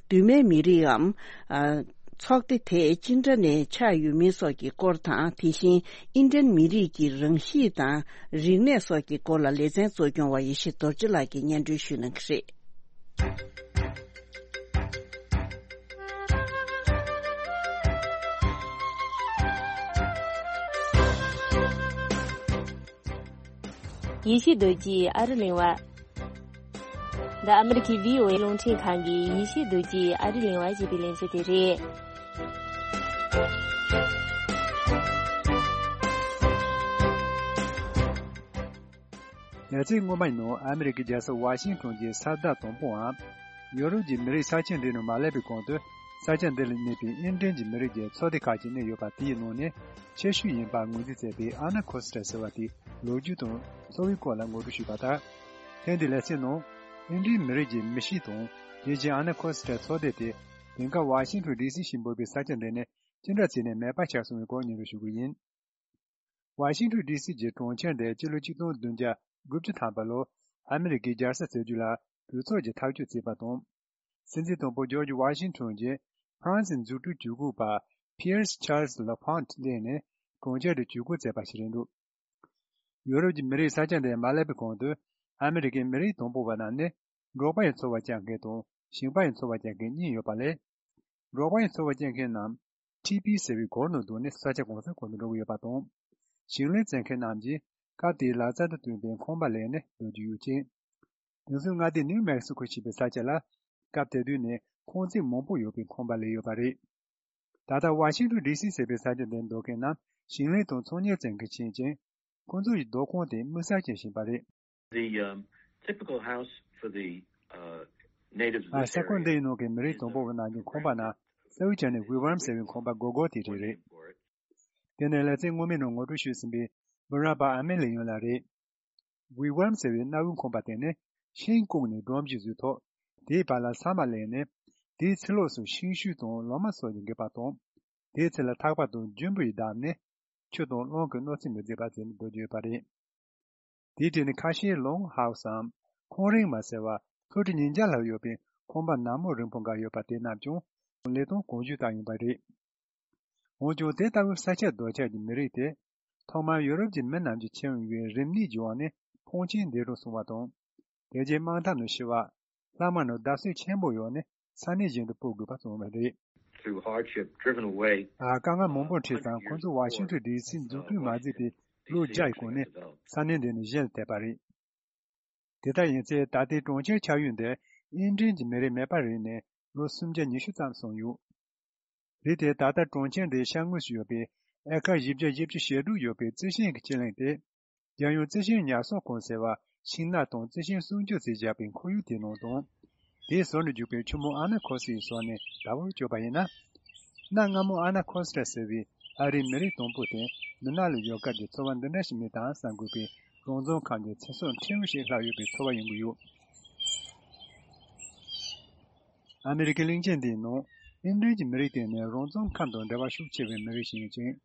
གདོད་མའི་མི་རིགས་འམ། ཨ། ཚོགས་སྡེ་དེ་ཅི་འདྲ་ནས་ཆགས་ཡོད་མིན་སོགས་ཀྱི་སྐོར་དང་། དེ་བཞིན་ཨིན་ཌི་ཡན་མི་རིགས་ཀྱི་རང་གཤིས་དང་རིག་གནས་སོགས་ཀྱི་སྐོར་ལ་ལེ་ཚན་གཙོ་སྐྱོང་བ་ཡེ་ཤེས་རྡོ་རྗེ་ལགས་ཀྱིས་སྙན་སྒྲོན་ཞུ་གནང་གི་རེད། ཡེ་ཤེས་རྡོ་རྗེའི་ཨ་རི་གླེང་བ། འདི་ཨ་མི་རི་ཁའི་བྷི་ཨོ་ཨེ་རླུང་འཕྲིན་ཁང་གི་ཡེ་ཤེས་རྡོ་རྗེའི་ཨ་རི་གླེང་བ་ཞེས་པའི་ལས་འཛིན་དེ་རེད། ལེ་ཚན་སྔོན་མའི་ནང་ཨ་མི་རི་ཀའི་རྒྱལ་ས་ཝ་ཤིང་ཊོན་གྱི་ས་བདག་དང་པོའམ། ཡོ་རོབ་ཀྱི་མི་རིགས་ས་ཆ་འདི་ནང་མ་སླེབས་པའི་གོང་དུ་ས་ཆ་འདི་ལ་གནས་པའི་ཨིན་ཌི་ཡན་གྱི་མི་རིགས་ཀྱི་ཚོགས་སྡེ་ཁག་ཅིག་གནས་ཡོད་པ་དེའི་ནང་ནས་ཆེ་ཤོས་ཡིན་པ་ངོས་འཛིན་མཛད་པའི་ཨ་ན་ཁོ་སི་ཊ་ཟེར་བ་དེའི་ལོ་རྒྱུས་དང་འཚོ་བའི་སྐོར་ལ་ངོ་སྤྲོད་ཞུས་པ་དང་། ཐེངས་འདིའི་ལེ་ཚན་ནང་ཨིན་ཌི་ཡན་མི་རིགས་ཀྱི་མི་གཤིས་དང་དེ་བཞིན་ཨ་ན་ཁོ་སི་ཊ་ཚོགས་སྡེ་དེ་དེང་སྐབས་ཝ་ཤིང་ཊོན་ཌི་སི་ཞེས་འབོད་པའི་ས་ཆ་འདི་ནས་ཅི་འདྲ་བྱས་ནས་མེད་པ་ཆགས་སོང་བའི་སྐོར་སྙན་སྒྲོན་ཞུ་གི་ཡིན། ཝ་ཤིང་ཊོན་ཌི་སི་གྱི་གྲོང་ཁྱེར་འདི་སྤྱི་ལོ་ཆིག་སྟོང་བདུན་བརྒྱ་དགུ་བཅུ་ཐམ་པ་ལོར་ཨ་མི་རི་ཀའི་རྒྱལ་ས་བཙུགས་རྒྱུ་ལ་གྲོས་ཚོགས་ཀྱིས་ཐག་གཅོད་བྱས་པ་དང་། སྲིད་འཛིན་དང་པོ་ཇོརྗ་ཝ་ཤིང་ཊོན་གྱིས་ཧྥ་རན་སིའི་འཛུགས་སྐྲུན་ཇུས་འགོད་པ་ཕི་ཡར་སི་ཆཱར་ལས་ལ་ཕོན་ཊི་གླས་ནས་གྲོང་ཁྱེར་འདི་ཇུས་འགོད་མཛད་པ་ཞིག་རེད་འདུག་ཡོ་རོབ་ཀྱི་མི་རིགས་ས་ཆ་འདིར་མ་སླེབས་པའི་གོང་དུ་ཨ་མི་རི་ཀའི་མི་རིགས་དང་པོ་བ་རྣམས་ནི་འབྲོག་པ་ཡི་འཚོ་བ་སྐྱེལ་མཁན་དང་ཞིང་པ་ཡི་འཚོ་བ་སྐྱེལ་མཁན་གཉིས་ཡོད་པ་ལས། འབྲོག་པ་ཡི་འཚོ་བ་སྐྱེལ་མཁན་རྣམས་ཊི་པི་ཟེར་བའི་སྒོར་ནང་བསྡུས་ནས་ས་ཆ་གང་སར་གང་དུ་འགྲོ་གི་ཡོད་པ་དང་། ཞིང་ལས་བཙལ་མཁན་རྣམས་ཀྱིས་སྐབས་དེའི་ལག་རྩལ་དང་བསྟུན་པའི་ཁང་པ་ལས་ནས་སྡོད་ཀྱི་ཡོད་ཅིང་། དེང་སང་མངའ་སྡེ་ནིའུ་མེག་སི་ཁོ་ཞེས་པའི་ས་ཆ་ལ་སྐབས་དེ་དུས་ནས་ཁང་བརྩེགས་མང་པོ་ཡོད་པའི་ཁང་པ་ལས་ཡོད་པ་རེད། ད་ལྟ་ཝ་ཤིང་ཊོན་ཌི་སི་ཟེར་བའི་ས་ཆ་འདིར་སྡོད་མཁན་རྣམས་ཞིང་ལས་དང་ཚོང་གཉེར་བཙལ་མཁན་ཡིན་ཅིང་། ཁོང་ཚོ་ཡི་སྡོད་ཁང་དེ་མུའུ་སར་ཅན་ཞིག་ཡིན་པ་རེད། The, um, typical house for the, uh, natives of ཨ། this ས་ཁོངས་area འདི་ཡི་ནང་གི་མི་རིགས་is དང་པོ་བ་རྣམས་ཀྱི་ཁང་པ་ནི་གསར་བུ་ཅན་ནི་ཝི་ཝརམ་ཟེར་བའི་ཁང་པ་སྒོར་སྒོར་དེ་རེད། དེ་ནས་ལེ་ཚན་སྔོན་མའི་ནང་ངོ་སྤྲོད་ཞུས་ཟིན་པའི་བུ་ར་པ་ཨ་མེ་ལི་ཡོན་ལགས་རེད། ཝི་ཝརམ་ཟེར་བའི་གནའ་བོའི་ཁང་པ་དེ་ནི་ཤིང་བཀོག་ནས་སྒྲོམ་གཞི་བཟོས་ཐོག་དེའི་བར་ལ་ས་མ་ལེན་ནས། དེའི་ཚི་ལོགས་སུ་ཤིང་ཤུལ་དང་ལོ་མ་སོགས་ཀྱིས་འགེབས་པ་དང་། དེའི་ཚེ་ལ་ཐག་པ་དང་རྒྱུན་བུ་ཡིས་བརྡབས་ནས་ཆུ་དང་རླུང་གིས་གནོད་འཚེ་མི་མཛད་པ་བྱས་ནས་སྡོད་ཀྱི་ཡོད་པ་རེད། དེའི་གྲས་ནས་ཁ་ཤས་ལོང་ཧའུ་སམ་ཁང་རིང་མ་ཟེར་བ་ལྷོ་ཁྲི་ཉིས་བརྒྱ་ལྷག་ཡོད་པའི་ཁང་པ་ནག་མོ་རིང་པོ་འགའ་ཡོད་པ་དེ་རྣམས་ཀྱང་ལི་སྟོང་གོང་ཞུས་བཏང་ཡོད་པ་རེད། འོན་ཀྱང་དེ་ལྟ་བུའི་ས་ཆ་རྡོ་ཆག་གི་མི་རིགས་དེ་ཐོག་མར་ཡོ་རོབ་ཀྱི་མི་རྣམས་ཀྱིས་མཁྱེན་ཡོད་པའི་རིམས་ནད་ཀྱི་འོག་ནས་ཕོན་ཆེན་འདས་གྲོངས་སོང་བ་དང་། དེ་རྗེས་དམག་འཐབ་ནང་ཤི་བ། ལྷག་མ་ནང་བརྡབ་གསིག་ཆེན་པོ་ཡོང་ནས་ས་གནས་གཞན་དུ་སྤོ་དགོས་པ་བྱུང་བ་རེད། Through hardship, driven away. ཨ། དཀའ་ངལ་མང་པོ་འཕྲད་ཙང་ཁོ་ཚོ་ཝ་ཤིང་ཊོན་ཌི་སི་འཛུགས་སྐྲུན་མ་མཛད་པའི་ལོ་བརྒྱ་ཡི་གོང་ནས་ས་གནས་འདི་ནས་གཞན་ལ་ཐེབས་པ་རེད། དེ་ལྟར་ཡིན་ཚེ་ད་ལྟའི་གྲོང་ཁྱེར་ཆགས་ཡུལ་འདིར་ཨིན་ཌི་ཡན་གྱི་མི་རིགས་མེད་པར་རིག་ནས་ལོ་སུམ་བརྒྱ་ཉི་ཤུ་ཙམ་སོང་ཡོད། རེད་དེ། ད་ལྟ་གྲོང་ཁྱེར་འདིའི་ཤར་ངོས་སུ་ཡོད་པའི་ཨེ་ཀར་བཞི་བརྒྱ་བཞི་བཅུ་ཞེ་དྲུག་ཡོད་པའི་རྩི་ཤིང་གི་སྤྱི་གླིང་དེ། རྒྱལ་ཡོངས་རྩི་ཤིང་ཉར་གསོག་ཁང་ཟེར་བ་ཤིང་ནགས་དང་རྩི་ཤིང་སྲུང་སྐྱོབ་བྱས་བཞག་པའི་ཁོར་ཡུག་དེའི་ནང་དང་། དེའི་ཟུར་ནས་རྒྱུག་པའི་ཆུ་མོ་ཨ་ན་ཁོ་སི་ཡི་ཟུར་ནས་བདག་པོར་བཅོས་པ་ཡིན་ན། གནའ་སྔ་མོ་ཨ་ན་ཁོ་སི་ཊ་ཟེར་བའི་ཨ་རིའི་མི་རིགས་དང་པོ་དེ་མི་ནག་ལ་ཡོད་སྐབས་ཀྱི་འཚོ་བ་འདི་འདྲ་ཞིག་མིན་དང་བསམ་དགོས་པའི་རང་བཙན་ཁམས་ཀྱི་ཚེ་སྲོག་ཕྲན་བུ་ཞིག་ལྷག་ཡོད་པའི་ཚོར་བ་ཡོང་གི་ཡོད། ཨ་མི་རི་ཀའི་གླིང་ཆེན་འདིའི་ནང་ཨིན་ཌི་ཡན་གྱི་མི་རིགས་དེ་ནི་རང་བཙན་ཁམས་དང་འབྲེལ་བ་ཤུགས་ཆེ་བའི་མི་རིགས་ཤིག་ཡིན་ཅིང་།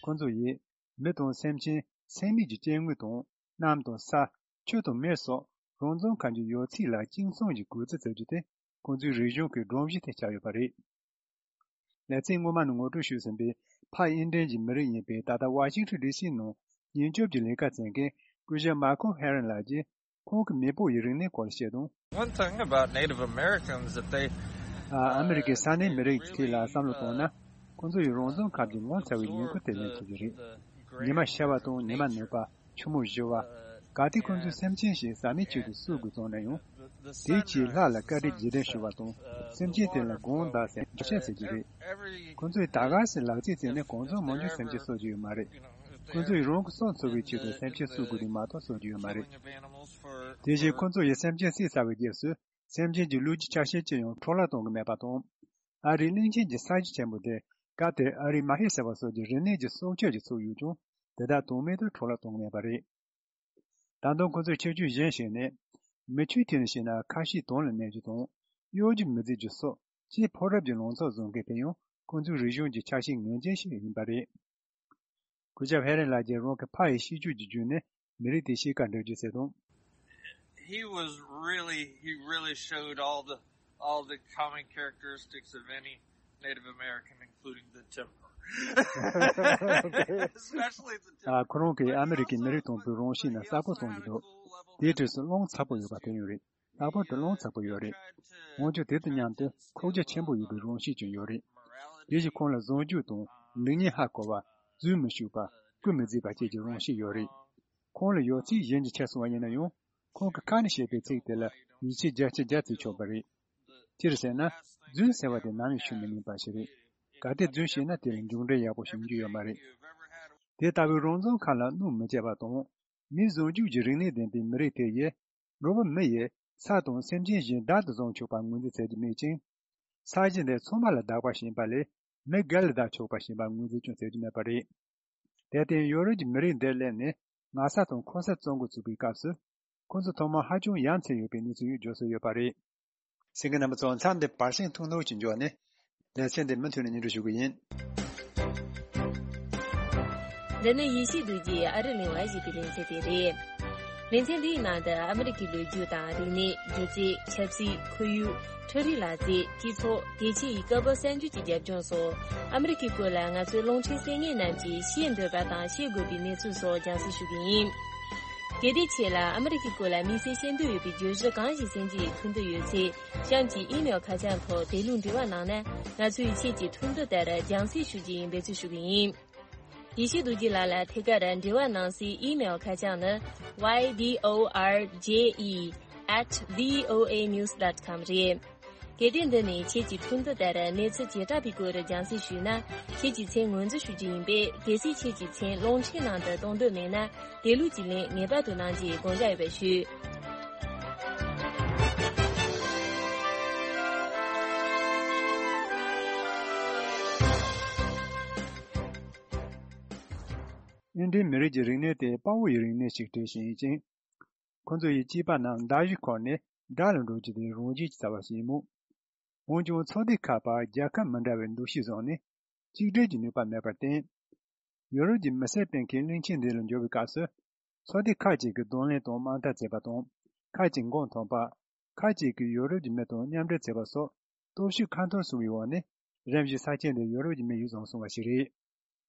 ཁོ་ཚོ་ཡིས་མི་དང་སེམས་ཅན། སེམས་མེད་ཀྱི་སྐྱེ་དངོས་དང་། གནམ་དང་ས། ཆུ་དང་མེ་སོགས་རང་བཙན་ཁམས་ཀྱི་ཡོད་ཚད་ལ་གཅིག་མཚུངས་ཀྱི་གུས་བརྩི་བྱ་རྒྱུ་དེ་ཁོང་ཚོའི་རིག་གཞུང་གི་སྒྲོམ་གཞི་དེ་ཆགས་ཡོད་པ་རེད། ལེ་ཚན་སྔོན་མ་ནས་ངོ་སྤྲོད་ཞུས་ཟིན་པའི་ ཕ་ཨིན་ཌན་གྱི་མི་རིགས་ཡིན་པའི། ད་ལྟ་ཝ་ཤིང་ཊོན་ཌི་སི་ནང་ཉེན་སྐྱོབ་ཀྱི་ལས་ཀ་བྱེད་མཁན་སྐུ་ཞབས་མཱ་ཁོ་ཧེ་རན་ལགས་ཀྱིས་ཁོང་གི་མེས་པོ་ཡི་རིག་གནས་སྐོར་ལ་བཤད་དོན། One thing about Native Americans that they ཨ་ཨ་མི་རི་ཀའི་ས་གནས་མི་རིགས་ཀྱི་ཐད་ལ་བསམ་བློ་བཏང་ན། ཁོང་ཚོ་ཡི་རང་བྱུང་ཁམས་ཀྱི་ངོ་མཚར་བའི་ཉིང་ཁུ་དེ་ལེན་ཐུབ་ཀྱི་རེད། ཉི་མ་ཤར་བ་དང་ཉི་མ་ནུབ་པ། ཆུ་མོ་བཞུར་བ། གལ་ཏེ་ཁོང་ཚོས་སེམས་ཅན་ཞིག་ཟ་མའི་ཆེད་དུ་གསོད་དགོས་བྱུང་ན་ཡང་། དེའི་ཆེད་ལྷ་ལ་བཀའ་དྲིན་རྗེས་དྲན་ཞུ་བ་དང་། སེམས་ཅན་དེ་ལ་དགོངས་དག་ཟེར་འདྲི་ཆ་ཟེར་གྱི་རེད། ཁོང་ཚོས་ད་ག་སེ་ལག་རྩལ་བྱས་ནས་གང་བྱུང་མང་བྱུང་སེམས་ཅན་གསོད་ཀྱི་ཡོད་མ་རེད། ཁོང་ཚོ་ཡི་རང་གི་སྲོག་འཚོ་བའི་ཆེད་དུ་སེམས་ཅན་གསོད་དགོས་དེ་མ་གཏོགས་གསོད་ཀྱི་ཡོད་མ་རེད། དེ་བཞིན་ཁོང་ཚོ་ཡི་སེམས་ཅན་བསད་ཚར་བའི་རྗེས་སུ། སེམས་ཅན་གྱི་ལུས་ཀྱི་ཆ་ཤས་ཅི་ཡང་འཕྲོ་བརླག་གཏོང་གི་མེད་པ་དང་། ཨ་རིའི་གླིང་ཆེན་གྱི་ས་གཞི་ཆེན་པོ་དེ། སྐབས་དེར་ཨ་རིའི་མ་ཧེ་ཟེར་བ་སོགས་ཀྱི་རིག་གནས་ཀྱི་སྲོག་ཆགས་ཀྱི་ཚུགས་ཡོད་ཀྱང་། དེ་དག་དོན་མེད་དུ་འཕྲོ་བརླག་གཏོང་གི་མེད་པ་རེད། ད་དུང་ཁོ་ཚོས་ཁྱད་ཆོས་གཞན་ཞིག་ནི། མི་ཆོས་ཐད་ནས་བཤད་ན་ཁ་ཤས་དོན་ལ་གནས་རྒྱུ་དང་། གཡོ་སྒྱུ་མི་བྱེད་རྒྱུ་སོགས་ཆེས་ཕོ་རབ་ཀྱི་ལངས་ཕྱོགས་བཟུང་མཁན་དེ་ཡང་ཁོ་ཚོའི་རིག་གཞུང་གི་ཆ་ཤས་ངེས་ཅན་ཞིག་ཡིན་པ་རེད། སྐུ་ཞབས་ཧེ་རན་ལགས་ཀྱིས་རང་གི་ཕ་ཡི་ཤེས་རྒྱུད་ཀྱི་བརྒྱུད་ནས་མི་རིགས་དེའི་གཤིས་ཀ་འགྲེལ་བརྗོད་བྱས་དོན། He was really, he really showed all the, all the common characteristics of any Native American, including the temper. Especially the temper. ཨ། ཁོ་རང་གིས་ཨ་མི་རི་ཀའི་མི་རིགས་དང་པོའི་རང་གཤིས་རྣམས་གསལ་པོ་གསུངས་ཀྱི་འདུག་དེའི་གྲས་སུ་རླུང་ཚ་པོ་ཡོད་པ་དེ་ཡང་རེད། ལྷག་པར་དུ་རླུང་ཚ་པོ་ཡོད་རེད། འོན་ཀྱང་དེ་དང་མཉམ་དུ་ཁོག་རྒྱ་ཆེན་པོ་ཡོད་པའི་རང་གཤིས་ཀྱང་ཡོད་རེད། དེ་བཞིན་ཁོང་ལ་བཟང་སྤྱོད་དང་ལེགས་ཉེས་ཧ་གོ་བ། རྫུན་མི་ཤོད་པ། རྐུ་མི་བརྩི་བ་བཅས་ཀྱི་རང་གཤིས་ཡོད་རེད། ཁོང་ལ་ཡོད་ཚད་གཞན་གྱིས་ཁྱེར་སོང་བ་ཡིན་ན་ཡང་། ཁོང་གི་ཁ་ནས་བཤད་པའི་ཚིག་དེ་ལ་ཡིད་ཆེས་བརྒྱ་ཆ་བརྒྱ་བྱེད་ཆོག་པ་རེད། སྤྱིར་ཟེར་ན། རྫུན་ཟེར་བ་དེ་ནམ་ཡང་ཤོད་མི་ཉན་པ་ཞིག་རེད། གལ་ཏེ་རྫུན་བཤད་ན་དེ་ལ་མཇུག་འབྲས་ཡག་པོ་ཞིག་ཡོང་རྒྱུ་ཡོད་མ་རེད། དེ་ལྟ་བུའི་རང་བྱུང་ཁམས་ལ་གནོད་མི་བྱེད་པ་དང་། མིའི་བཟང་སྤྱོད་ཀྱི་རིག་གནས་ལྡན་པའི་མི་རིགས་དེ་ཡིས། འགྲོ་བ་མི་ཡིས་ས་དང་སེམས་ཅན་གཞན་བདག་ཏུ་བཟུང་ཆོག་པ་ངོས་འཛིན་བྱེད་ཀྱི་མེད་ཅིང་། ས་གཞི་འདི་ཚང་མ་ལ་བདག་པ་བྱེད་པ་ལས་མི་སྒེར་ལ་བདག་ཆོག་པ་བྱེད་པ་ངོས་འཛིན་ཀྱང་བྱེད་ཀྱི་མེད་པ་རེད། དེར་བརྟེན་ཡོ་རོབ་ཀྱི་མི་རིགས་འདིར་སླེབས་ནས་ངོ་ཚ་དང་འཁོན་ས་བཙུགས་འགོ་ཚུགས་པའི་སྐབས་སུ། ཁོ་ཚོ་ཐོག་མར་ཧ་ཅང་ཡ་མཚན་ཡོད་པའི་གནས་ཚུལ་ཡང་བརྗོད་སྲོལ་ཡོད་པ་རེད། གསན་མཁན་རྣམ་པ་ཚོ། མཚམས་འདིར་བར་གསེང་ཐུང་ཐུང་ཅིག་འཇོག་ནས། ལེ་ཚན་འདི་མུ་མཐུད་ནས་སྙན་སྒྲོན་ཞུ་གི་ཡིན། འདི་ནི་ཡེ་ཤེས་རྡོ་རྗེས་ཨ་རི་གླིང་ལ་བཞེས་པའི་ལེ་ཚན་དེ་རེད། ལེ་ཚན་འདིའི་ནང་དུ་ཨ་མི་རི་ཀའི་ལོ་རྒྱུས་དང་རིག་གནས། སྒྱུ་རྩལ། ཆབ་སྲིད། ཁོར་ཡུག་འཕྲུལ་རིག་ལག་རྩལ། སྤྱི་ཚོགས། དེ་ཆེ་ཡི་སྐབས་བབ་གསར་འགྱུར་གྱི་རྒྱབ་ལྗོངས་སོགས། ཨ་མི་རི་ཀའི་སྐོར་ལ་ང་ཚོའི་རླུང་འཕྲིན་གསན་མཁན་རྣམས་ཀྱིས་ཤེས་འདོད་པ་དང་ཤེས་དགོས་པའི་གནས་ཚུལ་སོགས་རྒྱང་སྲིང་ཞུ་གི་ཡིན། གལ་ཏེ་ཁྱེད་ལ་ཨ་མི་རི་ཀའི་སྐོར་ལ་དམིགས་བསལ་ཤེས་འདོད་ཡོད་པའི་བརྗོད་གཞི་གང་ཞིག་གསན་རྒྱུ་ཡི་ཐུགས་འདོད་ཡོད་ཚེ། གཤམ་གྱི་ཨི་མེལ་ཁ་བྱང་ཐོག་དེ་ལུགས་འབྲེལ་བ་གནང་ན། ང་ཚོས་ཁྱེད་ཀྱི་ཐུགས་འདོད་ལྟར་རྒྱང་སྲིང་ཞུ་རྒྱུ་ཡིན་པའི་འབད་བརྩོན་ཞུ་གི་ཡིན། ཡེ་ཤེས་རྡོ་རྗེ་ལགས་ལ་ཐད་ཀར་འབྲེལ་བ་གནང་སའི་ཨི་མེལ་ཁ་བྱང་ནི། Y D O R J E at V O A news dot com རེད། གལ་ཏེ་འདི་ནས་ཁྱེད་ཀྱི་ཐུགས་འདོད་ལྟར་གནས་ཚུལ་བྱེ་བྲག་པའི་སྐོར་རྒྱང་སྲིང་ཞུས་ན། ཁྱེད་ཀྱི་མཚན་ངོས་འཛིན་ཞུ་རྒྱུ་ཡིན་པས། གལ་སྲིད་ཁྱེད་ཀྱི་མཚན་རླུང་འཕྲིན་ནང་དུ་གཏོང་འདོད་མེད་ན། དེ་ལུགས་ཀྱི་ལན་ངེས་པར་དུ་གནང་རྒྱུའི་དགོངས་འཇགས་ཡོད་པ་ཞུ། ཨིན་ཌིའི་མི་རིགས་ཀྱི་རིག་གནས་དེ་དཔའ་བོ་ཡི་རིག་གནས་ཤིག་གྲས་ཤིག་ཡིན་ཅིང་། ཁོ་ཚོ་ཡི་སྐྱེས་པ་རྣམས་མདའ་གཞུ་འཁོར་ནས་དགྲ་ལ་འགྲོ་རྒྱུ་དེ་རང་བཞིན་གྱི་རྩ་བ་ཞིག་ཡིན་མོད། འོན་ཀྱང་ཚོགས་སྡེ་ཁག་བར་རྒྱལ་ཁབ་མི་འདྲ་བའི་འདུ་ཤེས་བཟུང་ནས་གཅིག་སྒྲིལ་གྱི་ནུས་པ་མེད་པར་བརྟེན། ཡོ་རོབ་ཀྱི་མི་སེར་སྤེལ་མཁན་གླིང་ཆེན་འདི་ལ་འབྱོར་བའི་སྐབས་སུ། ཚོགས་སྡེ་ཁག་ཅིག་གིས་གདོང་ལེན་དང་དམག་འཐབ་བྱས་པ་དང་། ཁག་ཅིག་མགོ་འཐོམས་པ། ཁག་ཅིག་གིས་ཡོ་རོབ་ཀྱི་མི་དང་མཉམ་འབྲེལ་བྱས་པ་སོགས་སྟོབས་ཤུགས་ཁ་འཐོར་སོང་བའི་འོག་ནས། རིམ་བཞིན་ས་ཆ་འདི་ཡོ་རོབ་ཀྱི་མི་ཡིས་བཟུང་སོང་བ་ཞིག་རེད།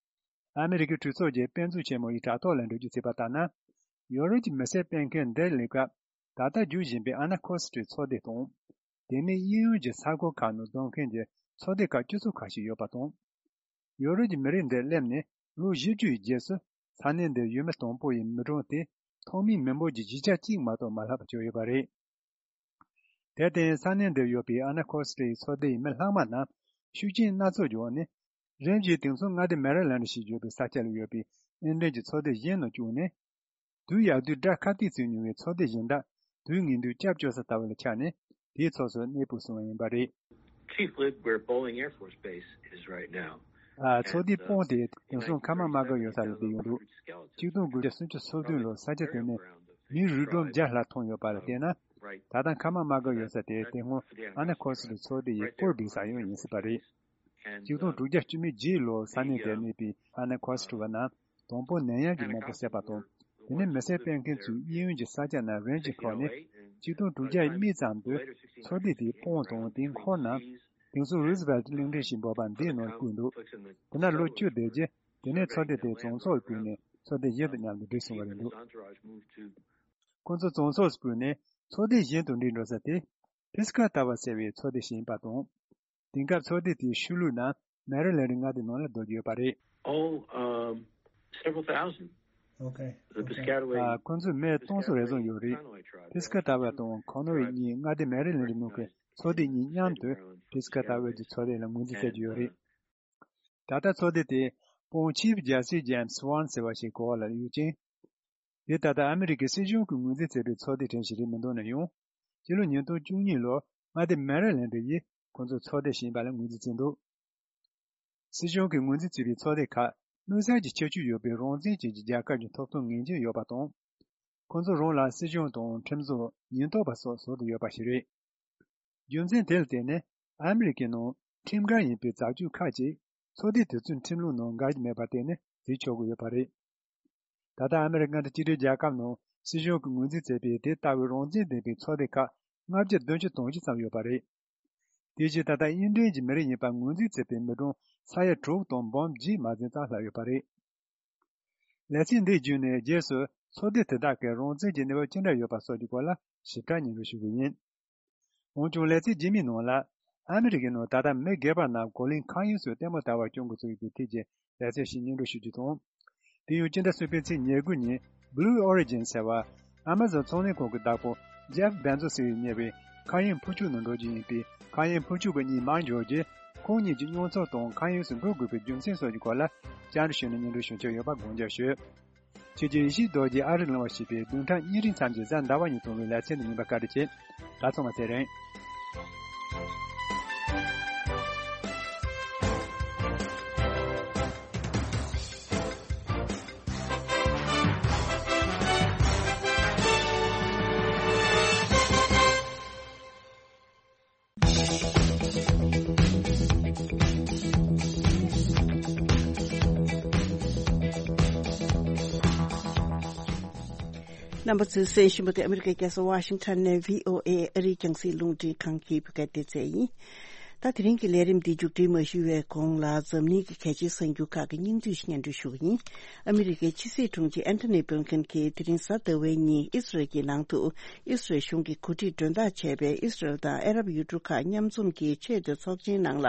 ཨ་མི་རི་ཀའི་གྲོས་ཚོགས་ཀྱི་དཔེ་མཛོད་ཆེན་མོ་ཡི་དྲ་ཐོག་ལ་འགྲེལ་བརྗོད་བྱས་པ་ལྟར་ན། ཡོ་རོབ་ཀྱི་མི་སེར་སྤེལ་མཁན་འདིར་སླེབས་སྐབས། ད་ལྟ་རྒྱུན་བཞིན་པའི་ཨ་ན་ཁོ་སི་ཀྲིའི་ཚོགས་སྡེ་དང་། དེ་མིན་གཡས་གཡོན་གྱི་ས་ཁུལ་ཁག་ནང་འཛོམས་མཁན་གྱི་ཚོགས་སྡེ་ཁག་སྤྱི་ཚོགས་ཁག་ཞིག་ཡོད་པ་དང་། ཡོ་རོབ་ཀྱི་མི་རིགས་འདིར་སླེབས་ནས་ལོ་བཞི་བཅུ་ཡི་རྗེས་སུ། ས་གནས་འདིར་ཡུལ་མི་དང་པོ་ཡི་མི་གྲངས་དེ་ཐོག་མའི་མི་འབོར་གྱི་བཞི་ཆ་གཅིག་མ་གཏོགས་མ་ལྷག་པ་བྱུང་ཡོད་པ་རེད། དེར་བརྟེན། ས་གནས་འདིར་ཡོད་པའི་ཨ་ན་ཁོ་སི་ཀྲི་ཡི་ཚོགས་སྡེ་ཡི་མི་ལྷག་མ་རྣམས་ཤུགས་རྐྱེན་སྣ་ཚོགས་ཀྱི་འོག་ནས། རིམ་བཞིན་དེང་སང་མངའ་སྡེ་མེ་རི་ལན་ཌི་ཞེས་བརྗོད་པའི་ས་ཆ་ལ་ཡོད་པའི་ཨིན་ལན་གྱི་ཚོགས་སྡེ་གཞན་ནང་བཅུག་ནས། དུས་ཡག་དུས་དགྲ་ཁ་གཏད་བྱེད་མྱོང་བའི་ཚོགས་སྡེ་གཞན་དག་དུས་ངན་དུས་སྐྱབས་བཅོལ་ས་ལྟ་བུ་ལ་ཆགས་ནས། དེའི་ཕྱོགས་སུ་གནས་སྤོས་སོང་བ་ཡིན་པ་རེད། Chief Lid, where Bolling Air Force Base is right now. ཨ། ཚོགས་སྡེ་དཔོན་དེ་དེང་སང་མཁའ་དམག་དམག་སྒར་ཡོད་ས་ལ་བསྡད་ཡོད་འདུག་གཅིག་སྟོང་དགུ་བརྒྱ་སུམ་ཅུ་སོ་བདུན་ལོར་ས་ཆ་དེ་ནས་མིའི་རུས་སྒྲོམ་བརྒྱ་ལྷག་མཐོང་ཡོད་པ་ལ་བལྟས་ན། ད་ལྟ་མཁའ་དམག་དམག་སྒར་ཡོད་ས་དེ་དེ་སྔོན་ཨ་ན་ཁོ་སི་ཀྲི་ཚོགས་སྡེ་ཡི་སྐོར་སྦས་ས་ཡང་ཡིན་སྲིད་པ་རེད། གཅིག་སྟོང་དྲུག་བརྒྱ་བཅུ་མེད་བརྒྱད་ལོར་ས་གནས་དེར་གནས་པའི་ཨ་ན་ཁོ་སི་ཀྲི་བ་རྣམས་དང་པོ་ནད་ཡམས་ཀྱི་ནད་པ་བསད་པ་དང་། དེ་ནས་མི་སེར་སྤེལ་མཁན་ཚོས་གཡས་གཡོན་གྱི་ས་ཆ་རྣམས་རིམ་གྱིས་འཁོར་ནས། གཅིག་སྟོང་དྲུག་བརྒྱ་ཡི་སྨད་ཙམ་དུ་ཚོགས་སྡེ་དེའི་དཔོན་དང་དེའི་འཁོར་རྣམས། ཡང་སྲིད་རུ་སི་ཝེལ་གླིང་ཕྲན་ཞིག་འབོད་པ་འདིའི་ནང་བཀོད་འདུག་དེ་ནས་ལོ་བཅུ་བསྡད་རྗེས་དེ་ནས་ཚོགས་སྡེ་དེ་བཙོན་ཚོགས་བཀོད་ནས་ཚོགས་སྡེ་གཞན་དུ་མཉམ་དུ་བསྒྲིགས་སོང་བ་རེད་འདུག་ཁོང་ཚོ་བཙོན་ཚོགས་སུ་བཀོད་ནས་ཚོགས་སྡེ་གཞན་དུ་འགྲིག་འགྲོ་ས་དེ་ཕི་སི་ཀ་ཏཱ་བར་ཟེར་བའི་ཚོགས་སྡེ་ཞིག་ཡིན་པ་དང་། དེང་སྐབས་ཚོགས་སྡེ་དེའི་ཤུལ་ལུས་ནང་མེ་རི་ལེན་ཌི་མངའ་སྡེའི་ནང་ལ་སྡོད་ཀྱི་ཡོད་པ་རེད། Oh, um, several thousand. Okay. The okay. Piscataway. ཨ། ཁོ་ཚོས་མི་སྟོང་ཚོ་རེ་ཟུང་ཡོད་རེད། ཕི་སི་ཀ་ཏཱ་བ་དང་ཁོ་ནོ་ཝེ་གཉིས་མངའ་སྡེ་མེ་རི་ལེན་ཌི་ནང་གི་ཚོགས་སྡེ་གཉིས་མཉམ་དུ་ཕི་སི་ཀ་ཏཱ་བ་གི་ཚོགས་སྡེ་ལ་ངོས་འཛིན་བྱེད་ཀྱི་ཡོད་རེད། ད་ལྟ་ཚོགས་སྡེ་དེ་སྤོན་ཆིབ་ཇེ་སི་ཇེམ་སི་ཝན་ཟེར་བ་ཞིག་གི་འོག་ལ་ཡོད་ཅིང་། དེ་ད་ལྟ་ཨ་མི་རི་ཀའི་སྲིད་གཞུང་གིས་ངོས་འཛིན་བྱས་པའི་ཚོགས་སྡེ་གྲས་ཤིག་རེད་མི་འདུག་ན་ཡང་། སྤྱི་ལོ་ཉིས་སྟོང་བཅུ་གཉིས་ལོར་མངའ་སྡེ་མེ་རི་ལེན་ཌི་ཡིས་ཁོང་ཚོའི་ཚོགས་སྡེ་ཞིག་ཡིན་པ་ལ་ངོས་འཛིན་བྱས་འདུག་སྲིད་གཞུང་གིས་ངོས་འཛིན་བྱས་པའི་ཚོགས་སྡེ་ཁག་དམིགས་བསལ་གྱི་ཁྱད་ཆོས་ཡོད་པའི་རང་བཙན་ཅན་གྱི་རྒྱལ་ཁབ་ཀྱི་ཐོབ་ཐང་ངེས་ཅན་ཡོད་པ་དང་། ཁོང་ཚོ་རང་ལ་སྲིད་གཞུང་དང་ཁྲིམས་བཟོ། ཉེན་རྟོག་པ་སོགས་བཟོ་དུ་ཡོད་པ་ཞིག་རེད། རྒྱུ་མཚན་དེ་ལ་བརྟེན་ནས་ཨ་མི་རི་ཀའི་ནང་ཁྲིམས་འགལ་ཡིན་པའི་བྱ་སྤྱོད་ཁག་ཅིག་ཚོགས་སྡེ་དེ་ཚོའི་ཁྲིམས་ལུགས་ནང་འགལ་གྱི་མེད་པར་བརྟེན་ནས་བྱེད་ཆོག་གི་ཡོད་པ་རེད། ད་ལྟ་ཨ་མི་རི་ཀ་མངའ་སྡེ་གཅིག་སྒྲིལ་རྒྱལ་ཁབ་ནང་སྲིད་གཞུང་གིས་ངོས་འཛིན་བྱས་པའི་དེ་ལྟ་བུའི་རང་བཙན་ལྡན་པའི་ཚོགས་སྡེ་ཁག་ལྔ་བརྒྱ་བདུན་ཅུ་དོན་བཞི་ཙམ་ཡོད་པ་རེད། དེ་བཞིན་ད་ལྟ་དབྱིན་ལྡན་གྱི་མི་རིགས་ཡིན་པ་ངོས་འཛིན་བྱས་པའི་མི་གྲངས་ས་ཡ་དྲུག་དང་འབུམ་བརྒྱད་མ་ཟིན་ཙམ་ལྷག་ཡོད་པ་རེད། ལེ་ཚན་འདི་བརྒྱུད་ནས་རྗེས་སུ་ཚོགས་སྡེ་དེ་དག་གི་རང་བཙན་གྱི་གནས་བབ་ཅི་འདྲ་ཡོད་པ་སོགས་ཀྱི་སྐོར་ལ་ཞིབ་ཕྲ་སྙན་སྒྲོན་ཞུ་གི་ཡིན། འོན་ཀྱང་ལེ་ཚན་རྗེས་མའི་ནང་ལ་ཨ་མི་རི་ཀའི་ནང་ད་ལྟ་མི་སྒེར་པ་རྣམས་གོ་ལའི་མཁའ་དབྱིངས་སུ་ལྟད་མོ་ལྟ་བར་སྐྱོད་འགོ་ཚུགས་ཡོད་པའི་ཐད་ཀྱི་ལེ་ཚན་ཞིག་སྙན་སྒྲོན་ཞུ་རྒྱུ་དང་། དེ་ཡང་སྤྱི་ཟླ་གསུམ་པའི་ཚེས་ཉེར་དགུ་ཉིན་Blue Origin ཟེར་བ་Amazon་ཚོང་ལས་ཁང་གི་བདག་པོ་Jeff Bezos་ཡིས་གཉེར་བའི་མཁའ་དབྱིངས་འཕུར་ཆོག་ནང་འགྲོ་རྒྱུ་ཡིན་པས། མཁའ་དབྱིངས་འཕུར་ཆོག་པ་གཉིས་མར་འབྱོར་རྗེས་ཁོང་གཉིས་ཀྱི་མཉམ་ཚོགས་དང་མཁའ་དབྱིངས་སུ་འགྲོ་དགོས་པའི་རྒྱུ་མཚན་སོགས་ཀྱི་སྐོར་ལ་བཅར་འདྲི་ཞུས་ནས་སྙན་སྒྲོན་ཞུ་འཆར་ཡོད་པ་དགོངས་འཇགས་ཞུ། ཆོས་རྒྱལ་ཡིད་བཞིན་རྡོ་རྗེ་ཨ་རིར་ལངས་པ་ཞེས་པའི་བདུན་ཕྲག་གཉིས་རིང་མཚམས་ཀྱི་གཟའ་ཟླ་བ་ཉིན་གཏོང་བའི་ལེ་ཚན་དུ་ཉན་པར་བཀའ་དྲིན་ཆེ། ད་ཚང་མ་ཚེ་རིང་། རྣམ་པ་ཚོས་གསན་བཞིན་པ་དེ་ཨ་མི་རི་ཀའི་རྒྱལ་ས་ཝ་ཤིང་ཊོན་ནས་བྷི་ཨོ་ཨེ་ཨ་རིའི་རྒྱང་སྲིང་རླུང་འཕྲིན་ཁང་གི་བོད་སྐད་སྡེ་ཚན་ཡིན། ད་དེ་རིང་གི་ལས་རིམ་འདི་མཇུག་སྒྲིལ་མ་ཞུ་བའི་གོང་ལ་འཛམ་གླིང་གི་གལ་ཆེའི་གསར་འགྱུར་ཁག་གི་སྙིང་བསྡུས་ཤིག་སྙན་སྒྲོན་ཞུ་གི་ཡིན། ཨ་མི་རི་ཀའི་ཕྱི་སྲིད་དྲུང་ཆེ་ཨན་ཐོ་ནི་བྷིལ་ཁིན་གྱིས་དེ་རིང་གཟའ་ཟླ་བའི་ཉིན་ཨི་སི་རལ་གྱི་ནང་དུ་ཨི་སི་རལ་གཞུང་གིས་གོ་སྒྲིག་མགྲོན་བདག་བྱས་པའི་ཨི་སི་རལ་དང་ཨ་རབ་ཡུལ་གྲུ་ཁག་མཉམ་འཛོམས་ཀྱི་ཆེས་མཐོའི་ཚོགས་ཆེན་ནང་ལ་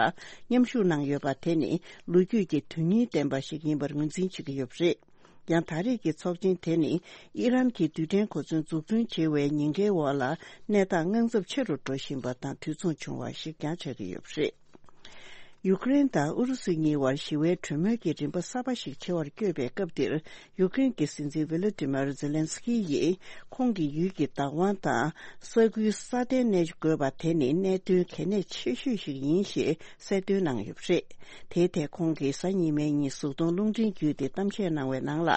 མཉམ་ཞུགས་གནང་ཡོད་པ་དེ་ནི་ལོ་རྒྱུས་ཀྱི་དོན་སྙིང་ལྡན་པ་ཞིག་ཡིན་པར་ངོས་འཛིན་བྱེད་ཀྱི་ཡོད་པ་རེད། ཡང་ད་རེས་ཀྱི་ཚོགས་ཆེན་དེ་ནི་ཨི་རན་གྱི་རྡུལ་ཕྲན་གོ་མཚོན་འཛུགས་སྐྲུན་བྱེད་པའི་ཉེན་ཁའི་འོག་ལ་གནས་སྟངས་དངངས་འཚབ་ཆེ་རུ་འགྲོ་བཞིན་པ་དང་དུས་མཚུངས་བྱུང་བ་ཞིག་ཀྱང་ཆགས་ཀྱི་ཡོད་པ་རེད། ཡུ་ཀེ་རེན་དང་ཨུ་རུ་སུ་གཉིས་བར་ཞི་བའི་གྲོས་མོལ་གྱི་རིམ་པ་གསར་པ་ཞིག་ཆེ་བར་བསྐྱོད་པའི་སྐབས་འདིར། ཡུ་ཀེ་རེན་གྱི་སྲིད་འཛིན་ཝི་ལོ་ཏི་མར་ཛེ་ལན་སི་ཀི་ཡིས་ཁོང་གི་ཡུལ་གྱི་བདག་དབང་དང་ས་ཁུལ་སྲ་བརྟན་གནས་དགོས་པ་དེ་ནི་གནད་དོན་གལ་གནད་ཆེ་ཤོས་ཤིག་ཡིན་ཞེས་གསལ་སྟོན་གནང་ཡོད་པ་རེད། དེའི་ཐད་ཁོང་གིས་གཟའ་ཉི་མའི་ཉིན་གཟུགས་མཐོང་རླུང་འཕྲིན་བརྒྱུད་དེ་གཏམ་བཤད་གནང་བའི་ནང་ལ།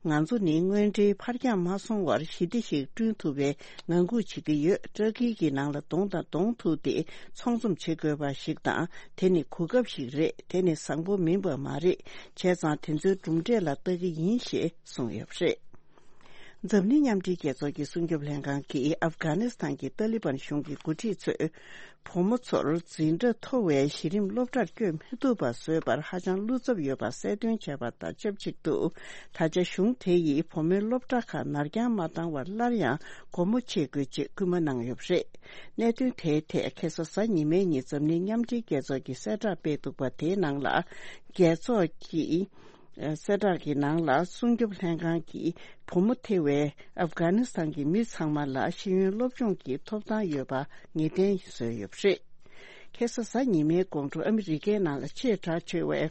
ང་ཚོ་ནི་དངོས་འབྲེལ་ཕར་འགྱངས་མ་སོང་བར་ཞི་བདེ་ཞིག་བསྐྲུན་ཐུབ་པའི་ངང་སྒུག་བྱེད་ཀྱི་ཡོད། ཏུར་ཀི་གི་ནང་ལ་གདོང་དང་གདོང་ཐུག་སྟེ་ཚོང་འཛོམས་བྱེད་དགོས་པ་ཞིག་དང་། དེ་ནི་གོ་སྐབས་ཤིག་རེད། དེ་ནི་བཟང་པོ་མིན་པ་མ་རེད། བྱས་ཙང་དེ་ཚོའི་གྲུབ་འབྲས་ལ་ལྟ་གི་ཡིན་ཞེས་གསུངས་ཡོད་པ་རེད། འཛམ་གླིང་མཉམ་འབྲེལ་རྒྱལ་ཚོགས་ཀྱི་སྲུང་སྐྱོབ་ལྷན་ཁང་གིས་ཨབ་གྷ་ནི་སི་ཐན་གྱི་ཏཱ་ལི་བན་གཞུང་གི་འགོ་ཁྲིད་ཚོས། བུ་མོ་ཚོར་འཛིན་གྲྭ་མཐོ་བའི་གཞི་རིམ་སློབ་གྲྭར་བསྐྱོད་མི་ཐུབ་པ་བཟོས་པར་ཧ་ཅང་བློ་འཚབ་ཡོད་པ་གསལ་སྟོན་བྱས་པ་དང་ཆབས་ཅིག་ཏུ། ད་ཆ་གཞུང་དེ་ཡིས་བུ་མོའི་སློབ་གྲྭ་ཁག་ནར་འགྱངས་མ་བཏང་བར་སླར་ཡང་སྒོ་མོ་ཕྱེ་དགོས་ཅེས་སྐུལ་མ་གནང་ཡོད་པ་རེད། གནད་དོན་དེའི་ཐད་ཁ་སང་གཟའ་ཉི་མའི་ཉིན་འཛམ་གླིང་མཉམ་འབྲེལ་རྒྱལ་ཚོགས་ཀྱིས་གསལ་བསྒྲགས་སྤེལ་འདུག་པ་དེའི་ནང་ལ། རྒྱལ་ཚོགས་ཀྱིས། གསལ་བསྒྲགས་ཀྱི་ནང་ལ་སྲུང་སྐྱོབ་ལྷན་ཁང་གིས་བུ་མོ་ཐེ་བའི་ཨབ་གྷ་ནི་སི་ཐན་གྱི་མི་ཚང་མ་ལ་ཤེས་ཡོན་སློབ་སྦྱོང་གི་ཐོབ་ཐང་ཡོད་པ་ངེས་གཏན་བཟོས་ཡོད་པ་རེད། ཁ་སང་གཟའ་ཉི་མའི་དགོང་དྲོ་ཨ་མི་རི་ཀའི་ནང་ལ་ཆེས་གྲགས་ཆེ་བའི་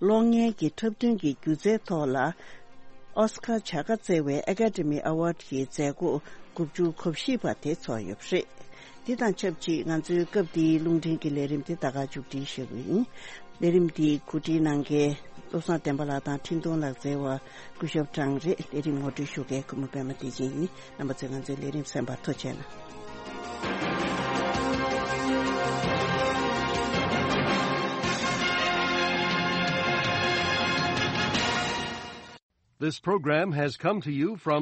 གློག་བརྙན་གྱི་འཁྲབ་སྟོན་གྱི་སྒྱུ་རྩལ་ཐོག་ལ་ཨོ་སི་ཀར་བྱ་དགའ་བསྩལ་བའི་ཨེ་ཀ་ཌེ་མི་ཨེ་ཝཱཌ་ཀྱི་མཛད་སྒོ་དགུ་བཅུ་གོ་བཞི་པ་དེ་ཚོགས་ཡོད་པ་རེད། འདི་དང་ཆབས་ཅིག་ང་ཚོའི་སྐབས་འདིའི་རླུང་འཕྲིན་གྱི་ལས་རིམ་འདི་ད་ག་མཇུག་སྒྲིལ་ཞུ་གི་ཡིན། ལས་རིམ་འདི་གོ་སྒྲིག་གནང་མཁན་བློ་བཟང་བསྟན་པ་ལགས་དང་འཕྲིན་གཏོང་ལག་རྩལ་བ་སྐུ་ཞབས་ཀྲང་རེད། ལས་རིམ་ངོ་སྤྲོད་ཞུ་མཁན་ཀུན་མོ་པད་མ་བདེ་ཆེན་ཡིན། རྣམ་པ་ཚོས་ང་ཚོའི་ལས་རིམ་གསན་པར་ཐུགས་རྗེ་གནང་། This program has come to you from